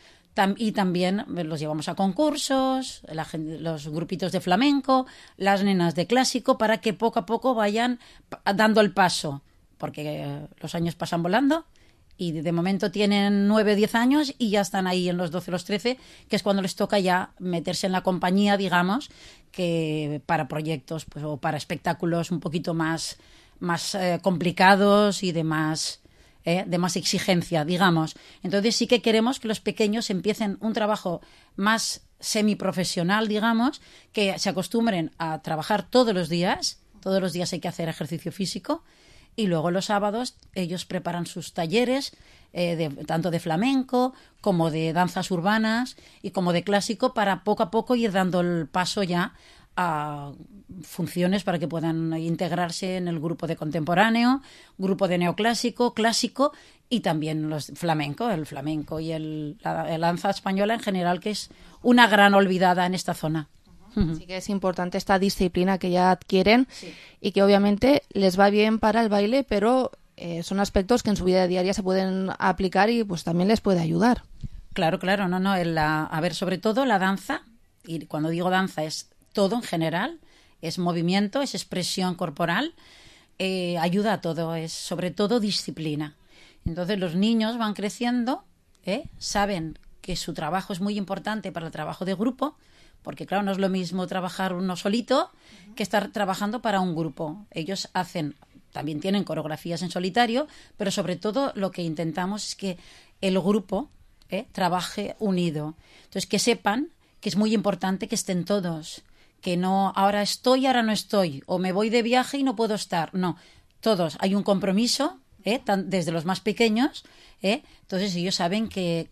y también los llevamos a concursos, los grupitos de flamenco, las nenas de clásico, para que poco a poco vayan dando el paso, porque los años pasan volando y de momento tienen 9 o 10 años y ya están ahí en los 12 o los 13, que es cuando les toca ya meterse en la compañía, digamos, que para proyectos pues, o para espectáculos un poquito más complicados y de más exigencia, digamos. Entonces sí que queremos que los pequeños empiecen un trabajo más semiprofesional, digamos, que se acostumbren a trabajar todos los días hay que hacer ejercicio físico, y luego los sábados ellos preparan sus talleres, tanto de flamenco como de danzas urbanas y como de clásico, para poco a poco ir dando el paso ya a funciones para que puedan integrarse en el grupo de contemporáneo, grupo de neoclásico, clásico y también el flamenco y la danza española en general, que es una gran olvidada en esta zona. Así que es importante esta disciplina que ya adquieren, sí, y que obviamente les va bien para el baile, pero son aspectos que en su vida diaria se pueden aplicar y pues también les puede ayudar. Claro, no. A ver, sobre todo la danza, y cuando digo danza es todo en general, es movimiento, es expresión corporal, ayuda a todo, es sobre todo disciplina. Entonces los niños van creciendo, saben que su trabajo es muy importante para el trabajo de grupo, porque claro, no es lo mismo trabajar uno solito que estar trabajando para un grupo. Ellos también tienen coreografías en solitario, pero sobre todo lo que intentamos es que el grupo trabaje unido. Entonces, que sepan que es muy importante que estén todos, que no ahora estoy, ahora no estoy, o me voy de viaje y no puedo estar. No, todos. Hay un compromiso, desde los más pequeños, entonces ellos saben que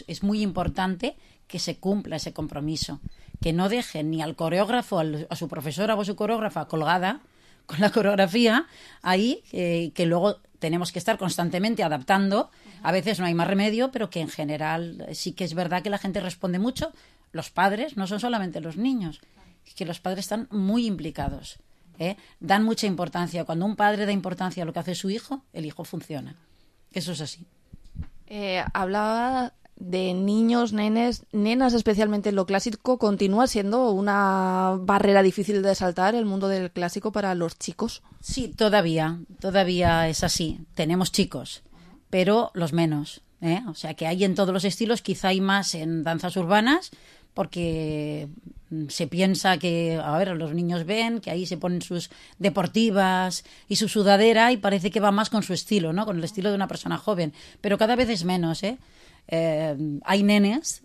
es muy importante que se cumpla ese compromiso, que no dejen ni al coreógrafo, a su profesora o a su coreógrafa colgada con la coreografía ahí, que luego tenemos que estar constantemente adaptando. A veces no hay más remedio, pero que en general sí que es verdad que la gente responde mucho. Los padres, no son solamente los niños, es que los padres están muy implicados, dan mucha importancia. Cuando un padre da importancia a lo que hace su hijo, el hijo funciona. Eso es así. Hablaba de niños, nenas, especialmente en lo clásico. ¿Continúa siendo una barrera difícil de saltar el mundo del clásico para los chicos? Sí, todavía es así. Tenemos chicos, pero los menos, O sea, que hay en todos los estilos, quizá hay más en danzas urbanas, porque se piensa que, los niños ven que ahí se ponen sus deportivas y su sudadera y parece que va más con su estilo, ¿no? Con el estilo de una persona joven, pero cada vez es menos, hay nenes,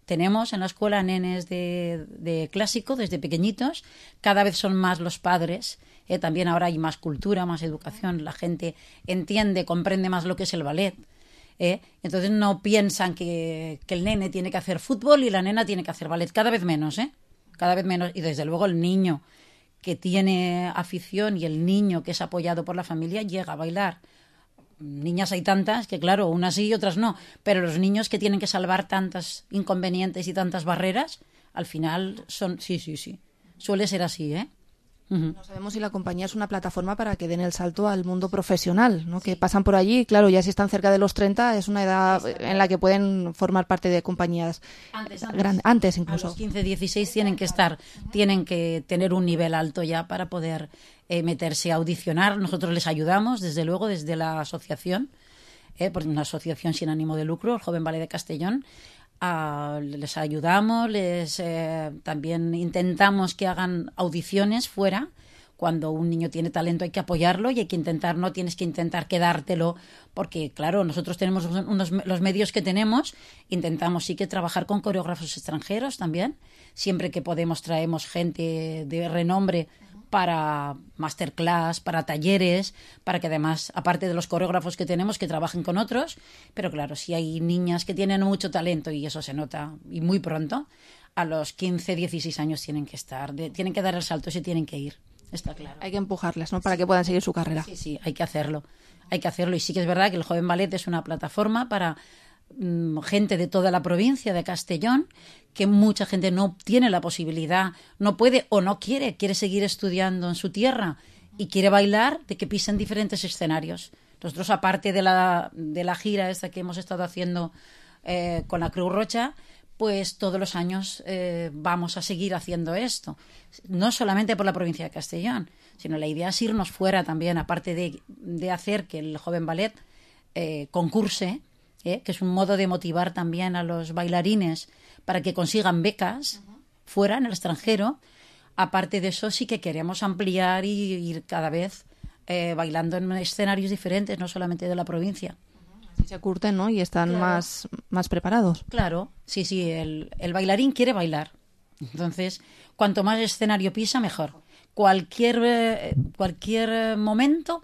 tenemos en la escuela nenes de clásico desde pequeñitos, cada vez son más los padres, también ahora hay más cultura, más educación, la gente entiende, comprende más lo que es el ballet. Entonces no piensan que el nene tiene que hacer fútbol y la nena tiene que hacer ballet, cada vez menos, cada vez menos. Y desde luego el niño que tiene afición y el niño que es apoyado por la familia llega a bailar. Niñas hay tantas que claro, unas sí y otras no, pero los niños que tienen que salvar tantos inconvenientes y tantas barreras, al final son, sí, suele ser así, No sabemos si la compañía es una plataforma para que den el salto al mundo profesional, ¿no? Que pasan por allí, claro, ya si están cerca de los 30 es una edad en la que pueden formar parte de compañías antes incluso. A los 15, 16 tienen que tener un nivel alto ya para poder meterse a audicionar. Nosotros les ayudamos, desde luego, desde la asociación, porque una asociación sin ánimo de lucro, el Joven Ballet de Castellón. Les ayudamos, también intentamos que hagan audiciones fuera. Cuando un niño tiene talento hay que apoyarlo y hay que no tienes que intentar quedártelo, porque claro, nosotros tenemos los medios que tenemos, intentamos sí que trabajar con coreógrafos extranjeros también, siempre que podemos traemos gente de renombre para masterclass, para talleres, para que además, aparte de los coreógrafos que tenemos, que trabajen con otros, pero claro, si hay niñas que tienen mucho talento y eso se nota, y muy pronto, a los 15, 16 años tienen que dar el salto y se tienen que ir, está claro. Hay que empujarles, ¿no?, para que puedan seguir su carrera. Sí, hay que hacerlo, y sí que es verdad que el Joven Ballet es una plataforma para gente de toda la provincia de Castellón, que mucha gente no tiene la posibilidad, no puede o no quiere seguir estudiando en su tierra y quiere bailar, de que pisen diferentes escenarios. Nosotros, aparte de la gira esta que hemos estado haciendo con la Creu Roja, pues todos los años vamos a seguir haciendo esto, no solamente por la provincia de Castellón, sino la idea es irnos fuera también, aparte de hacer que el Joven Ballet concurse, que es un modo de motivar también a los bailarines para que consigan becas fuera, en el extranjero. Aparte de eso, sí que queremos ampliar y ir cada vez bailando en escenarios diferentes, no solamente de la provincia. Así se curten, ¿no? Y están más preparados. Claro, sí, el bailarín quiere bailar. Entonces, cuanto más escenario pisa, mejor. Cualquier momento,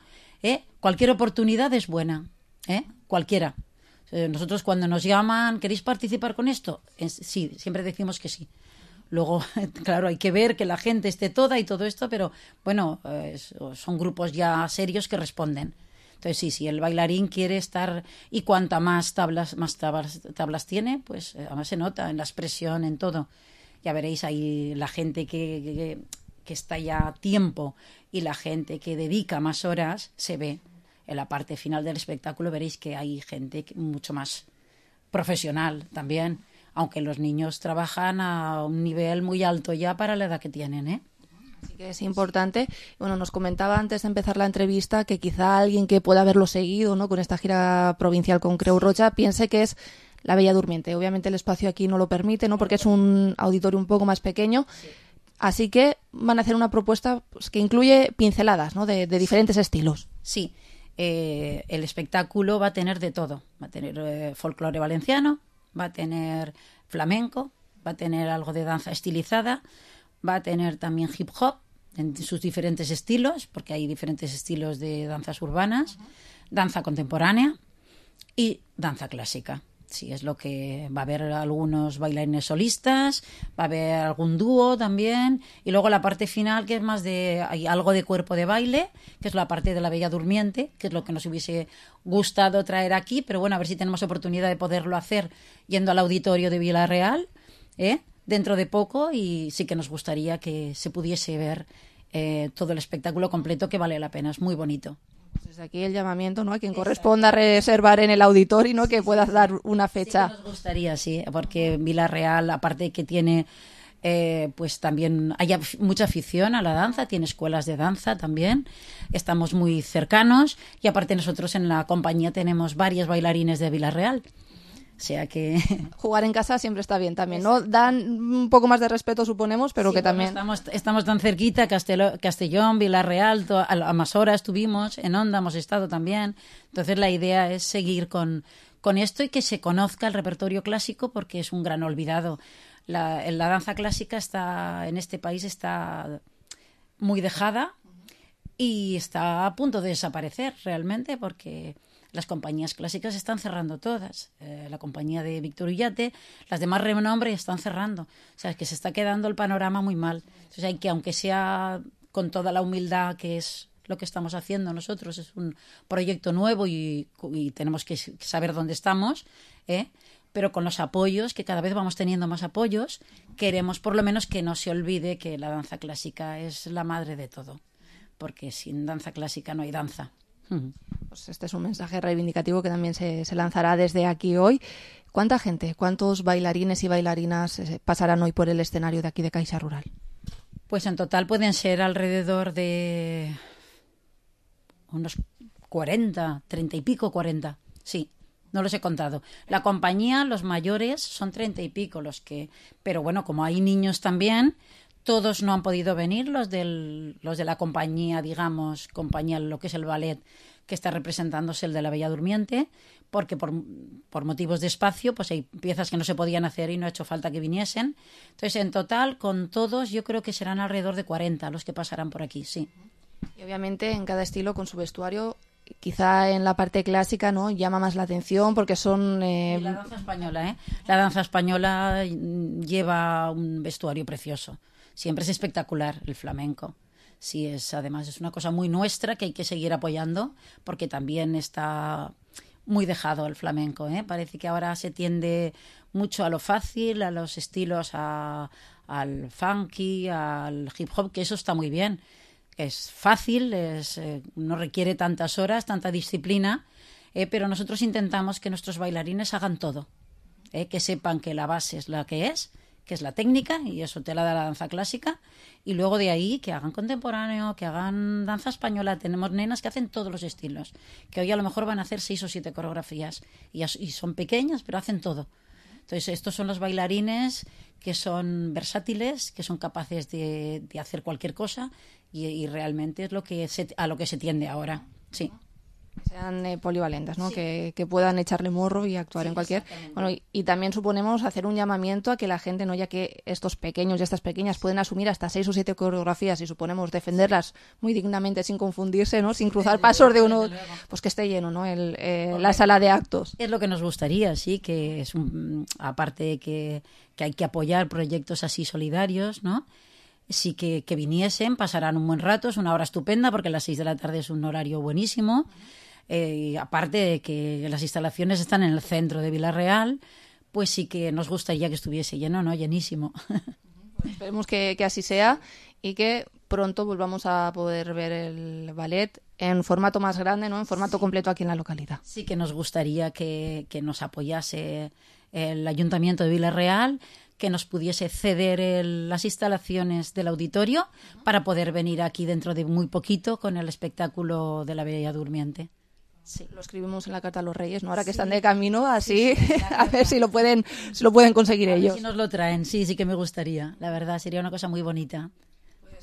cualquier oportunidad es buena, cualquiera. Nosotros cuando nos llaman, ¿queréis participar con esto? Sí, siempre decimos que sí. Luego, claro, hay que ver que la gente esté toda y todo esto, pero bueno, son grupos ya serios que responden. Entonces sí, el bailarín quiere estar, y cuanta más tablas tiene, pues además se nota en la expresión, en todo. Ya veréis ahí la gente que está ya a tiempo y la gente que dedica más horas, se ve. En la parte final del espectáculo veréis que hay gente mucho más profesional también, aunque los niños trabajan a un nivel muy alto ya para la edad que tienen, Así que es importante. Bueno, nos comentaba antes de empezar la entrevista que quizá alguien que pueda haberlo seguido, ¿no?, con esta gira provincial con Creu Roja, piense que es La Bella Durmiente. Obviamente el espacio aquí no lo permite, ¿no? Porque es un auditorio un poco más pequeño. Sí. Así que van a hacer una propuesta pues, que incluye pinceladas, ¿no? de diferentes estilos. Sí. El espectáculo va a tener de todo. Va a tener folclore valenciano, va a tener flamenco, va a tener algo de danza estilizada, va a tener también hip hop en sus diferentes estilos, porque hay diferentes estilos de danzas urbanas, danza contemporánea y danza clásica. Sí, es lo que va a haber algunos bailarines solistas, va a haber algún dúo también, y luego la parte final que es más hay algo de cuerpo de baile, que es la parte de la Bella Durmiente, que es lo que nos hubiese gustado traer aquí, pero bueno, a ver si tenemos oportunidad de poderlo hacer yendo al auditorio de Vila-real, dentro de poco, y sí que nos gustaría que se pudiese ver todo el espectáculo completo, que vale la pena, es muy bonito. Desde aquí el llamamiento, ¿no? A quien corresponda reservar en el auditorio, ¿no? Que puedas dar una fecha. Sí que nos gustaría, sí, porque Vila-real, aparte de que tiene, pues también hay mucha afición a la danza, tiene escuelas de danza también, estamos muy cercanos, y aparte nosotros en la compañía tenemos varios bailarines de Vila-real. O sea que... Jugar en casa siempre está bien también, ¿no? Dan un poco más de respeto, suponemos, pero sí, que también... Estamos tan cerquita, Castellón, Vila-real, a más horas estuvimos, en Onda hemos estado también. Entonces la idea es seguir con esto y que se conozca el repertorio clásico, porque es un gran olvidado. La danza clásica en este país está muy dejada y está a punto de desaparecer realmente, porque... Las compañías clásicas están cerrando todas. La compañía de Víctor Ullate, las demás renombre están cerrando. O sea, es que se está quedando el panorama muy mal. Entonces hay que, aunque sea con toda la humildad que es lo que estamos haciendo nosotros, es un proyecto nuevo y tenemos que saber dónde estamos, pero con los apoyos, que cada vez vamos teniendo más apoyos, queremos por lo menos que no se olvide que la danza clásica es la madre de todo. Porque sin danza clásica no hay danza. Pues este es un mensaje reivindicativo que también se lanzará desde aquí hoy. ¿Cuánta gente, cuántos bailarines y bailarinas pasarán hoy por el escenario de aquí de Caixa Rural? Pues en total pueden ser alrededor de unos 40, 30 y pico, 40, sí. No los he contado. La compañía, los mayores, son 30 y pico los que... Pero bueno, como hay niños también... Todos no han podido venir, los de la compañía, digamos, lo que es el ballet que está representándose, el de la Bella Durmiente, porque por motivos de espacio, pues hay piezas que no se podían hacer y no ha hecho falta que viniesen. Entonces, en total, con todos, yo creo que serán alrededor de 40 los que pasarán por aquí, sí. Y obviamente en cada estilo con su vestuario, quizá en la parte clásica, ¿no? Llama más la atención porque son... La danza española, ¿eh? La danza española lleva un vestuario precioso. Siempre es espectacular el flamenco. Sí, además es una cosa muy nuestra que hay que seguir apoyando, porque también está muy dejado el flamenco, ¿eh? Parece que ahora se tiende mucho a lo fácil, a los estilos, al funky, al hip hop, que eso está muy bien. Es fácil, no requiere tantas horas, tanta disciplina, pero nosotros intentamos que nuestros bailarines hagan todo, que sepan que la base es la que es la técnica, y eso te la da la danza clásica, y luego de ahí que hagan contemporáneo, que hagan danza española. Tenemos nenas que hacen todos los estilos, que hoy a lo mejor van a hacer 6 o 7 coreografías, y son pequeñas, pero hacen todo. Entonces estos son los bailarines que son versátiles, que son capaces de hacer cualquier cosa, y realmente es a lo que se tiende ahora, sí. Sean polivalentes, ¿no? Sí. Que puedan echarle morro y actuar en cualquier... Bueno, y también suponemos hacer un llamamiento a que la gente, ¿no? Ya que estos pequeños y estas pequeñas pueden asumir hasta 6 o 7 coreografías, y suponemos defenderlas muy dignamente sin confundirse, ¿no? Sin cruzar pasos de uno, pues que esté lleno, ¿no? La sala de actos. Es lo que nos gustaría, sí, que es aparte que hay que apoyar proyectos así solidarios, ¿no? Sí, que viniesen, pasarán un buen rato, es una hora estupenda porque a las 6 de la tarde es un horario buenísimo. Y aparte de que las instalaciones están en el centro de Vila-real, pues sí que nos gustaría que estuviese lleno, ¿no? Llenísimo. Esperemos que así sea y que pronto volvamos a poder ver el ballet en formato más grande, ¿no? En formato completo aquí en la localidad. Sí que nos gustaría que nos apoyase el Ayuntamiento de Vila-real, que nos pudiese ceder las instalaciones del auditorio para poder venir aquí dentro de muy poquito con el espectáculo de la Bella Durmiente. Sí. Lo escribimos en la carta a los Reyes, ¿no? Ahora que están de camino, así, a ver si lo pueden conseguir ellos. Si nos lo traen, sí que me gustaría. La verdad, sería una cosa muy bonita.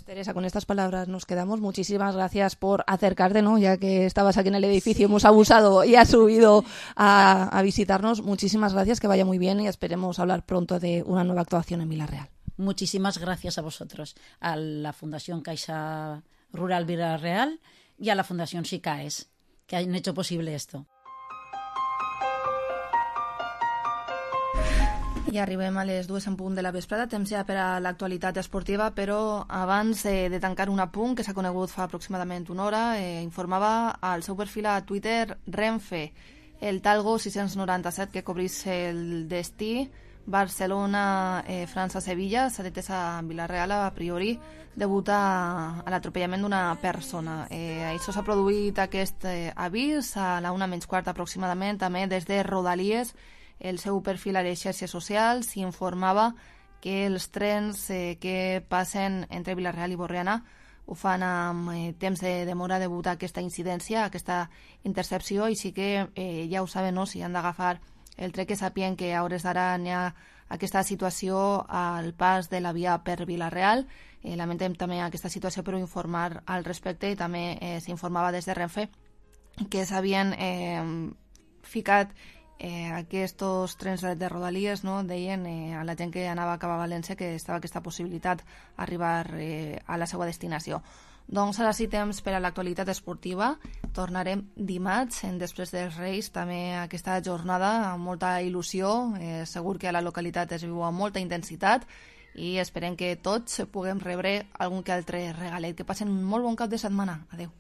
Teresa, con estas palabras nos quedamos. Muchísimas gracias por acercarte, ¿no? Ya que estabas aquí en el edificio, hemos abusado y has subido a visitarnos. Muchísimas gracias, que vaya muy bien y esperemos hablar pronto de una nueva actuación en Vila-real. Muchísimas gracias a vosotros, a la Fundación Caixa Rural Vila-real y a la Fundación SICAES, que han hecho posible esto. I arribem a les 2 en punt de la vesprada, temps ja per a l'actualitat esportiva, però abans de tancar un apunt que s'ha conegut fa aproximadament una hora, informava al seu perfil a Twitter Renfe, el Talgo 697 que cobrís el destí Barcelona-França-Sevilla, s'ha detès a Vila-real a priori degut a l'atropellament d'una persona. Això s'ha produït aquest avís a la 1:15 aproximadament, també des de Rodalies. El seu perfil a les xarxes socials s'informava que els trens que passen entre Vila-real i Borriana ho fan amb temps de demora degut a aquesta incidència, a aquesta intercepció, i sí que ja ho saben, no? Si han d'agafar el tren, que sàpien que a hores d'ara hi ha aquesta situació al pas de la via per Vila-real. Lamentem també aquesta situació, però informar al respecte, i també s'informava des de Renfe que s'havien ficat aquests trens de Rodalies, no? Deien a la gent que anava cap a València que estava aquesta possibilitat d'arribar a la seva destinació. Doncs ara sí, temps per a l'actualitat esportiva. Tornarem dimarts, després dels Reis, també aquesta jornada amb molta il·lusió. Segur que a la localitat es viu amb molta intensitat i esperem que tots puguem rebre algun que altre regalet. Que passen un molt bon cap de setmana. Adéu.